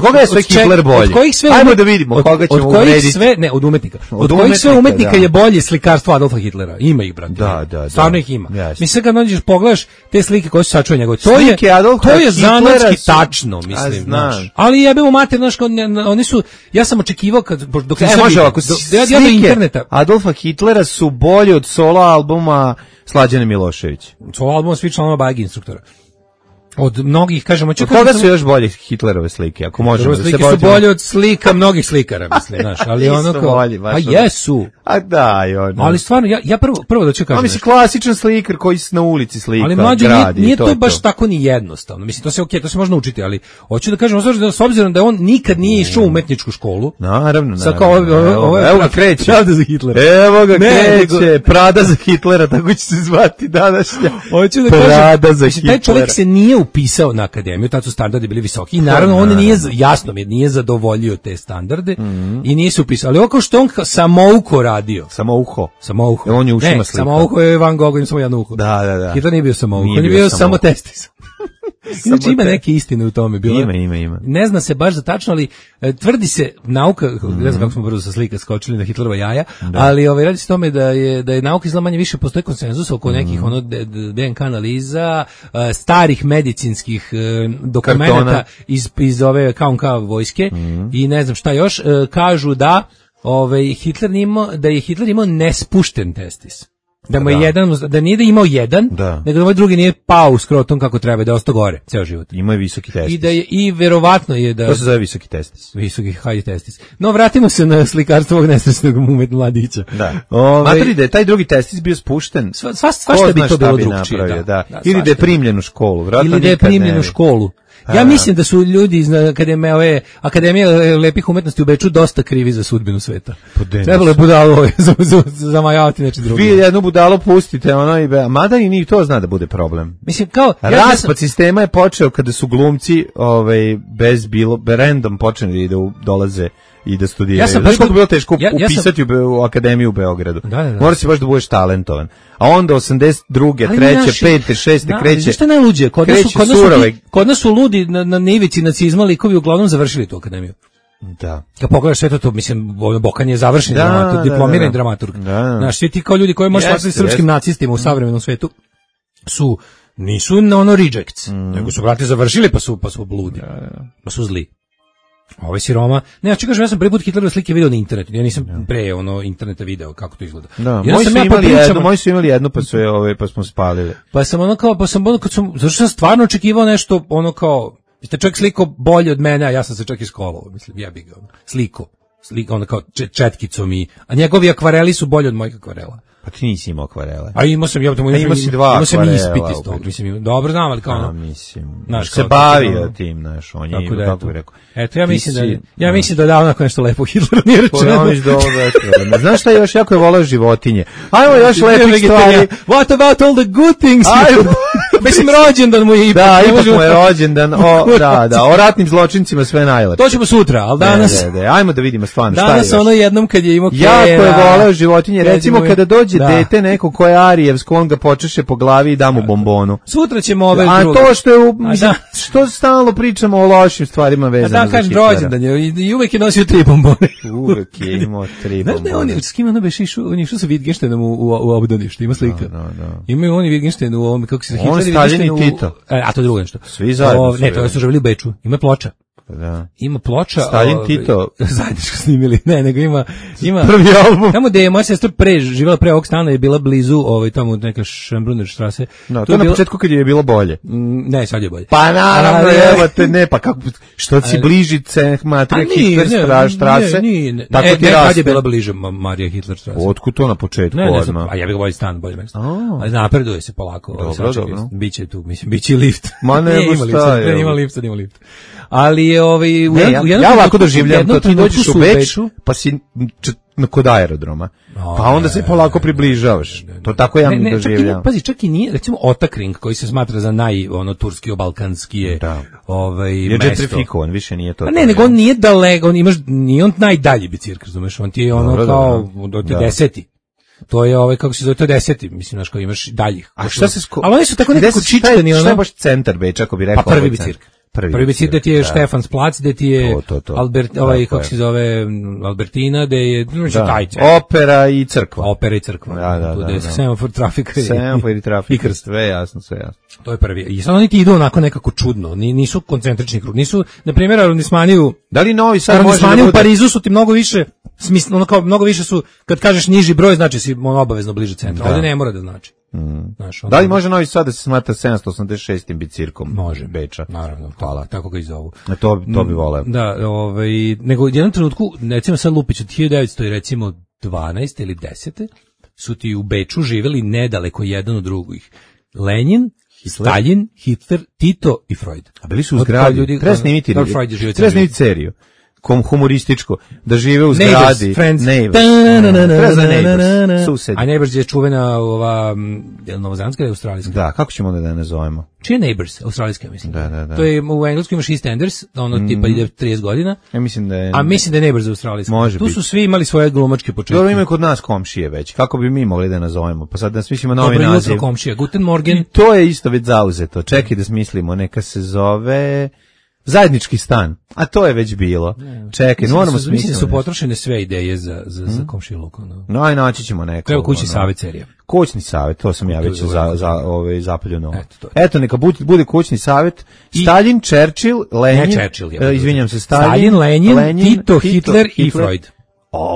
Speaker 9: koga je sve Hitler bolji? Ajmo da vidimo koga ćemo uvrediti.
Speaker 8: Od umetnika. Od kojih sve umetnika je bolje slikarstvo Adolfa Hitlera. Ima ih, brate.
Speaker 9: Da.
Speaker 8: Stvarno ih ima. Mislim, kad nađeš, pogledaš te slike koje su sačuve njegove. To je zanatski tačno, mislim. Znaš. Ali jebemo mater, znaš, oni su... Ja sam očekivao dok sam
Speaker 9: može ovako,
Speaker 8: slike
Speaker 9: Adolfa Hitlera su bolje od solo albuma Slađane Milošević.
Speaker 8: Solo albuma svi članova Bajeg instruktora. Od mnogih, kažemo...
Speaker 9: Od koga su još bolje Hitlerove slike, ako možemo da se
Speaker 8: su bolje od slika mnogih slikara, mislim, znaš, ali ono kao... Pa jesu.
Speaker 9: A daj, ono.
Speaker 8: Ali stvarno, ja prvo da ću kažem...
Speaker 9: Mislim, klasičan slikar koji na ulici slika,
Speaker 8: ali mlađe, nije to baš tako ni jednostavno. Mislim, to se okej, to se može naučiti, ali hoću da kažem, s obzirom da on nikad nije išao u umetničku školu...
Speaker 9: Naravno.
Speaker 8: Evo ga kreće.
Speaker 9: Pravda za Hitlera. Evo ga kreće. Prada za Hitlera, tako će se zvati današnja.
Speaker 8: Hoću da kažem, Prada za Hitlera. Taj čovjek se nije upisao na akademiju, tad su standardi bili visoki i naravno on nije, jasno mi je, nije zadovoljio te standarde i nije se upisao, ali oko što on samouko radio.
Speaker 9: Samouho.
Speaker 8: On
Speaker 9: je ušima slika.
Speaker 8: Samouho je Van Gogh, on samo jedno uho.
Speaker 9: Da.
Speaker 8: Hitler nije bio samouho, on je bio samo testis. Inače ima neke istine u tome.
Speaker 9: Ima.
Speaker 8: Ne zna se baš za tačno, ali tvrdi se nauka, ne znam kako smo brzo sa slika skočili na Hitlerova jaja, ali radi se tome da je nauka izgleda manje više, postoji konsenzus oko nekih DNK analiza, starih medicinskih dokumenata iz ove KNK vojske i ne znam šta još, kažu da Hitler je Hitler imao nespušten testis. Da mu je jedan, da nije da imao jedan, nego da ovaj drugi nije pao u skrotom kako treba, da je ostao gore ceo život.
Speaker 9: Ima je visoki testis.
Speaker 8: I da je, i verovatno je da...
Speaker 9: To se zove visoki testis.
Speaker 8: Visoki high testis. No, vratimo se na slikarstvo ovog nesrećnog mladića.
Speaker 9: Da. Matri da je taj drugi testis bio spušten.
Speaker 8: Svašta bi to bilo drugčije.
Speaker 9: Ili da je primljen u školu.
Speaker 8: Ili da je primljen u školu. Ja mislim da su ljudi iz Akademije lepih umetnosti u Beču dosta krivi za sudbinu sveta. Trebalo je budalo zamajavati nešto drugo.
Speaker 9: Vi jednu budalo pustite, mada i ni to zna da bude problem.
Speaker 8: Mislim, kao...
Speaker 9: Raspad sistema je počeo kada su glumci random počeli da dolaze i da studiraju. Znaš koliko je bilo teško upisati u Akademiju u Beogradu. Mora se baš da budeš talentovan. A onda 82. 3. 5. 6. kreće.
Speaker 8: Znaš što je najluđe? Kod nas su ludi na nivici nacizma likovi uglavnom završili tu akademiju.
Speaker 9: Da.
Speaker 8: Kad pogledaš sve to, mislim, Bokan je završen dramaturg, diplomirani dramaturg. Znaš, svi ti kao ljudi koji možeš shvatiti srpskim nacistima u savremenom svetu nisu rejects, nego su brate završili pa su bludi, pa su zli. Ovaj si Roma. Ne, ja kažem, ja sam prvi put Hitlerove slike video na internetu. Ja nisam pre interneta video kako to izgleda.
Speaker 9: Da, moji su imali jednu pa smo spalili.
Speaker 8: Zašto sam stvarno očekivao nešto kao, ste čovjek sliko bolje od mene, a ja sam se čak iskolovao, mislim, jebi ga, sliko kao četkicom a njegovi akvareli su bolji od mojih akvarela.
Speaker 9: Pa ti nisi imao akvarele.
Speaker 8: A imao sam ispit iz toga. Mislim, dobro znam, ali kao
Speaker 9: se bavio tim, znaš, on je, kako bi rekao.
Speaker 8: Eto, ja mislim da onako nešto lepo Hitleru nije rečeno.
Speaker 9: Znaš šta još, jako je volao životinje. Ajmo još lepih stvari.
Speaker 8: What about all the good things? Mislim, rođendan mu je ipak.
Speaker 9: Da, ipak mu je rođendan. O ratnim zločincima sve najlepše.
Speaker 8: To ćemo sutra, ali danas...
Speaker 9: Ajmo da vidimo stvarno šta je još.
Speaker 8: Danas jednom kad je imao
Speaker 9: jako je volao životinje. Recimo, kada dođe dete neko ko je arijevsko, on ga počeše po glavi i da mu bombonu.
Speaker 8: Sutra ćemo ove druge.
Speaker 9: A to što stalno pričamo o lošim stvarima vezano za Hitlera.
Speaker 8: Rođendan je i uvek je nosio 3 bombone.
Speaker 9: Uvek je imao 3 bombone.
Speaker 8: Znaš ne, s kim ono beš išao sa Wittgensteinom u obdaništu, ima slika. Imaju oni Wittgenstein u ovom, kako se Hitler
Speaker 9: on Stalin i Tito.
Speaker 8: A to je drugo nešto.
Speaker 9: Svi zajedno.
Speaker 8: Ne, to su živjeli u Beču. Ima ploča.
Speaker 9: Da.
Speaker 8: Ima ploča.
Speaker 9: Stalin Tito.
Speaker 8: Zajedničko snimili. Ne, nego ima
Speaker 9: prvi album.
Speaker 8: Tamo gde je moja sestra živjela pre ovog stana je bila blizu tamo neka Schönbrunner strasse.
Speaker 9: No, to je na početku kad je bilo bolje.
Speaker 8: Ne, sad je bolje.
Speaker 9: Pa naravno, evo te, ne, pa kako, što si bliži Marija Hitler strasse?
Speaker 8: Tako ti raste. Kad je bila bliže Marija Hitler strasse?
Speaker 9: Otkud to na početku?
Speaker 8: A ja bih bolji stan, bolje mesto. Ali napreduje se polako.
Speaker 9: Dobro.
Speaker 8: Biće tu, mislim, biće lift.
Speaker 9: Ma nema šta je.
Speaker 8: Ima lift. Ali je
Speaker 9: ja ovako doživljam to, ti dođeš u Beč, pa si kod aerodroma, pa onda se polako približavaš. To tako ja mi doživljam.
Speaker 8: Pazi, čak i nije, recimo Ottakring, koji se smatra za turski-balkanski je
Speaker 9: je gentrifikovan, više nije to.
Speaker 8: Ne, nego on nije daleko, nije on najdalji bicikl, razumeš, on ti je kao od 10. To je kako se zove, to je 10. Mislim, znaš, kao imaš daljih.
Speaker 9: A šta se
Speaker 8: ali oni su tako nekako čičkani,
Speaker 9: šta je baš centar Beča, ako bi rekao?
Speaker 8: Pa prvi bicikl. Prvi bicikl gde ti je Štefans plac, gde ti je kako se zove, Albertina, gde je
Speaker 9: opera i crkva.
Speaker 8: Tu gde je semafor, trafika.
Speaker 9: Semafor i trafika, sve jasno.
Speaker 8: To je prvi. I sad oni ti idu onako nekako čudno, nisu koncentrični krug, nisu, na primjer, arondismaniju.
Speaker 9: Da li Novi Sad može da bude?
Speaker 8: U Parizu su ti mnogo više, mnogo više su, kad kažeš niži broj, znači si obavezno bliže centru. Ovdje ne mora da znači.
Speaker 9: Da li može Novi Sad da se smatra 786. bicirkom?
Speaker 8: Može,
Speaker 9: Beča.
Speaker 8: Naravno, hvala, tako ga i zovu.
Speaker 9: To bi voleo.
Speaker 8: Da, nego u jednom trenutku, recimo sad Lupić od 1900 i recimo 12. ili 10. su ti u Beču živjeli nedaleko jedan od drugih. Lenin, Stalin, Hitler, Tito i Freud.
Speaker 9: A bili su u zgradi. Treba snimiti seriju. Humorističko, da žive u zgradi. Neighbors. Susedi.
Speaker 8: A Neighbors je čuvena novozelandska ili australijska?
Speaker 9: Da, kako ćemo onda da je nazovemo?
Speaker 8: Čije Neighbors? Australijska, mislim.
Speaker 9: Da.
Speaker 8: To je, u engleskom imaš EastEnders, tipa ide 30 godina.
Speaker 9: Ja mislim da je...
Speaker 8: A mislim da je Neighbors australijska.
Speaker 9: Može
Speaker 8: tu su svi imali svoje glumačke početke.
Speaker 9: Dobro, imaju kod nas komšije već. Kako bi mi mogli da nazovemo? Pa sad da smislimo novi naziv.
Speaker 8: Dobro jutro komšija. Guten Morgen.
Speaker 9: I to je isto već zauzeto. Čekaj da smislimo. Neka se zove... Zajednički stan, a to je već bilo. Čekaj, moramo smisliti.
Speaker 8: Mislim da su potrošene sve ideje za komšiluk.
Speaker 9: No, aj naći ćemo neko.
Speaker 8: Treba kućni savjet serija.
Speaker 9: Kućni savjet, to sam ja već zapaljuno. Eto, neka bude kućni savjet. Stalin, Churchill, Lenin, izvinjam se,
Speaker 8: Stalin, Lenin, Tito, Hitler i Freud.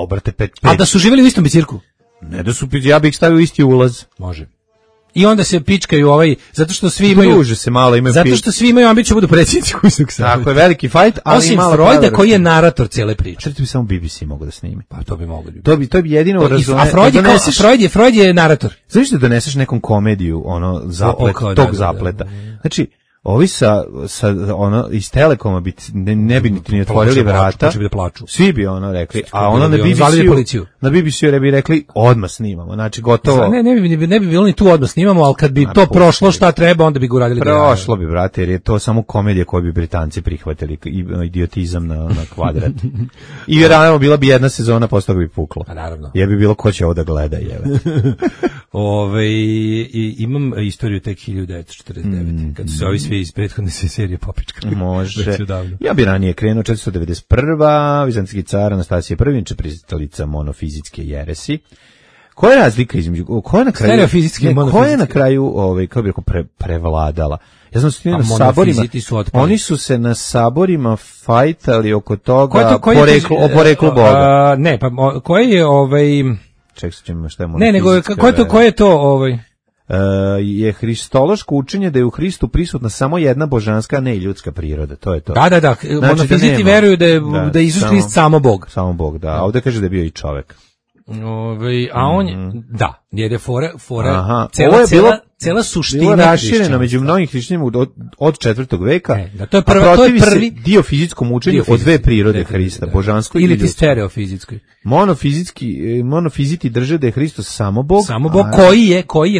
Speaker 9: Brate, 5.
Speaker 8: A da su živjeli u istom bicirku?
Speaker 9: Ne da su, ja bih stavio isti ulaz.
Speaker 8: Može. I onda se pičkaju zato što svi imaju...
Speaker 9: Druže se malo, imaju...
Speaker 8: Zato što svi imaju ambiciju budu predsjednici kućnog savjeta.
Speaker 9: Tako je, veliki fajt, ali
Speaker 8: osim
Speaker 9: malo...
Speaker 8: Freuda
Speaker 9: pravila.
Speaker 8: koji je narator cijele priče.
Speaker 9: Što bi samo BBC mogao da snimi?
Speaker 8: Pa to bi moglo.
Speaker 9: To bi jedino
Speaker 8: A Freud je narator.
Speaker 9: Znaš da doneseš nekom komediju, tog zapleta. Znači, ovi sa iz Telekoma bi ne bi ni otvorili vrata.
Speaker 8: Da plaču.
Speaker 9: Svi bi rekli, a na BBC bi rekli odmah snimamo. Znači gotovo.
Speaker 8: Ne bi bilo ni tu odmah snimamo, al kad bi to prošlo šta treba, onda bi ga uradili.
Speaker 9: Prošlo bi, brate, jer je to samo komedija koju bi Britanci prihvatili, idiotizam na kvadrat. I vjerojatno bila bi jedna sezona, posle toga bi puklo.
Speaker 8: Pa naravno.
Speaker 9: Je bi bilo ko će ovo da gleda, jeve.
Speaker 8: Imam istoriju tek 1949, kad su se ovi svi iz prethodne serije popičkali.
Speaker 9: Može. Ja bi ranije krenuo 491. Vizantijski car Anastasije I, pristalica monofizitske jeresi. Koja je razlika između... Koja je na kraju kako bih rekao, prevladala? Ja znam na saborima, oni su se na saborima fajtali oko toga o poreklu Boga.
Speaker 8: Ne, pa koje je
Speaker 9: Ček se ćemo šta je
Speaker 8: monofizitska. Ne, nego koje je to
Speaker 9: je hristološko učenje da je u Hristu prisutna samo jedna božanska, a ne i ljudska priroda. To je to.
Speaker 8: Da. Znači, monofiziti veruju da je Isus Hrist samo Bog.
Speaker 9: Samo Bog, da. A ovdje kaže da je bio i čovek.
Speaker 8: A on je, da, jer je fora cela suština
Speaker 9: bilo rašireno među mnogim hrišćanima od 4. veka,
Speaker 8: to je prvi
Speaker 9: dio fizičkom učenju od dve prirode Hrista, božanskoj
Speaker 8: ili ti stereofizitskoj.
Speaker 9: Monofiziti drže da je Hristos samo Bog.
Speaker 8: Samo Bog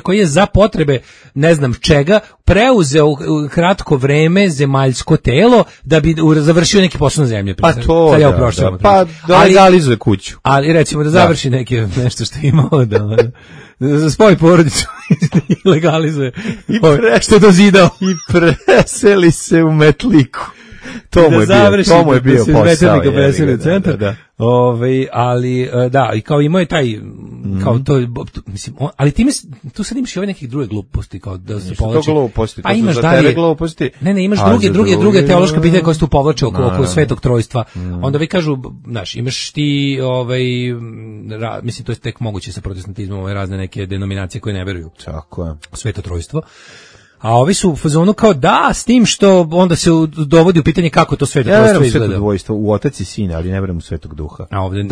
Speaker 8: koji je za potrebe ne znam čega preuzeo u kratko vreme zemaljsko telo da bi završio neki posao na zemlji.
Speaker 9: Pa to, pa da legalizuje kuću.
Speaker 8: Ali recimo da završi nešto što je imao da spoji porodicu i legalizuje što je dozidao.
Speaker 9: I preseli se u Metliku. To mu je bio posao.
Speaker 8: Da. Ali i kao imao je taj kao to mislim ali tu sad imaš i ove neke druge gluposti kao da se povlači.
Speaker 9: Pa
Speaker 8: imaš dalje gluposti. Ne, imaš druge teološke pitanja koje se tu povlače oko Svetog Trojstva. Onda vi kažu, znaš, imaš ti mislim to je tek moguće sa protestantizmom, razne neke denominacije koje ne veruju.
Speaker 9: Tako je.
Speaker 8: Sveto Trojstvo. A ovi su u fazonu kao s tim što onda se dovodi u pitanje kako to Sveto Trojstvo izgleda.
Speaker 9: Sveto dvojstvo u Otac i Sin, ali ne verujem u Svetog Duha.
Speaker 8: A ovde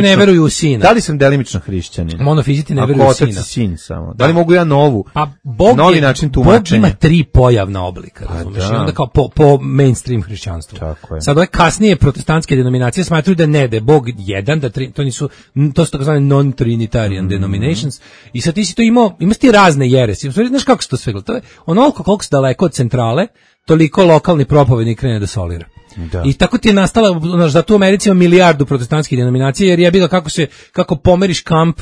Speaker 9: ne
Speaker 8: veruju u Sina.
Speaker 9: Da li sam delimično hrišćanin?
Speaker 8: Monofiziti ne veruju u Sina.
Speaker 9: Otac i Sin samo. Da li mogu ja novi način tumačenja?
Speaker 8: Bog ima 3 pojavna oblika, razumiješ? I onda kao po mainstream hrišćanstvu. Sad ove kasnije protestantske denominacije smatruju da je Bog jedan, to su takozvane non-trinitarian denominations. I sad ti si to imaš ti razne jeresi. Znaš kako se to sve gleda? To je onoliko koliko se daleko od centrale, toliko lokalni propovednik krene da solira. Da. I tako ti je nastala, da tu u Americi ima milijardu protestantskih denominacija, jer je bilo kako pomeriš kamp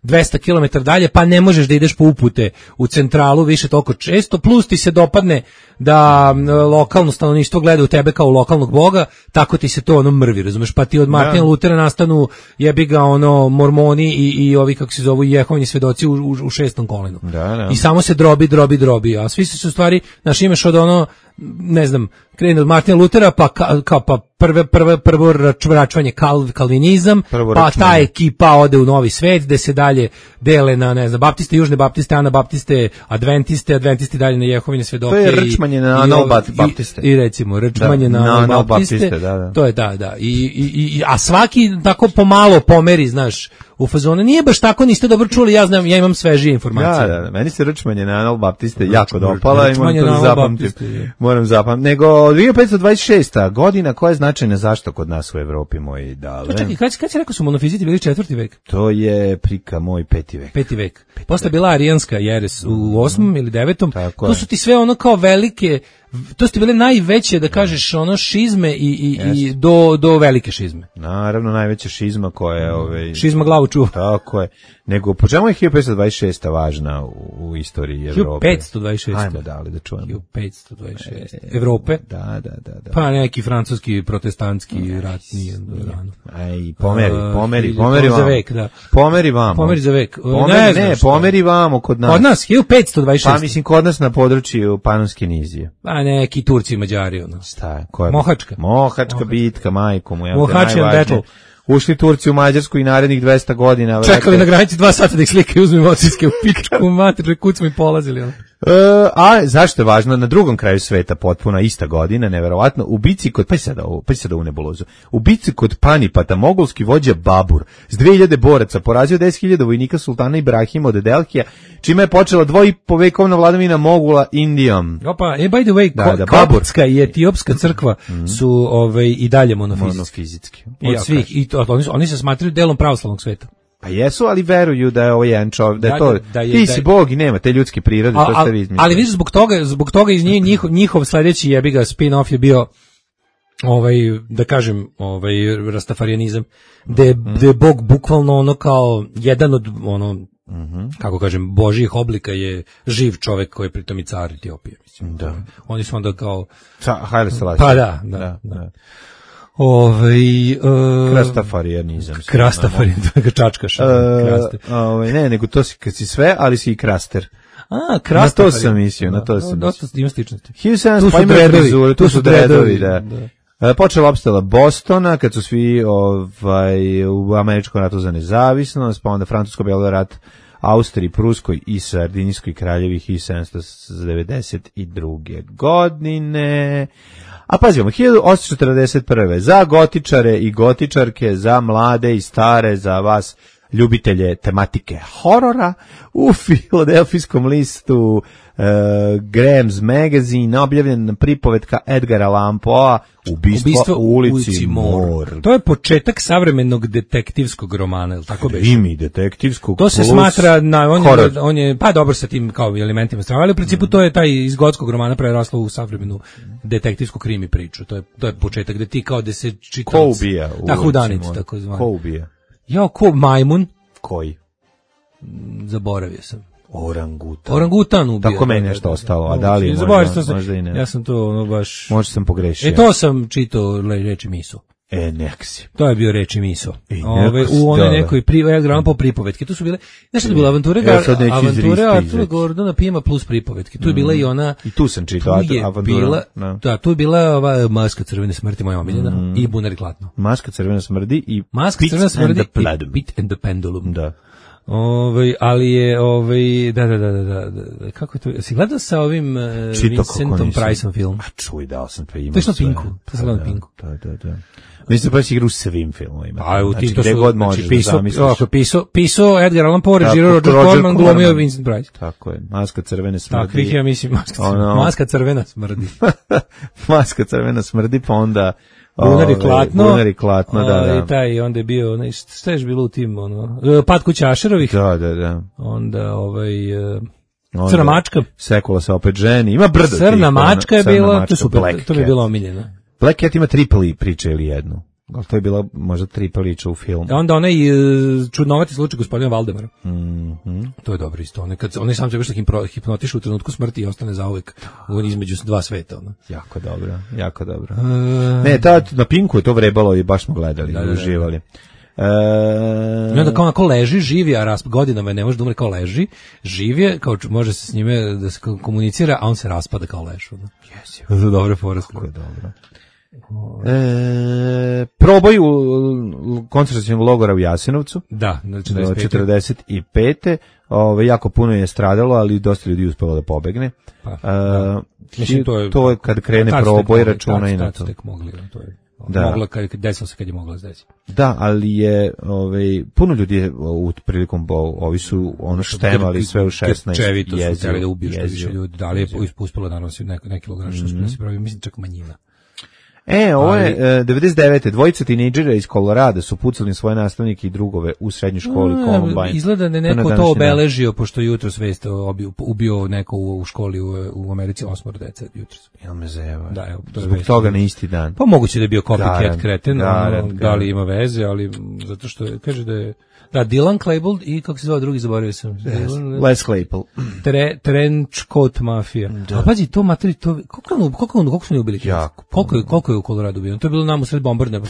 Speaker 8: 200 km dalje, pa ne možeš da ideš po upute u centralu više toliko često, plus ti se dopadne da lokalno stanovništvo gleda u tebe kao u lokalnog boga, tako ti se to mrvi, razumeš, pa ti od Martina Lutera nastanu jebi ga mormoni i ovi kako se zovu Jehovini svedoci u 6. kolenu.
Speaker 9: Da.
Speaker 8: I samo se drobi, a svi su u stvari, znaš, imaš od ne znam, krene od Martina Lutera, pa prvo račvanje kalvinizam, pa ta ekipa ode u Novi svet, gde se dalje dele na, ne znam, baptiste, južne baptiste, anabaptiste, adventisti dalje na Jehovine svedoke.
Speaker 9: To je rčmanje na analbaptiste.
Speaker 8: I recimo, rčmanje na analbaptiste. To je, da. A svaki tako pomalo pomeri, znaš, u fazonu, nije baš tako, niste dobro čuli, ja imam svežije informacije.
Speaker 9: Da, meni se rčmanje na analbaptiste jako dopala i moram zapamtiti. Nego 2526. godina, koja je značajna zašto kod nas u Evropi, moji dale?
Speaker 8: Čekaj, kad si rekao su monofiziti bili 4. vek?
Speaker 9: To je prika moj 5. vek.
Speaker 8: 5. vek. Posle bila arijanska jeres u 8. ili 9. To su ti sve kao velike, to su ti bile najveće, da kažeš, šizme i do velike šizme.
Speaker 9: Naravno, najveća šizma koja je...
Speaker 8: Šizma glavu čuva.
Speaker 9: Tako je. Nego, po čemu je 1526. važna u istoriji Evrope?
Speaker 8: 1526.
Speaker 9: Ajmo da čujemo.
Speaker 8: 1526. Evrope?
Speaker 9: Da.
Speaker 8: Pa neki francuski, protestantski rat nije rano.
Speaker 9: Aj, pomeri
Speaker 8: za vek, da.
Speaker 9: Pomeri vamo.
Speaker 8: Pomeri za vek.
Speaker 9: Pomeri vamo kod nas.
Speaker 8: Kod nas, 1526.
Speaker 9: Pa mislim, kod nas na području Panonske nizije.
Speaker 8: Pa neki Turci i Mađari,
Speaker 9: Šta je?
Speaker 8: Mohačka.
Speaker 9: Mohačka bitka, majko mu.
Speaker 8: Mohačian battle.
Speaker 9: ušli Turci u Mađarsku i narednih 200 godina.
Speaker 8: Čekali na granici 2 sata da ih slikaju, uzmu emocijske u pičku mater, kud smo i polazili.
Speaker 9: A zašto je važno? Na drugom kraju sveta potpuna ista godina, neverovatno, u bici kod, pa sada u nebulozu, u bici kod Panipata, mogolski vođa Babur s 2000 boraca porazio 10.000 vojnika sultana Ibrahima od Delhija, čime je počela dvoipovekovna vladavina Mogula Indijom.
Speaker 8: Opa, by the way, Koptska i etiopska crkva su i dalje monofizitski. Od svih, i oni se smatraju delom pravoslavnog sveta.
Speaker 9: Pa jesu, ali veruju da je ovo jedan čovjek, da je to, ti si Bog i nema te ljudske prirode, to ste vi izmislili.
Speaker 8: Ali vidiš, zbog toga iz njihov sledeći jebiga spin-off je bio da kažem, rastafarijanizam, gde je Bog bukvalno ono kao jedan od kako kažem, božjih oblika je živ čovek koji je pritom i car Etiopije, mislim.
Speaker 9: Da.
Speaker 8: Oni su onda kao
Speaker 9: Haile Selassie.
Speaker 8: Pa da.
Speaker 9: Krastafarijanizam.
Speaker 8: Krastafarijanizam, čačkaš.
Speaker 9: Ne, nego to si, kad si sve, ali si i kraster.
Speaker 8: Krastafarijanizam.
Speaker 9: Na to sam mislio,
Speaker 8: Dosta ima sličnosti.
Speaker 9: 1700, tu su dredovi, da. Počela opstala Bostona, kad su svi u američkom ratu za nezavisnost, pa onda francusko-beli rat Austriji, Pruskoj i Sardinijskoj kraljevi 1792. godine. A pazimo, 1841. za gotičare i gotičarke, za mlade i stare, za vas ljubitelje tematike horora, u filadelfijskom listu Graham's Magazine objavljena pripovetka Edgara Allan Poe Ubistvo u ulici Moore.
Speaker 8: To je početak savremenog detektivskog romana, ili tako beše?
Speaker 9: Krimi detektivskog.
Speaker 8: To se smatra, on je pa dobro sa tim kao elementima strava, ali u principu to je taj iz gotskog romana preraslo u savremenu detektivsku krimi priču. To je početak gde ti kao da se čitaoc.
Speaker 9: Ko ubija?
Speaker 8: Hudanic, tako zvani.
Speaker 9: Ko ubija?
Speaker 8: Ko majmun?
Speaker 9: Koji?
Speaker 8: Zaboravio sam.
Speaker 9: Orangutan
Speaker 8: ubija.
Speaker 9: Tako meni nešto ostalo, a da li je možda i ne.
Speaker 8: Ja sam to baš...
Speaker 9: Možda sam pogrešio.
Speaker 8: To sam čitao reči miso.
Speaker 9: Neksi.
Speaker 8: To je bio reči miso. U onoj nekoj po pripovetke. Tu su bile, nešto je bila avanture Artura Gordona Pima plus pripovetke. Tu je bila i ona...
Speaker 9: I tu sam čitao avanturu.
Speaker 8: Da, tu je bila ova Maska crvene smrti, moja omiljena, i Bunar i Klatno.
Speaker 9: Maska crvene smrti i
Speaker 8: Pit and the Pendulum.
Speaker 9: Da.
Speaker 8: Ali je da, kako je to? Si gledao sa ovim Vincentom Priceom film?
Speaker 9: A čuj, dao sam to ima.
Speaker 8: To je na Pinku. To sam gledao na Pinku.
Speaker 9: Da. Mislim pa si igra u svim filmovima.
Speaker 8: Znači, gde god možeš da zamisliš. Pisao Edgar Allan Poe, režirao Roger Corman, glumio Vincent Price.
Speaker 9: Tako je. Maska crvene smrdi.
Speaker 8: Takvih ja mislim, Maska crvena smrdi.
Speaker 9: Maska crvena smrdi, pa onda
Speaker 8: Bunar i
Speaker 9: Klatno, da.
Speaker 8: I onda je bio, šta je bilo u tim, Pad kuća Ašerovih.
Speaker 9: Da.
Speaker 8: Onda, Crna mačka.
Speaker 9: Sekula se opet ženi. Ima brdo.
Speaker 8: Crna mačka je bila, to mi je bilo omiljeno.
Speaker 9: Black Cat ima 3 priče ili jednu. Ali to je bila možda 3 priča u filmu.
Speaker 8: Onda onaj čudnovati slučaj gospodina Valdemara. To je dobro isto. Onaj sam se baš hipnotiše u trenutku smrti i ostane zauvek između dva sveta.
Speaker 9: Jako dobro. Ne, na Pinku je to vrebalo i baš smo gledali, uživali.
Speaker 8: I onda kao onako leži, živi, a godinama ne može da umre, kao leži, živi, kao može se s njime da se komunicira, a on se raspada kao leš. To je dobro porazko.
Speaker 9: Dobro. Proboj u koncentracionog logora u Jasenovcu.
Speaker 8: Da,
Speaker 9: 45. Jako puno je stradalo, ali dosta ljudi uspelo da pobegne.
Speaker 8: Mislim,
Speaker 9: to je kad krene proboj, računa i na to.
Speaker 8: Tek mogli, to je. Mogla desilo se kad je mogla desiti.
Speaker 9: Da, ali je puno ljudi je prilikom ovi su štemali sve u 16
Speaker 8: čevito su htjeli da ubiju što više ljudi. Da li je uspelo da nosi neki kilogram što se pravi, mislim čak manjina.
Speaker 9: Ovo je 99. Dvojica tinejdžera iz Kolorada su pucali svoje nastavnike i drugove u srednjoj školi Columbine.
Speaker 8: Izgleda da je neko to obeležio, pošto jutros vest ubio neko u školi u Americi 8 dece jutros.
Speaker 9: Jel me zeva?
Speaker 8: Da, evo,
Speaker 9: zbog toga na isti dan.
Speaker 8: Pa moguće da je bio copycat kreten, da li ima veze, ali zato što kaže da je Dylan Klebold i kako se zvao drugi, zaboravio sam.
Speaker 9: Les Claypool.
Speaker 8: Trenchcoat Mafija. A pazi, to materi, koliko su ne ubili? Koliko je u Koloradu ubijeno? To je bilo nam u sred bombardne.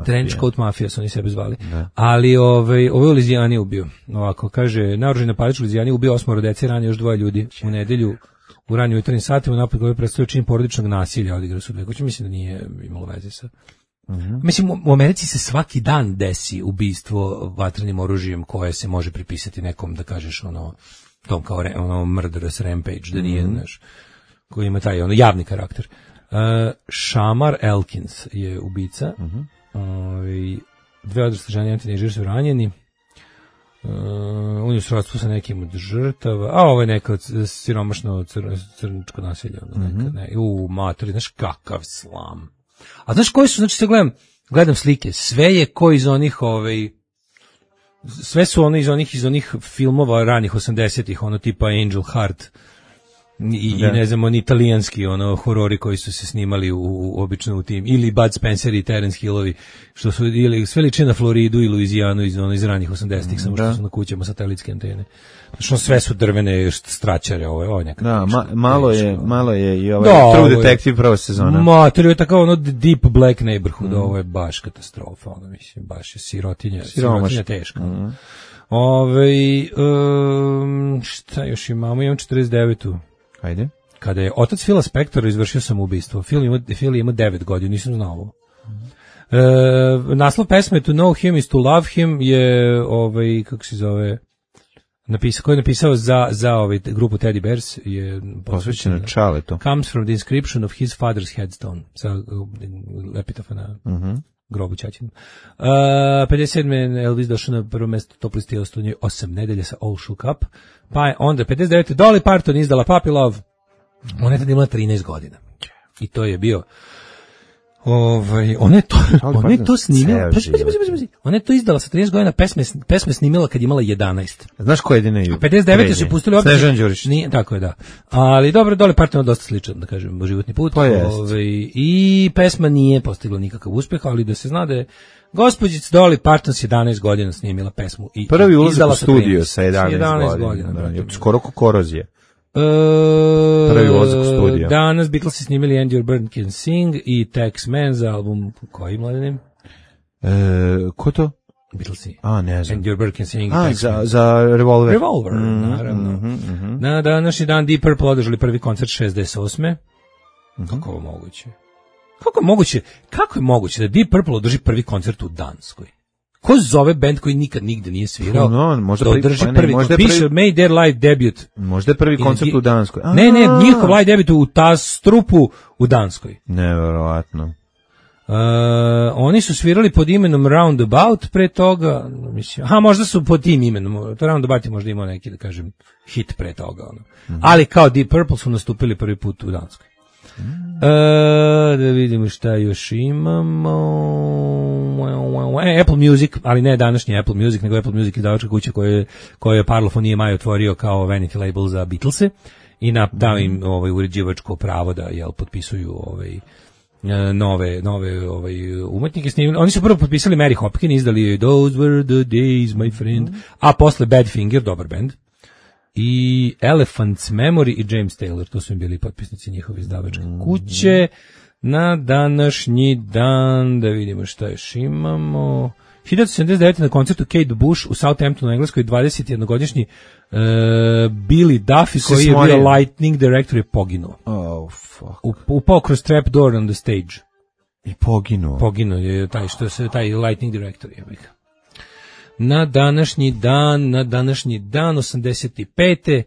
Speaker 8: Trenchcoat Mafija su oni sebe zvali. Ali ovo je u Lizijani ubio. Ovako, kaže, naoružani napadač u Lizijani ubio 8 dece, ranio još 2 ljudi. U nedelju, u raniju jutarnjim satima, napad koji predstavio čin porodičnog nasilja, odigrao su 2 kuće. Mislim da nije imalo veze sa Mislim, u Americi se svaki dan desi ubistvo vatrenim oružjem koje se može pripisati nekom, da kažeš, tom kao murderous rampage, da nije, znaš, koji ima taj javni karakter. Shamar Elkins je ubica. Dve odrasle žene i tinejdžeri su ranjeni. On je u srodstvu sa nekim od žrtava, a ovo je neka siromašno crničko nasilje. Matori, znaš kakav slam. A znaš koji su, znači se gledam slike, sve je ko iz onih, sve su ono iz onih filmova ranih 80-ih, tipa Angel Heart, i ne znam, oni italijanski horori koji su se snimali obično u tim, ili Bud Spencer i Terence Hillovi, što su ili sve liče na Floridu i Luizijanu iz ranih 80-ih, samo što su na kućama satelitske antene. Što sve su drvene straćare, ovo je neka.
Speaker 9: Da, malo je i True Detective prva sezona.
Speaker 8: To je tako Deep Black Neighborhood, ovo je baš katastrofa, mislim, baš je sirotinja teška. Šta još imamo? Imam 49.
Speaker 9: Ajde.
Speaker 8: Kada je otac Phila Spectora izvršio samoubistvo, Phil ima 9 godina, nisam znao ovo. Naslov pesme To Know Him is to Love Him je, kako se zove, koji je napisao za grupu Teddy Bears, je
Speaker 9: posvećeno Charletu.
Speaker 8: Comes from the inscription of his father's headstone, sa epitafa na grobu ćaćinu. 57. Elvis došao na prvo mesto top listi 8 nedelja sa All Shook Up. Pa je onda 59. Dolly Parton izdala Puppy Love. Ona je tada imala 13 godina. I to je bio... Ona je to snimila. Ona je to izdala sa 13 godina, pesme snimila kad je imala 11.
Speaker 9: Znaš ko je jedina ju?
Speaker 8: 59. su pustili opet.
Speaker 9: Snežan Đurić.
Speaker 8: Tako je, da. Ali dobro, Dolly Parton je dosta sličan, da kažem, životni put. I pesma nije postigla nikakav uspeh, ali da se zna da je gospođica Dolly Parton s 11 godina snimila pesmu.
Speaker 9: Prvi ulazak u studio sa 11 godina. Skoro ko Korozije. Prvi ulazak u studio.
Speaker 8: Danas Beatlesi snimili And Your Bird Can Sing i Tex Man za album koji mladenim?
Speaker 9: Ko to?
Speaker 8: Beatlesi.
Speaker 9: Ne znam.
Speaker 8: And Your Bird Can Sing.
Speaker 9: Za Revolver.
Speaker 8: Revolver, naravno. Na današnji dan Deep Purple održali prvi koncert 68. Kako je moguće? Kako je moguće da Deep Purple održi prvi koncert u Danskoj? Ko zove band koji nikad nigde nije svirao?
Speaker 9: Možda
Speaker 8: održi prvi, piše Made Their Live Debut.
Speaker 9: Možda je prvi koncert u Danskoj.
Speaker 8: Ne, njihov live debut u Tastrupu u Danskoj.
Speaker 9: Neverovatno.
Speaker 8: Oni su svirali pod imenom Roundabout pre toga, mislim, možda su pod tim imenom, to Roundabout je možda imao neki, da kažem, hit pre toga. Ali kao Deep Purple su nastupili prvi put u Danskoj. Da vidimo šta još imamo. Apple Music, ali ne današnji Apple Music, nego Apple Music izdavačka kuća koju je Parlophone EMI otvorio kao vanity label za Beatlese i dao im uređivačko pravo da potpisuju nove umetnike. Oni su prvo potpisali Mary Hopkin, izdali Those Were the Days, My Friend, a posle Badfinger, dobar band, i Elephant's Memory i James Taylor, to su im bili potpisnici njihove izdavačke kuće. Na današnji dan, da vidimo šta još imamo. 1979. na koncertu Kate Bush u Southamptonu, Engleskoj, 21-godišnji Billy Duffy, koji je bio Lightning Director, je poginuo.
Speaker 9: Oh, fuck.
Speaker 8: Upao kroz trap door on the stage.
Speaker 9: I poginuo.
Speaker 8: Poginuo je taj Lightning Director, je bih. Na današnji dan, 85.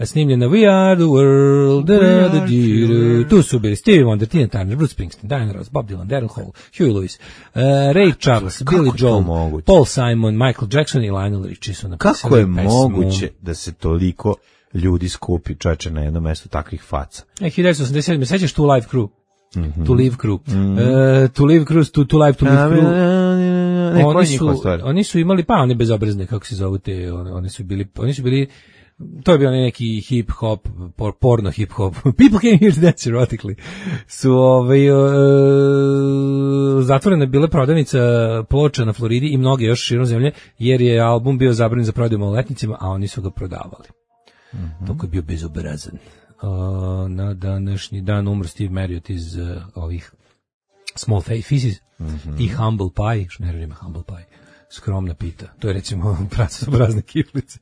Speaker 8: snimljena We Are the World, tu su bili Stevie Wonder, Tina Turner, Bruce Springsteen, Diana Ross, Bob Dylan, Daryl Hall, Huey Lewis, Ray Charles, Billy Joel, Paul Simon, Michael Jackson i Lionel Richie su napisali pesmu.
Speaker 9: Kako je moguće da se toliko ljudi skupi, čoveče, na jedno mesto takvih faca?
Speaker 8: 1987. sećaš tu Live Crew? To Live Crew. To Live Crew, to Live, to Live Crew. Oni su imali, oni bezobrazne, kako se zovu te, oni su bili, to je bio neki hip-hop, porno hip-hop. People came here to dance erotically. Su zatvorena bila prodavnica ploča na Floridi i mnoge još širom zemlje, jer je album bio zabranjen za prodaju maloletnicima, a oni su ga prodavali. Toko je bio bezobrazan. Na današnji dan umro Steve Marriott iz ovih Small Faces i Humble Pie, što ne radim Humble Pie. Skromna pita. To je recimo praca za prazne kiflice.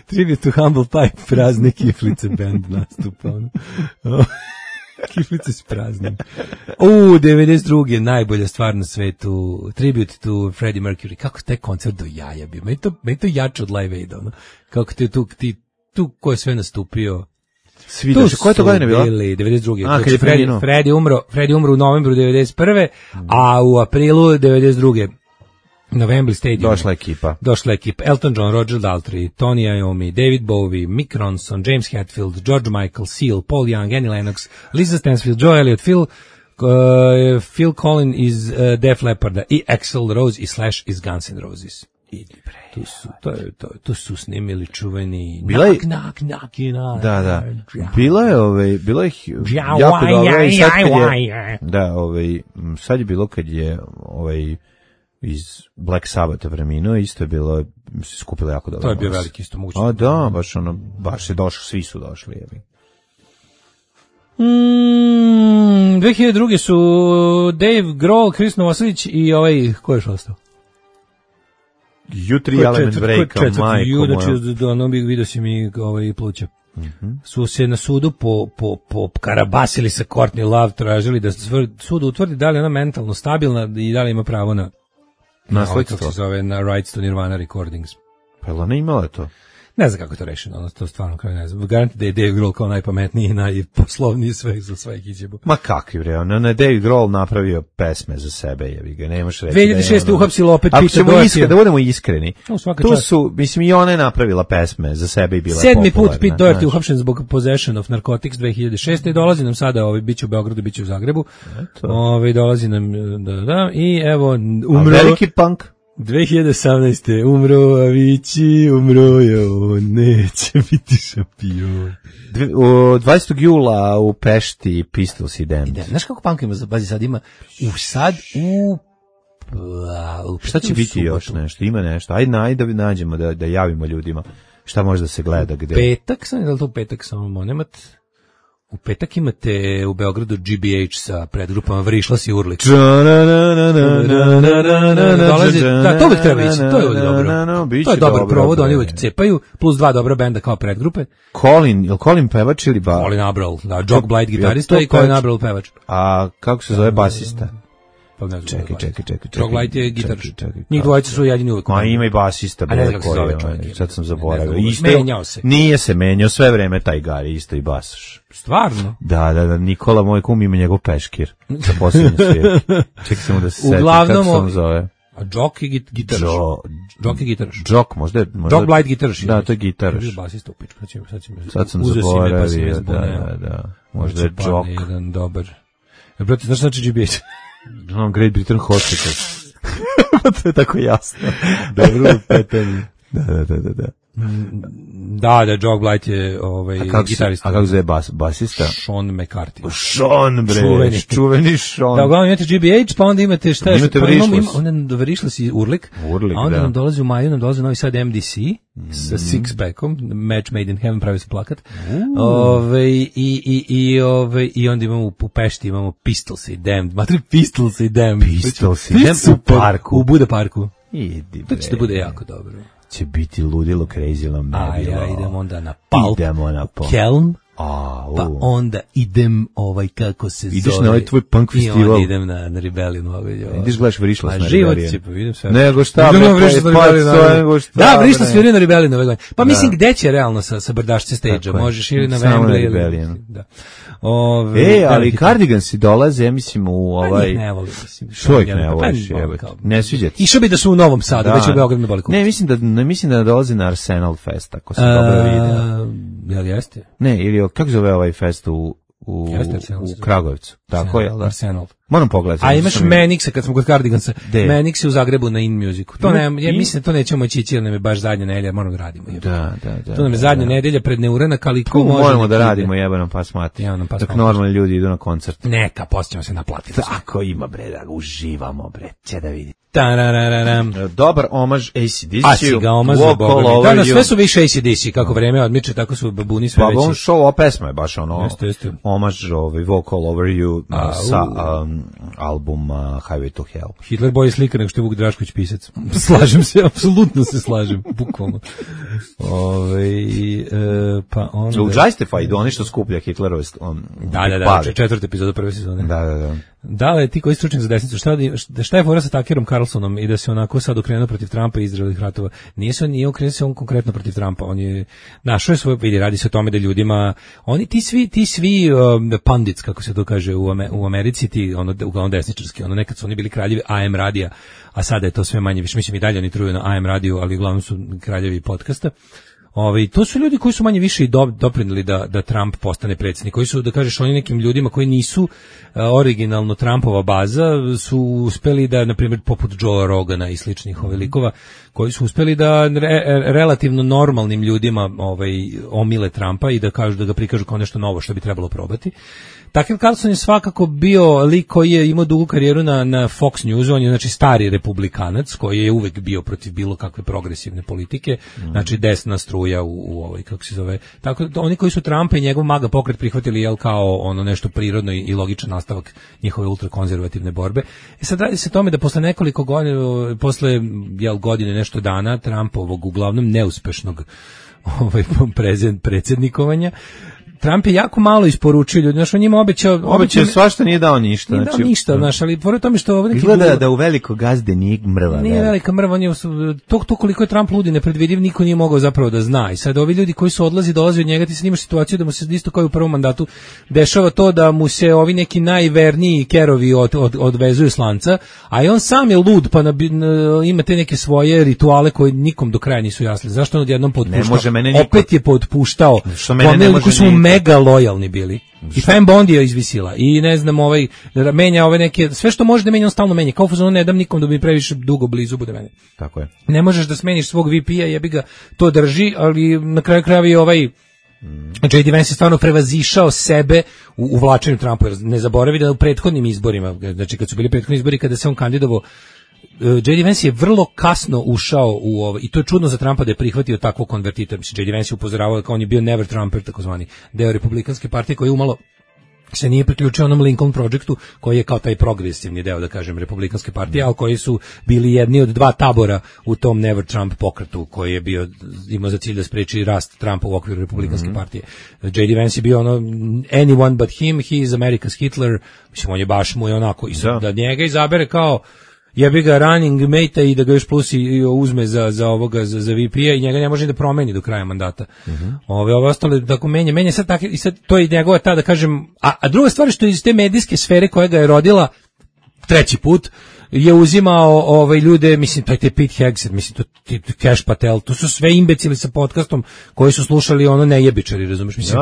Speaker 8: Tribute to Humble Pie, prazne kiflice band nastupa. Kiflice s praznim. 92. najbolja stvar na svetu. Tribute to Freddie Mercury. Kako taj koncert do jaja bio. Meni to jače od Live Aid. Ono. Kako tu ko je sve nastupio.
Speaker 9: Svi došli. Koje to godine bilo?
Speaker 8: 92. Kad je Freddie umro u novembru 91. A u aprilu 92. na Wembley Stadium. Došla ekipa. Elton John, Roger Daltrey, Tony Iommi, David Bowie, Mick Ronson, James Hetfield, George Michael, Seal, Paul Young, Annie Lennox, Lisa Stansfield, Joe Elliott, Phil Collins iz Def Lepparda i Axl Rose i Slash iz Guns N' Roses. To su snimili čuveni knock.
Speaker 9: Da. Bilo je jako dobro i sad je bilo kad je iz Black Sabbatha preminuo, isto je bilo, skupilo jako dobro.
Speaker 8: To je bio veliki isto moguće.
Speaker 9: Da, baš je došlo, svi su došli.
Speaker 8: 2002. su Dave Grohl, Chris Novoselić i ko je još ostao?
Speaker 9: U3 Element Breaka, majko moja.
Speaker 8: Ono bih vidio si mi pluća. Su se na sudu po karabasili sa Courtney Love, tražili da sud utvrdi da li je ona mentalno stabilna i da li ima pravo na
Speaker 9: nasledstvo.
Speaker 8: Kako se zove, na rights to Nirvana Recordings.
Speaker 9: Pa ona imala to?
Speaker 8: Ne znam kako je to rešeno, to stvarno kao ne znam. Garanti da je Dave Grohl kao najpametniji i najposlovniji sve za sve ekiđebu.
Speaker 9: Ma kakvi bre, on je Dave Grohl napravio pesme za sebe, jebi ga, nemaš reći.
Speaker 8: 2006. uhapsilo opet Pete Doherty.
Speaker 9: Da budemo iskreni. Tu su, mislim, i ona je napravila pesme za sebe i bila je popularna. 7. put
Speaker 8: Pete Doherty uhapšen zbog possession of narcotics 2006. I dolazi nam sada, biće u Beogradu, biće u Zagrebu. Dolazi nam, da, i evo, umro.
Speaker 9: A veliki punk?
Speaker 8: 2018. umro Avicii, umro je on, neće biti šampion.
Speaker 9: 20. jula u Pešti Pistols i Damned.
Speaker 8: Znaš kako punk ima, pazi sad ima
Speaker 9: šta će biti još nešto, ima nešto, ajde da nađemo, da javimo ljudima šta može da se gleda gde.
Speaker 8: Petak, da li to petak samo monemat? U petak imate u Beogradu GBH sa predgrupama Vrišlas i Urlik. Da, to uvijek treba ići, to je uvijek dobro. To je dobar provod, oni uvijek cepaju, plus 2 dobra benda kao predgrupe.
Speaker 9: Colin pevač ili ba?
Speaker 8: Colin Abrell, da, Jock Blight gitarista i Colin Abrell pevač.
Speaker 9: A kako se zove basista?
Speaker 8: Čekaj. Jock Blight je gitarist. Njih dvojica su jedini uvijek.
Speaker 9: Ma ima i basista.
Speaker 8: A ne znam kako se zove čovjek.
Speaker 9: Sad sam zaboravio.
Speaker 8: Menjao se.
Speaker 9: Nije se menjao, sve vreme taj Gari, isto i basaš.
Speaker 8: Stvarno?
Speaker 9: Da, Nikola, moj kum, ima njegov peškir. Za posljednji svijet. Čekaj samo da se seti kako se on zove.
Speaker 8: A Jock je gitaraš. Jock je gitaraš.
Speaker 9: Jock, možda...
Speaker 8: Jock Blight gitaraš.
Speaker 9: Da, to je gitaraš.
Speaker 8: Basista u pičku.
Speaker 9: Sad sam zaboravio, da. Možda je Jock.
Speaker 8: Jedan dobar. Brate, znaš znači GBH?
Speaker 9: Great Britain Hospital. To je tako jasno. Dobro pitanje. Da.
Speaker 8: Da, Jock Blight je gitarista.
Speaker 9: A kako zove basista?
Speaker 8: Sean McCarthy.
Speaker 9: Sean, bre, čuveni Sean.
Speaker 8: Da, uglavnom imate GBH, pa onda imate šta je?
Speaker 9: Imate Vrišlas.
Speaker 8: Onda Vrišlas i Urlik. A onda nam dolazi u maju, nam dolazi Novi Sad MDC sa Six-packom, Match Made in Heaven, pravi se plakat. I onda imamo u Pešti, imamo Pistols i Damned. Matri Pistols i Damned.
Speaker 9: Pistols i Damned u parku.
Speaker 8: U Buda parku.
Speaker 9: Idi,
Speaker 8: to će da bude jako dobro.
Speaker 9: Će biti ludilo, crazy,
Speaker 8: idemo onda na Pulp, Kelm, pa onda idem kako se zove.
Speaker 9: Ideš na ovaj tvoj punk festival.
Speaker 8: I onda idem na Rebellion.
Speaker 9: Ideš gledaš Vrišlas na
Speaker 8: Rebellion.
Speaker 9: Život
Speaker 8: će, pa vidim sve.
Speaker 9: Nego šta,
Speaker 8: da, Vrišlas sviraju na Rebellion ove godine. Pa mislim, gde će realno sa brdašce stage-a? Možeš ili na Wembley.
Speaker 9: Ali Cardigansi dolaze, mislim, u ovaj...
Speaker 8: Ne volim, mislim.
Speaker 9: Što ih ne voliš, jebate? Ne sviđa ti.
Speaker 8: Išao bi da su u Novom Sadu, već u Beogradu na Baliku.
Speaker 9: Ne, mislim da dolaze na Arsenal Fest, ako sam dobro vidio.
Speaker 8: Jel jeste?
Speaker 9: Ne, ili kako zove ovaj fest u Kragujevcu. Tako je, da?
Speaker 8: Arsenal.
Speaker 9: Moram pogledati.
Speaker 8: A imaš Manixa, kad smo kod Cardigansa. Manix je u Zagrebu na In Musicu. To ja mislim da to nećemo ići, jer nam je baš zadnja nedelja, moramo da radimo.
Speaker 9: Da.
Speaker 8: To nam je zadnja nedelja pred neuranak, ali ko može...
Speaker 9: Moramo da radimo, jebanom pas mati. Dok normalni ljudi idu na koncert.
Speaker 8: Neka, posljedno se naplatiti.
Speaker 9: Tako ima, bre, da uživamo, bre, će da vidi.
Speaker 8: Dobar
Speaker 9: omaž AC/DC.
Speaker 8: A si ga omaž za Boga. Da, sve su više AC/DC, kako vreme odmiče, tako su babuni sve veći.
Speaker 9: Pa on show, ova pesma je baš ono, omaž Vocal Over You sa albuma Highway to Hell.
Speaker 8: Hitler bolje slika nego što je Vuk Drašković pisac. Slažem se, apsolutno se slažem, bukvalno. Pa onda...
Speaker 9: U Justified, oni što skuplja Hitlerove...
Speaker 8: Da, četvrta epizoda prve sezone.
Speaker 9: Da.
Speaker 8: Da li ti koji stručnjak za desnicu, šta je fora sa Tuckerom Carlsonom i da se onako sad okrenuo protiv Trumpa i Izraelih ratova? Nije okrenuo se on konkretno protiv Trumpa, on je našao svoje, radi se o tome da ljudima, oni ti svi pandits, kako se to kaže u Americi, ti uglavnom desničarski, nekad su oni bili kraljevi AM radija, a sada je to sve manje više, mislim i dalje oni truju na AM radiju, ali uglavnom su kraljevi podcasta. To su ljudi koji su manje više i doprinili da Trump postane predsjednik, koji su, da kažeš, oni nekim ljudima koji nisu originalno Trumpova baza, su uspeli da, na primjer, poput Joe Rogana i sličnih likova, koji su uspeli da relativno normalnim ljudima omile Trumpa i da kažu, da ga prikažu kao nešto novo što bi trebalo probati. Tucker Carlson je svakako bio lik koji je imao dugu karijeru na Fox Newsu, on je znači stari republikanac koji je uvek bio protiv bilo kakve progresivne politike, znači desna struja u ovoj, kako se zove. Tako da oni koji su Trumpa i njegov MAGA pokret prihvatili kao nešto prirodno i logičan nastavak njihove ultrakonzervativne borbe. Sad radi se o tome da posle nekoliko godina, posle godine nešto dana Trumpovog uglavnom neuspešnog predsjednikovanja, Trump je jako malo isporučio ljudi, znaš, on njima obećao
Speaker 9: svašta, nije dao ništa.
Speaker 8: Nije dao ništa, znaš, ali pored tome što...
Speaker 9: Izgleda da u veliko gazde nije mrva.
Speaker 8: Nije velika mrva, to koliko je Trump ludi, nepredvidiv, niko nije mogao zapravo da zna. I sad ovi ljudi koji su dolaze od njega, ti sad imaš situaciju da mu se isto kao i u prvom mandatu dešava to da mu se ovi neki najverniji kerovi odvezuju s lanca, a i on sam je lud, pa ima te neke svoje rituale koji nikom do kraja nisu jasni. Zašto on odjednom potpuštao? Opet je potpuštao. Mega lojalni bili. I Fan Bondi je izvisila. I ne znam, menja ove neke, sve što može da menja, on stalno menja. Kao fuzonu ne dam nikom da mi previše dugo blizu bude mene.
Speaker 9: Tako je.
Speaker 8: Ne možeš da smeniš svog VP-a, jebi ga, to drži, ali na kraju krajeva i J.D. Vance je stvarno prevazišao sebe u uvlačenju Trumpa. Ne zaboravi da u prethodnim izborima, znači kad su bili prethodni izbori, kada se on kandidovao, J.D. Vance je vrlo kasno ušao u ovo, i to je čudno za Trumpa da je prihvatio takvog konvertita. Mislim, J.D. Vance je upozoravao kao on je bio never Trumper, takozvani deo republikanske partije koji umalo se nije priključio onom Lincoln Projectu koji je kao taj progresivni deo, da kažem, republikanske partije, ali koji su bili jedni od dva tabora u tom Never Trump pokretu koji je bio, imao za cilj da spreči rast Trumpa u okviru republikanske partije. J.D. Vance je bio anyone but him, he is America's Hitler, mislim, on je baš mu je onako, i da njega izabere kao jebi ga running mate i da ga još plus i uzme za VP-a i njega ne može da promeni do kraja mandata. Ove ostale tako menja sad tako, i sad to je njegova ta, da kažem, a druga stvar što iz te medijske sfere koja ga je rodila treći put je uzimao ljude, mislim, to je Pete Hegseth, mislim, to Cash Patel, to su sve imbecili sa podcastom koji su slušali nejebičari, razumiješ, mislim,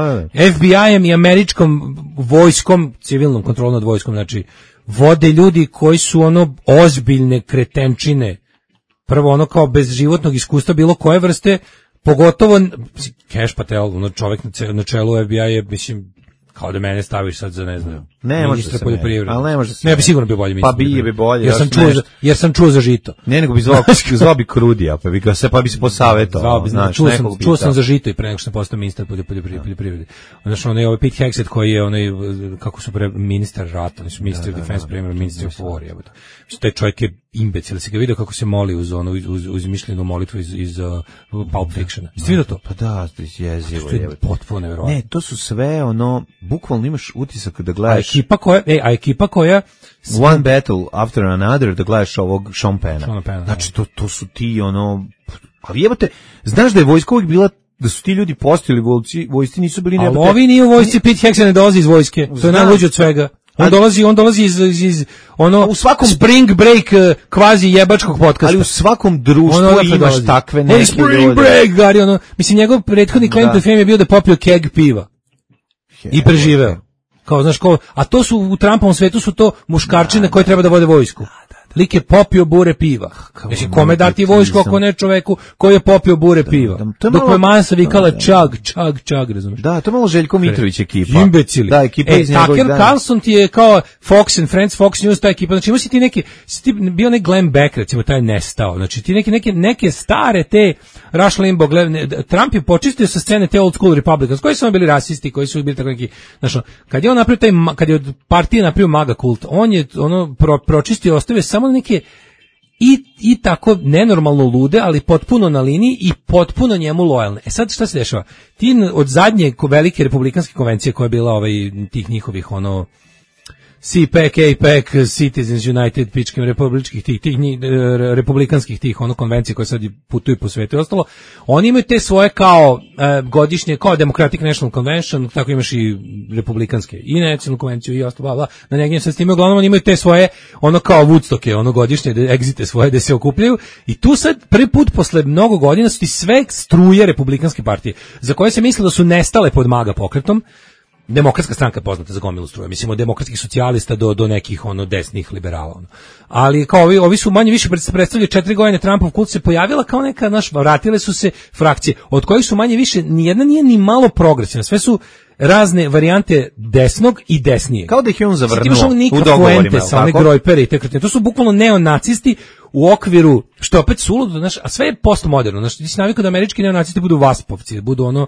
Speaker 8: FBI-em i američkom vojskom, civilnom kontrolom nad vojskom, znači, vode ljudi koji su ozbiljne kretenčine, prvo kao bez životnog iskustva bilo koje vrste, pogotovo Cash Patel, čovjek na čelu FBI je, mislim, kao da mene staviš sad za, ne znam, ministra poljoprivrede.
Speaker 9: Ali ne može se.
Speaker 8: Ne bi sigurno bio bolji ministar.
Speaker 9: Pa bi bolje.
Speaker 8: Jer sam čuo za žito.
Speaker 9: Ne, nego bi zvao bi Krudija, pa bi se posavetovao.
Speaker 8: Čuo sam za žito i pre nego što sam postao ministar poljoprivrede. Znači, ovaj Pete Hegseth koji je kako su ministar rata, ministar defense, ministar of war, jebote. Taj čovjek je imbecil, si ga vidio kako se moli uz mišljenu molitvu iz Pulp Fictiona. Jeste vidio to?
Speaker 9: Pa da, jezivo
Speaker 8: je. Potpuno nevjerojatno.
Speaker 9: Ne, to su sve bukvalno imaš utisak da gledaš.
Speaker 8: A ekipa koja
Speaker 9: One Battle After Another, da gledaš ovog Sean Penna. Znači, to su ti ali jebote, znaš da je vojska uvijek bila, da su ti ljudi postojali vojsci, nisu bili
Speaker 8: jebote. Ali ovi nije u vojsci, Pete Hegseth ne dolazi iz vojske, to je najluđe od svega. On dolazi iz u svakom Spring Break kvazi jebačkog podcasta.
Speaker 9: Ali u svakom društvu imaš takve neke
Speaker 8: Spring Break, Gari, mislim, njegov prethodni claim to fame je bio da popio keg piva. I preživeo. Kao, znaš, a to su u Trumpovom svetu su to muškarčine koje treba da vode vojsku. lik je popio bure piva. Mislim, kome dati vojsku ako ne čoveku koji je popio bure piva? Dok me masa vikala čag, razumiješ?
Speaker 9: Da, to je malo Željko Mitrović ekipa.
Speaker 8: Imbecili.
Speaker 9: Da, ekipa iz njegovih
Speaker 8: Tucker
Speaker 9: dana.
Speaker 8: Carlson ti je kao Fox and Friends, Fox News, ta ekipa. Znači, si ti bio onaj Glenn Beck, recimo, taj nestao. Znači, ti neke stare te Rush Limbaugh, Trump je počistio sa scene te old school Republicans, koji su bili rasisti, koji su bili tako neki, znači, kad je on napravio kad je od partije napravio MAGA kult, on je pročistio, ostavio samo neke i tako nenormalno lude, ali potpuno na liniji i potpuno njemu lojalne. Sad šta se dešava? Ti od zadnje velike republikanske konvencije koja je bila tih njihovih CPAC, APAC, Citizens United, pičkim republikanskih tih konvencije koje sad putuju po svetu i ostalo, oni imaju te svoje kao godišnje, kao Democratic National Convention, tako imaš i republikanske i nacionalnu konvenciju i ostalo, bla, na njegdje se s time uglavnom oni imaju te svoje, kao Woodstocke, godišnje egzite svoje da se okupljaju i tu sad prvi put posle mnogo godina su ti sve struje republikanske partije, za koje se misle da su nestale pod MAGA pokretom. Demokratska stranka je poznata za gomilu struje, mislim od demokratskih socijalista do nekih desnih liberala. Ali kao ovi su manje više predstavljali 4 godine Trumpov kult se pojavila kao neka, vratile su se frakcije, od kojih su manje više, nijedna nije ni malo progresivna, sve su razne varijante desnog i desnijeg.
Speaker 9: Kao da ih je on zavrnuo
Speaker 8: u dogovorima. To su bukvalno neonacisti u okviru, što je opet suludo, a sve je postmoderno. Ti si navikao da američki neonacisti budu vaspovci, da budu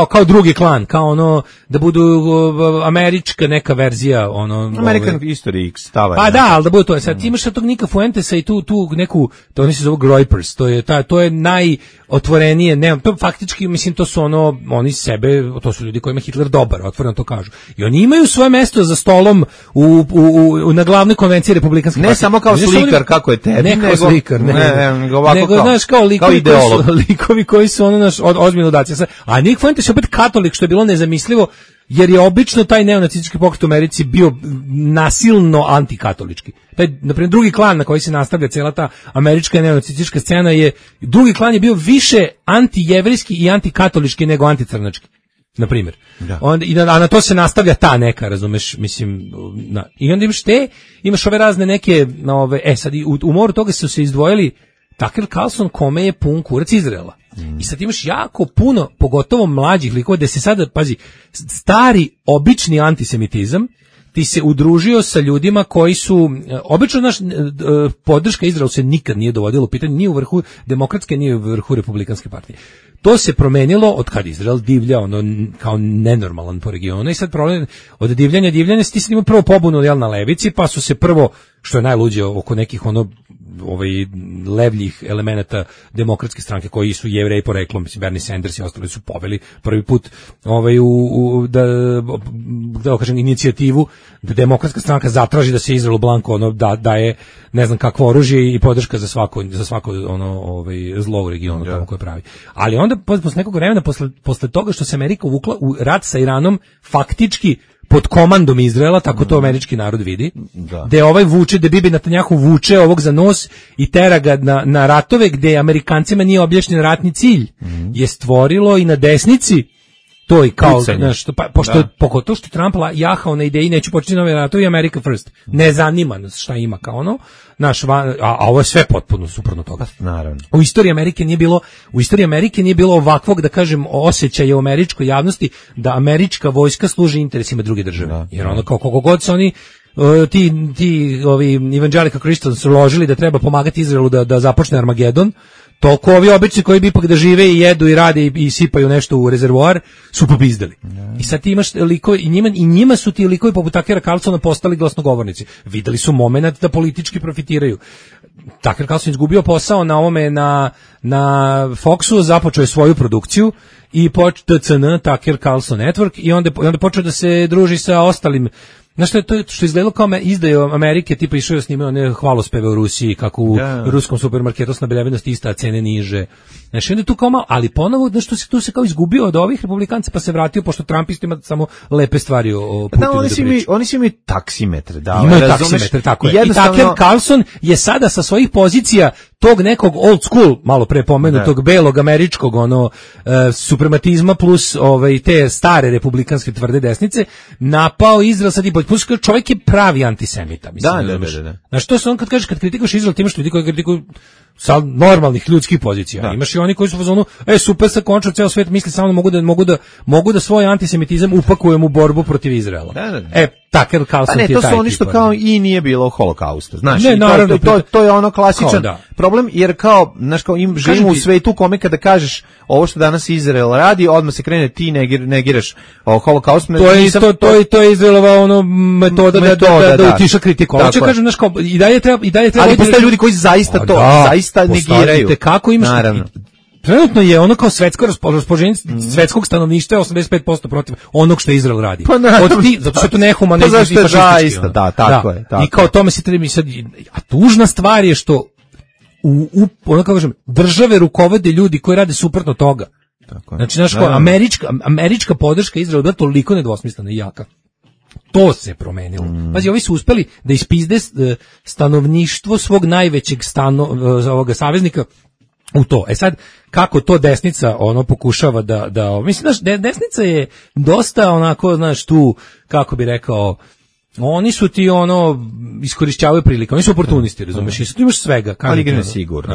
Speaker 8: kao drugi klan, kao da budu američka neka verzija,
Speaker 9: American History X stava.
Speaker 8: Pa da, ali da bude to. Sad ti imaš tog Nika Fuentesa i tu neku, to oni se zovu Groypers, to je najotvorenije, to faktički, mislim, to su oni sebe, to su ljudi kojima Hitler dobar, otvoreno to kažu. I oni imaju svoje mesto za stolom na glavnoj konvenciji republikanske partije.
Speaker 9: Ne samo kao slikar, kako je tebi,
Speaker 8: ne kao slikar, nego ovako kao likovi koji su ozbiljno daci. A Nick Fuentes je opet katolik, što je bilo nezamislivo, jer je obično taj neonacistički pokret u Americi bio nasilno antikatolički. Naprimjer, drugi klan na koji se nastavlja cijela ta američka neonacistička scena drugi klan je bio više antijevrijski i antikatolički nego anticrnački, na primjer. A na to se nastavlja ta neka, razumeš, mislim, i onda imaš ove razne neke, sad u moru toga su se izdvojili Tucker Carlson, kome je pun kurac Izraela. I sad imaš jako puno, pogotovo mlađih likova, da se sada, pazi, stari, obični antisemitizam, ti se udružio sa ljudima koji su, obično podrška Izraelu se nikad nije dovodila u pitanje, ni u vrhu demokratske, ni u vrhu republikanske partije. To se promenilo od kad Izrael divlja, kao nenormalan po regionu, i sad problem od divljanja, ti se imao prvo pobunu na levici, pa su se prvo, što je najluđe oko nekih levljih elemenata demokratske stranke koji su Jevreji poreklom, mislim Bernie Sanders i ostali su poveli prvi put da kažem inicijativu da demokratska stranka zatraži da se Izraelu blanko daje ne znam kakvo oružje i podrška za svako zlo u regionu tamo koje pravi. Ali onda posle nekog vremena posle toga što se Amerika uvukla u rat sa Iranom faktički pod komandom Izraela, tako to američki narod vidi, gde Bibi Netanjahu vuče ovog za nos i tera ga na ratove gde Amerikancima nije objašnjen ratni cilj, je stvorilo i na desnici to i kao, pogotovo što Trump jahao na ideji neću početi nove ratove i America first, ne zanima nas šta ima kao a ovo je sve potpuno suprotno toga.
Speaker 9: Naravno.
Speaker 8: U istoriji Amerike nije bilo ovakvog, da kažem, osjećaja u američkoj javnosti da američka vojska služi interesima druge države. Jer kao koliko god se oni ti evangelical Christians su ložili da treba pomagati Izraelu da započne Armagedon, toliko ovi obični koji bi ipak da žive i jedu i rade i sipaju nešto u rezervoar su popizdali. I sad ti imaš likove i njima su ti likovi poput Tuckera Carlsona postali glasnogovornici. Videli su moment da politički profitiraju. Tucker Carlson izgubio posao na ovome na Foxu, započeo je svoju produkciju i TCN, Tucker Carlson Network, i onda počeo da se druži sa ostalim. Znaš što je to što izgledalo kao izdaju Amerike, tipa išao je snimao one hvalospeve u Rusiji, kako u ruskom supermarketu snabeljevenost ista, cene niže. Znači onda tu kao malo, ali ponovo tu se kao izgubio od ovih republikanca, pa se vratio, pošto Trumpist ima samo lepe stvari o Putinu.
Speaker 9: Oni su imaju taksimetre.
Speaker 8: Imaju taksimetre, tako je. I Tucker Carlson je sada sa svojih pozicija tog nekog old school, malo pre pomenutog belog američkog suprematizma plus te stare republikanske tvrde desnice, napao Izrael sad i plus čovjek je pravi antisemita, mislim.
Speaker 9: Da.
Speaker 8: Znaš, to se on kad kažeš, kad kritikaš Izrael, ti imaš ljudi koji kritikuju sa normalnih ljudskih pozicija. Imaš i oni koji su u fazonu, super sa končao ceo svet, misli samo mogu da svoj antisemitizam upakujem u borbu protiv Izraela. Tucker Carlson je taj.
Speaker 9: To su oni što kao i nije bilo holokausta. Znaš, to je ono klasičan problem, jer kao, znaš, kao im živimo u svetu kome kada kažeš ovo što danas Izrael radi, odmah se krene ti negiraš holokaust.
Speaker 8: To je Izraelova metoda da utiša kritiku. Hoće kažem, znaš, kao i dalje treba.
Speaker 9: Ali postoje ljudi koji zaista to zaista negiraju.
Speaker 8: Kako imaš? Naravno. Trenutno je ono kao svetsko raspoloženje svetskog stanovništva 85% protiv onog što Izrael radi. Zato što je to nehumanizam i fašistički.
Speaker 9: Tako je.
Speaker 8: I kao tome se treba sad, a tužna stvar je što ono kako kažem, države rukovode ljudi koji rade suprotno toga. Tako je. Znači, znaš, kao američka podrška Izraelu je toliko nedvosmislena i jaka. To se promenilo. Pazi, ovi su uspeli da ispizde stanovništvo svog najvećeg ovoga saveznika u to. Sad, kako to desnica pokušava da mislim, znaš, desnica je dosta onako, znaš, tu, kako bi rekao, oni su ti iskorišćavaju prilike, oni su oportunisti, razumeš, i tu imaš svega.
Speaker 9: Ali igra nesigurno.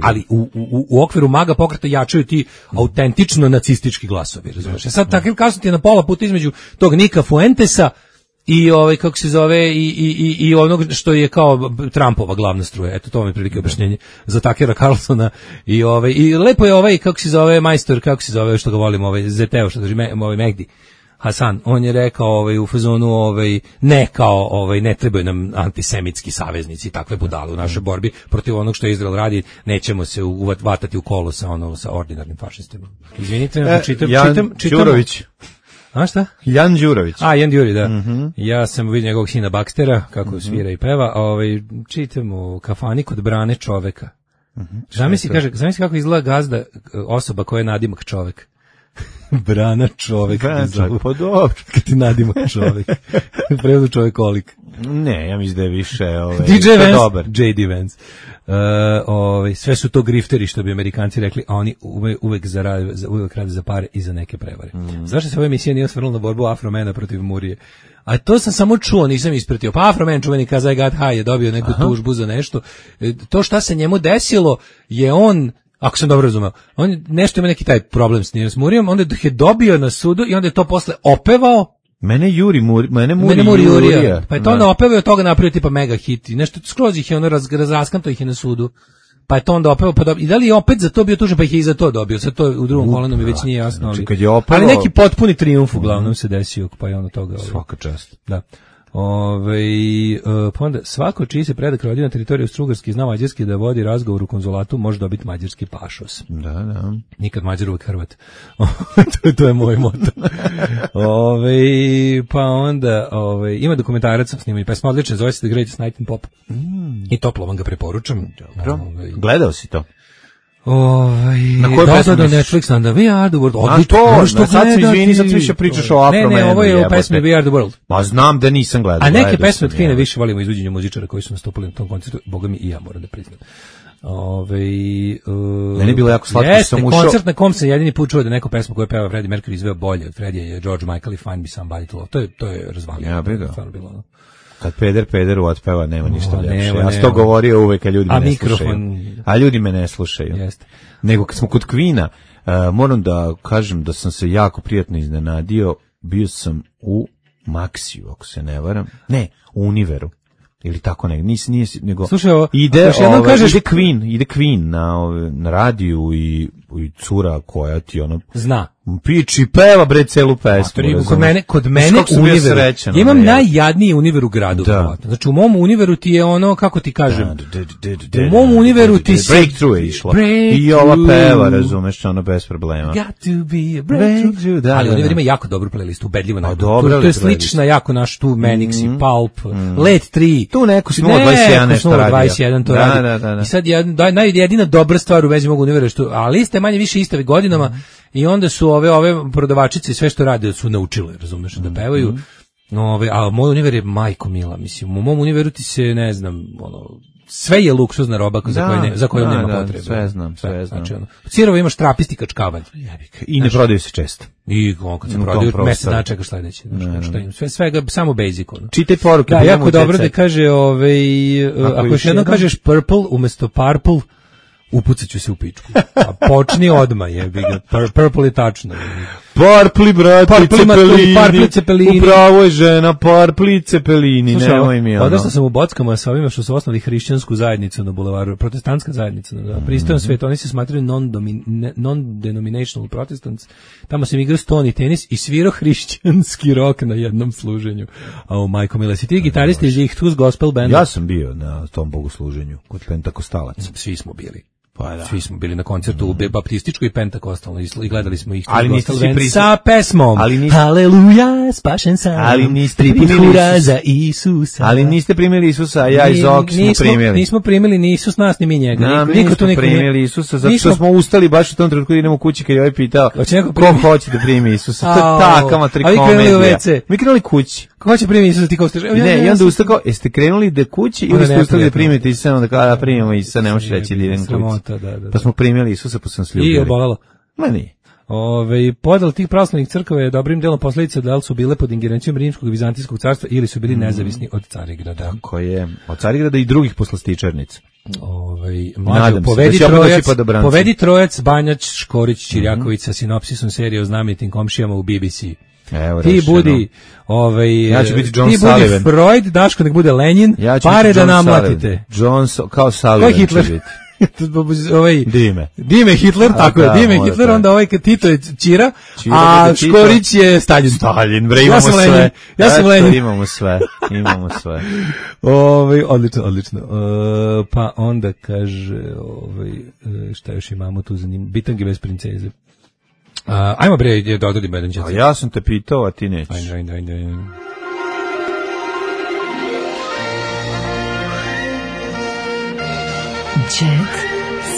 Speaker 8: Ali u okviru MAGA pokreta jačaju ti autentično nacistički glasovi, razumeš. Sad Tucker Carlson ti je na pola puta između tog Nika Fuentesa i kako se zove i onog što je kao Trumpova glavna struja. Eto, to vam je prilike objašnjenje za Tuckera Carlsona i lepo je kako se zove majstor, kako se zove što ga volimo, ZT-o što drži Mehdi Hasan, on je rekao u fazonu ne trebaju nam antisemitski saveznici, takve budale u našoj borbi protiv onog što Izrael radi, nećemo se vatati u kolo sa ordinarnim fašistima. Izvinite, čitam.
Speaker 9: Đurović.
Speaker 8: A šta?
Speaker 9: Jan Đurović.
Speaker 8: Jan Đuri, da. Ja sam vidio njegovog sina Baxtera, kako svira i peva, čitam u kafani kod Brane čoveka. Zamisli kako izgleda gazda, osoba koja je nadimak čovek. Brana čovek.
Speaker 9: Pa dobro.
Speaker 8: Kad ti nadimak čovek. Prevodu čovekolik.
Speaker 9: Ne, ja mislim da je više
Speaker 8: DJ Vance, JD Vance. Sve su to grifteri, što bi Amerikanci rekli, a oni uvek rade za pare i za neke prevare. Zašto se ova emisija nije osvrnula na borbu Afromena protiv Murije? A to sam samo čuo, nisam ispratio. Pa Afroman, čuveni Kaza I Got High, je dobio neku tužbu za nešto. To šta se njemu desilo je on, ako sam dobro razumeo, on nešto ima neki taj problem s Murijom, onda je dobio na sudu i onda je to posle opevao.
Speaker 9: Mene Muri
Speaker 8: Jurija. Pa je to onda opevao i od toga napravio tipa mega hit. I nešto skroz ih je razraskanto ih je na sudu. Pa je to onda opevao, i da li je opet za to bio tužen, pa ih je i za to dobio. Sad to u drugom kolonu mi već nije jasno. Ali neki potpuni trijumf uglavnom se desio, pa je ono toga.
Speaker 9: Svaka čast.
Speaker 8: Da. Pa onda svako čiji se predak rodio na teritoriju Strugarske i zna mađarski da vodi razgovor u konzulatu može dobiti mađarski pašos.
Speaker 9: Da.
Speaker 8: Nikad Mađar, uvek Hrvat. to je moj moto. Pa onda ima dokumentarac sa snimanje pesma, odlična, zove se The Greatest Night in Pop. I toplo vam ga preporučam.
Speaker 9: Dobro. Gledao si to?
Speaker 8: Na kojoj pesmi misliš? Netflix, onda We Are the World.
Speaker 9: A to, sad se izvini, sad više pričaš o Afromenu.
Speaker 8: Ne, ovo je u pesmi We Are the World.
Speaker 9: Ma znam da nisam gledao.
Speaker 8: A neke pesme od Kvina više volimo izvođenja muzičara koji su nastupili na tom koncertu, boga mi i ja moram da priznam.
Speaker 9: Meni je bilo jako slatko što sam ušao.
Speaker 8: Koncert na kom sam jedini put čuo da neko pesma koju peva Freddie Mercury izveo bolje od Freddie je George Michael i Fine Be Somebody to Love. To je razvalio.
Speaker 9: Ja bih ga. Kad pederu otpeva, nema ništa ljepše. Ja sam to govorio uvek, a ljudi me ne slušaju. A ljudi me ne slušaju.
Speaker 8: Jeste.
Speaker 9: Nego kad smo kod Kvina, moram da kažem da sam se jako prijatno iznenadio. Bio sam u Maxiju, ako se ne varam. Ne, u Univeru. Ili tako nije nego
Speaker 8: slušaj,
Speaker 9: ide Queen na radiju i cura koja ti
Speaker 8: zna
Speaker 9: piči peva bre celu pesmu.
Speaker 8: Kod mene Univeru. Ja imam najjadniji Univer u gradu. Znači u mom Univeru ti je kako ti kažem. U mom Univeru ti se
Speaker 9: Breakthrough je išla. I ova peva, razumeš, bez problema.
Speaker 8: Got to be a breakthrough. Ali Univer ima jako dobru playlistu, ubedljivo najbolju. To je slična jako naš tu Manix i Pulp, Late 3.
Speaker 9: Tu neko s 021 nešto radio.
Speaker 8: 21 to radi. I sad jedina dobra stvar u vezi mog Univera što, ali iste manje više iste godinama i onda su ove prodavačice sve što rade su naučile, razumeš, da pevaju. A moj Univer je majko mila, mislim. U mom Univeru ti se, ne znam, sve je luksuzna roba za koju nema potrebe.
Speaker 9: Sve znam.
Speaker 8: Znači, sirovo imaš trapisti kačkavanj.
Speaker 9: I ne prodaju se često.
Speaker 8: I kad se prodaju, mesec dana čekaš sledeći. Svega, samo basic.
Speaker 9: Čitaj poruke.
Speaker 8: Da, jako dobro da kaže, ako još jednom kažeš purple umesto purple, upucat ću se u pičku. A počni odmah, jebi ga. Purple je tačno.
Speaker 9: Parpli, brate, cepelini. Upravo je žena, parpli, cepelini. Nemoj mi ono.
Speaker 8: Odrastao sam u Bockama sa ovima što su osnovali hrišćansku zajednicu na bulevaru, protestantska zajednica. Pristojan svet, oni se smatraju non-denominational protestants. Tamo sam igrao stoni tenis i svirao hrišćanski rock na jednom služenju. A majko mila, si ti gitaristi iz Ihtus gospel benda?
Speaker 9: Ja sam bio na tom bogosluženju kod Pentakostalaca.
Speaker 8: Svi smo bili. Svi smo bili na koncertu baptističkoj i pentakostalnoj i gledali smo ih sa pesmom Haleluja, spašen sam,
Speaker 9: ali niste
Speaker 8: primili za Isusa.
Speaker 9: Ali niste primili Isusa, a ja i Zoki smo primili.
Speaker 8: Nismo primili ni Isus nas, ni mi njega.
Speaker 9: Niko tu niko primili Isusa, zato što smo ustali baš u tom trenutku da idemo kući kad je ovaj pitao ko hoće da primi Isusa. To je taka matrikomedija. Mi krenuli kući.
Speaker 8: Ko hoće primiti Isusa, ti kao stiže?
Speaker 9: Ne, i onda ustao, jeste krenuli da kući ili ste ustali da primite Isusa, onda kao da primimo Isusa, ne možeš reći da idem kući. Pa smo primili Isusa, pa sam se ljubili.
Speaker 8: I obolelo.
Speaker 9: Ma nije.
Speaker 8: Podel tih pravoslavnih crkava je dobrim delom posledica da li su bile pod ingerencijom Rimskog i Vizantijskog carstva ili su bili nezavisni od Carigrada.
Speaker 9: Tako je. Od Carigrada i drugih poslastičarnica.
Speaker 8: Mlađo, povedi Trojac, Banjač, Škorić, Čirjaković sa sinopsisom serije o znamenitim komšijama u BBC.
Speaker 9: Evo,
Speaker 8: ti budi
Speaker 9: ja ću biti John Sullivan.
Speaker 8: Freud, Daško nek bude Lenin, pare da namlatite.
Speaker 9: Kao Sullivan.
Speaker 8: Ko Hitler? Dime Hitler, tako je, Dime Hitler, onda kad Tito je Ćira, a Škorić je Stalin.
Speaker 9: Stalin, bre, imamo sve.
Speaker 8: Ja sam Lenin.
Speaker 9: Imamo sve.
Speaker 8: Odlično. Pa onda kaže, šta još imamo tu za njim, bitange bez princeze. Ajmo bre, da odadim jedan čet.
Speaker 9: Ja sam te pitao, a ti nećeš.
Speaker 8: Ajde.
Speaker 6: Jet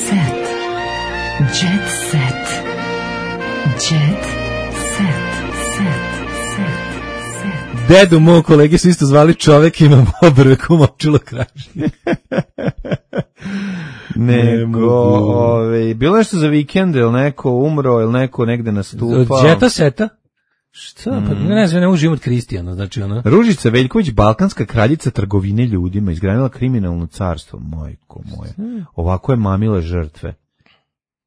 Speaker 6: set. Jet set. Jet set.
Speaker 8: Dedu moj kolege su isto zvali čovek, imam obrveku močilo krašnje.
Speaker 9: Bilo nešto za vikend, ili neko umro, ili neko negde nastupao.
Speaker 8: Jeta seta? Šta? Pa ne znam, ne mogu život Kristijana, znači ona.
Speaker 9: Ružica Veljković, balkanska kraljica trgovine ljudima, izgradila kriminalno carstvo, majko moja. Ovako je mamile žrtve.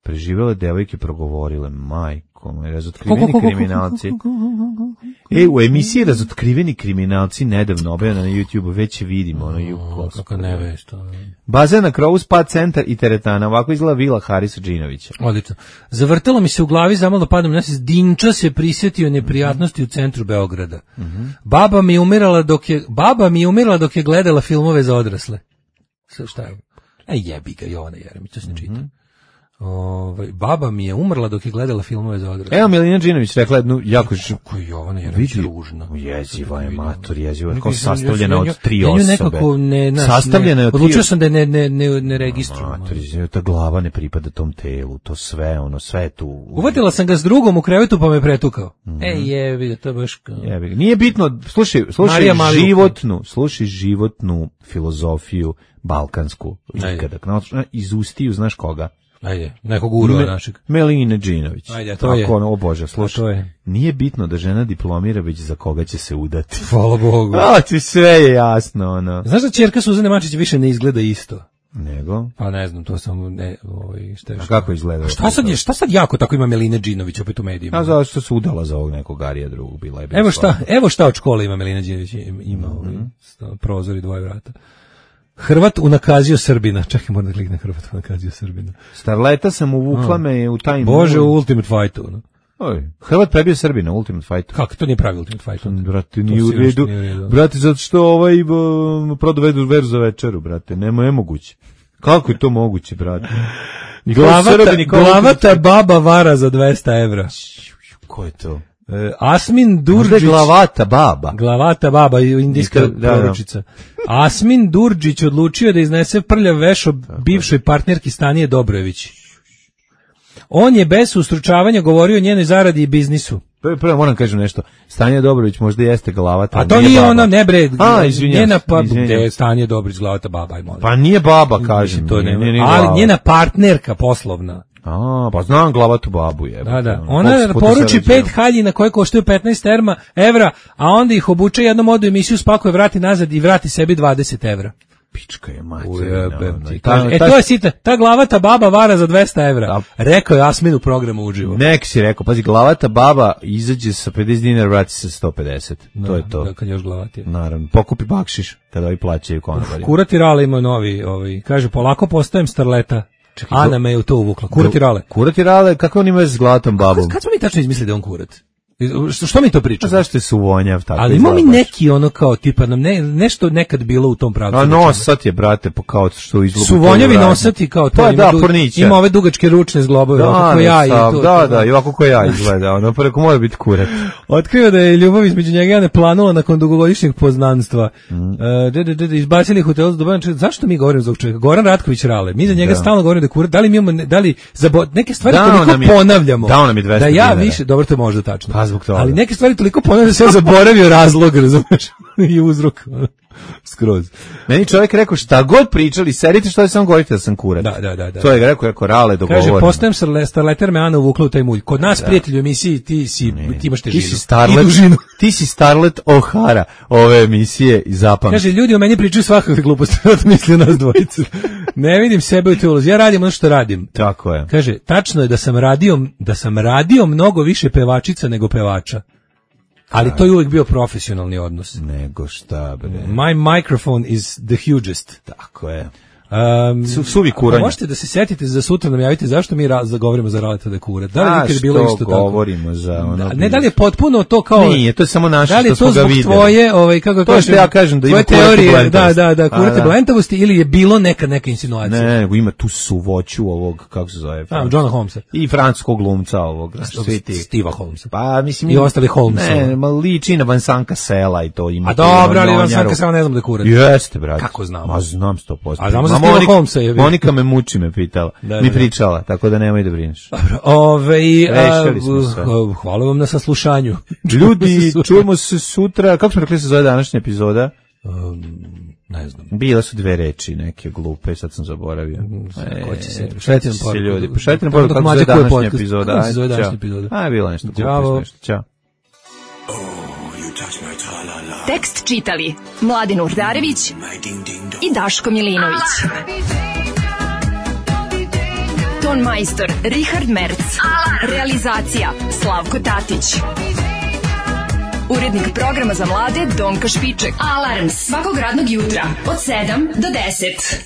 Speaker 9: Preživele devojke, progovorile, majko moja, razotkriveni kriminalci. U emisiji Razotkriveni kriminalci, nedavno objavljena na YouTube, već vidimo
Speaker 8: kako ne veš to.
Speaker 9: Bazen na krovu, spa centar i teretana, ovako izgleda vila Harisa Džinovića.
Speaker 8: Odlično. Zavrtalo mi se u glavi, zamalo padom nas, Dinča se prisjetio neprijatnosti u centru Beograda. Baba mi je umirala dok je gledala filmove za odrasle. Šta je? Jebi ga, Jovana Jeremić, to se ne čita. Baba mi je umrla dok je gledala filmove za odrasle.
Speaker 9: Evo, Milina Đinović rekla jednu jako...
Speaker 8: Kako je Jovana Jeremić ružna.
Speaker 9: Jeziva je matur, jeziva je kao sastavljena od 3 osobe.
Speaker 8: Nekako
Speaker 9: sastavljena je od 3 osobe.
Speaker 8: Odlučio sam da je ne registrujem.
Speaker 9: Matur, ta glava ne pripada tom telu, to sve, sve je tu.
Speaker 8: Uvatila sam ga s drugom u krevetu pa me pretukao. Jebi ga, to je baš...
Speaker 9: Nije bitno, slušaj životnu filozofiju balkansku. Kada iz ustiju, znaš koga?
Speaker 8: Ajde, nekog urova našeg.
Speaker 9: Meline Đinović.
Speaker 8: Ajde, to je.
Speaker 9: O Bože, slušaj. Nije bitno da žena diplomira, već za koga će se udati.
Speaker 8: Hvala Bogu.
Speaker 9: Ti sve je jasno, ono.
Speaker 8: Znaš da ćerka Suzane Mačić više ne izgleda isto?
Speaker 9: Nego?
Speaker 8: Pa ne znam, to samo šta je.
Speaker 9: A kako izgleda?
Speaker 8: Šta sad jako tako ima Meline Đinović opet u medijima?
Speaker 9: A zato što se udala za ovog nekog Arija drugog, bila je.
Speaker 8: Evo šta od škole ima Melina Đinović, ima prozor i 2 vrata. Hrvat unakazio Srbina. Čekaj, moram da kliknem Hrvat unakazio Srbina.
Speaker 9: Starleta sam uvukla me u taj...
Speaker 8: Bože, u Ultimate Fightu. No?
Speaker 9: Hrvat prebio Srbina u Ultimate Fightu.
Speaker 8: Kako to nije pravi Ultimate Fight?
Speaker 9: Brate, nije u redu. Brate, zato što prodao veru za večeru, brate. Nemoguće. Kako je to moguće, brate?
Speaker 8: Glavata baba vara za 200 evra.
Speaker 9: Ko je to?
Speaker 8: Asmin Durđić. Glavata baba, indijska proročica. Asmin Durđić odlučio da iznese prljav veš o bivšoj partnerki Stanije Dobrojević. On je bez ustručavanja govorio o njenoj zaradi i biznisu.
Speaker 9: Prvo moram kažem nešto. Stanje Dobrović možda jeste glavata.
Speaker 8: A to nije ona, ne bre.
Speaker 9: Njena
Speaker 8: Stanje Dobrović glavata baba, aj molim.
Speaker 9: Pa nije baba, kažem.
Speaker 8: To ali njena partnerka poslovna.
Speaker 9: Pa znam glavatu babu je.
Speaker 8: Da. Ona poruči 5 haljina koje koštaju 15 evra, a onda ih obuče jednom odu emisiju, spakuje, vrati nazad i vrati sebi 20 evra.
Speaker 9: Pička je materina.
Speaker 8: To je sita, ta glavata baba vara za 200 evra. Rekao je Asmin u programu uživo.
Speaker 9: Nek si rekao, pazi, glavata baba izađe sa 50 dinara, vrati se sa 150. To je to.
Speaker 8: Kad još glavati.
Speaker 9: Naravno, pokupi bakšiš kada ovi plaćaju konobari.
Speaker 8: Kurati Rale ima novi, kaže, polako postajem starleta. Ana me je u to uvukla.
Speaker 9: Kurati Rale, kako on ima s glavatom babom?
Speaker 8: Kad smo mi tačno izmislili da on kurat? Što mi to pričamo?
Speaker 9: Zašto je suvonjav tako?
Speaker 8: Ali imamo mi neki ono kao tipa nam nešto nekad bilo u tom pravcu.
Speaker 9: A nosat je, brate, kao što izlubu.
Speaker 8: Suvonjavi nosati kao to. Ima ove dugačke ručne zglobove, kako ja i to.
Speaker 9: Da, i ovako ko ja izgleda. Ono preko mora biti kurat.
Speaker 8: Otkrio da je ljubav između njega i Ane planula nakon dugogodišnjeg poznanstva. Izbacili ih hotel za Duban. Zašto mi govorimo za ovog čovjeka? Goran Ratković Rale. Mi za njega stalno govorimo da je kurat. Da li mi imamo, neke stvari toliko ponavljamo.
Speaker 9: Dao nam je 200
Speaker 8: da ja više, dobro, to je možda tačno.
Speaker 9: Toga.
Speaker 8: Ali neke stvari toliko ponavljam da se ja zaboravio razlog, razumeš, i uzrok. Skroz.
Speaker 9: Meni čovjek rekao šta god pričali, serite što je samo govorite da sam kurat.
Speaker 8: Da.
Speaker 9: To je rekao Rale dogovoreno.
Speaker 8: Kaže, postajem starleter, me Ana uvukla u taj mulj. Kod nas, prijatelji u emisiji, ti imaš težinu.
Speaker 9: Ti si Starlet O'Hara ove emisije i zapamti.
Speaker 8: Kaže, ljudi o meni pričaju svakakve gluposti, to misli nas dvojicu. Ne vidim sebe u toj ulozi. Ja radim ono što radim.
Speaker 9: Tako je.
Speaker 8: Kaže, tačno je da sam radio mnogo više pevačica nego pevača. Ali to je uvijek bio profesionalni odnos.
Speaker 9: Nego šta, bre.
Speaker 8: My microphone is the hugest.
Speaker 9: Tako je. Suvi kuranja.
Speaker 8: Možete da se setite za sutra nam javite zašto mi govorimo za Raleta da je kurat. Da li nikad bilo isto tako?
Speaker 9: Govorimo za ono.
Speaker 8: Ne, da li je potpuno to kao.
Speaker 9: Nije, to je samo naše što smo ga videli.
Speaker 8: Da li je to zbog tvoje, kako
Speaker 9: to što ja kažem da ima
Speaker 8: teorije, da, kurate blentavosti ili je bilo neka insinuacija?
Speaker 9: Ne, nego ima tu suvoću ovog, kako se zove?
Speaker 8: Johna Holmesa.
Speaker 9: I francuskog glumca ovog.
Speaker 8: Steva Holmesa.
Speaker 9: Pa mislim
Speaker 8: i ostali Holmesa.
Speaker 9: Ne, liči na Vansanka Sela i to ima.
Speaker 8: A dobro, ali Vansanka Sela ne znam da je kurat.
Speaker 9: Jeste, brate.
Speaker 8: Kako znam?
Speaker 9: Ma znam 100%.
Speaker 8: A znamo za Steva Holmesa je.
Speaker 9: Monika me muči, me pitala. Mi pričala, tako da nemoj da brineš.
Speaker 8: Dobro, hvala vam na saslušanju.
Speaker 9: Ljudi, čujemo se sutra. Kako smo rekli se zove današnja epizoda?
Speaker 8: Ne znam.
Speaker 9: Bila su 2 reči, neke glupe, sad sam zaboravio.
Speaker 8: Ko će se? Šaljite nam poruku.
Speaker 9: Ljudi, šaljite nam poruku kako se zove današnja epizoda. Bilo nešto glupe. Ćao.
Speaker 6: Tekst čitali Mladin Urdarević i Daško Milinović. Ton majstor Richard Merc. Realizacija Slavko Tatić. Urednik programa za mlade Donka Špiček. Alarms svakog radnog jutra od 7 do 10.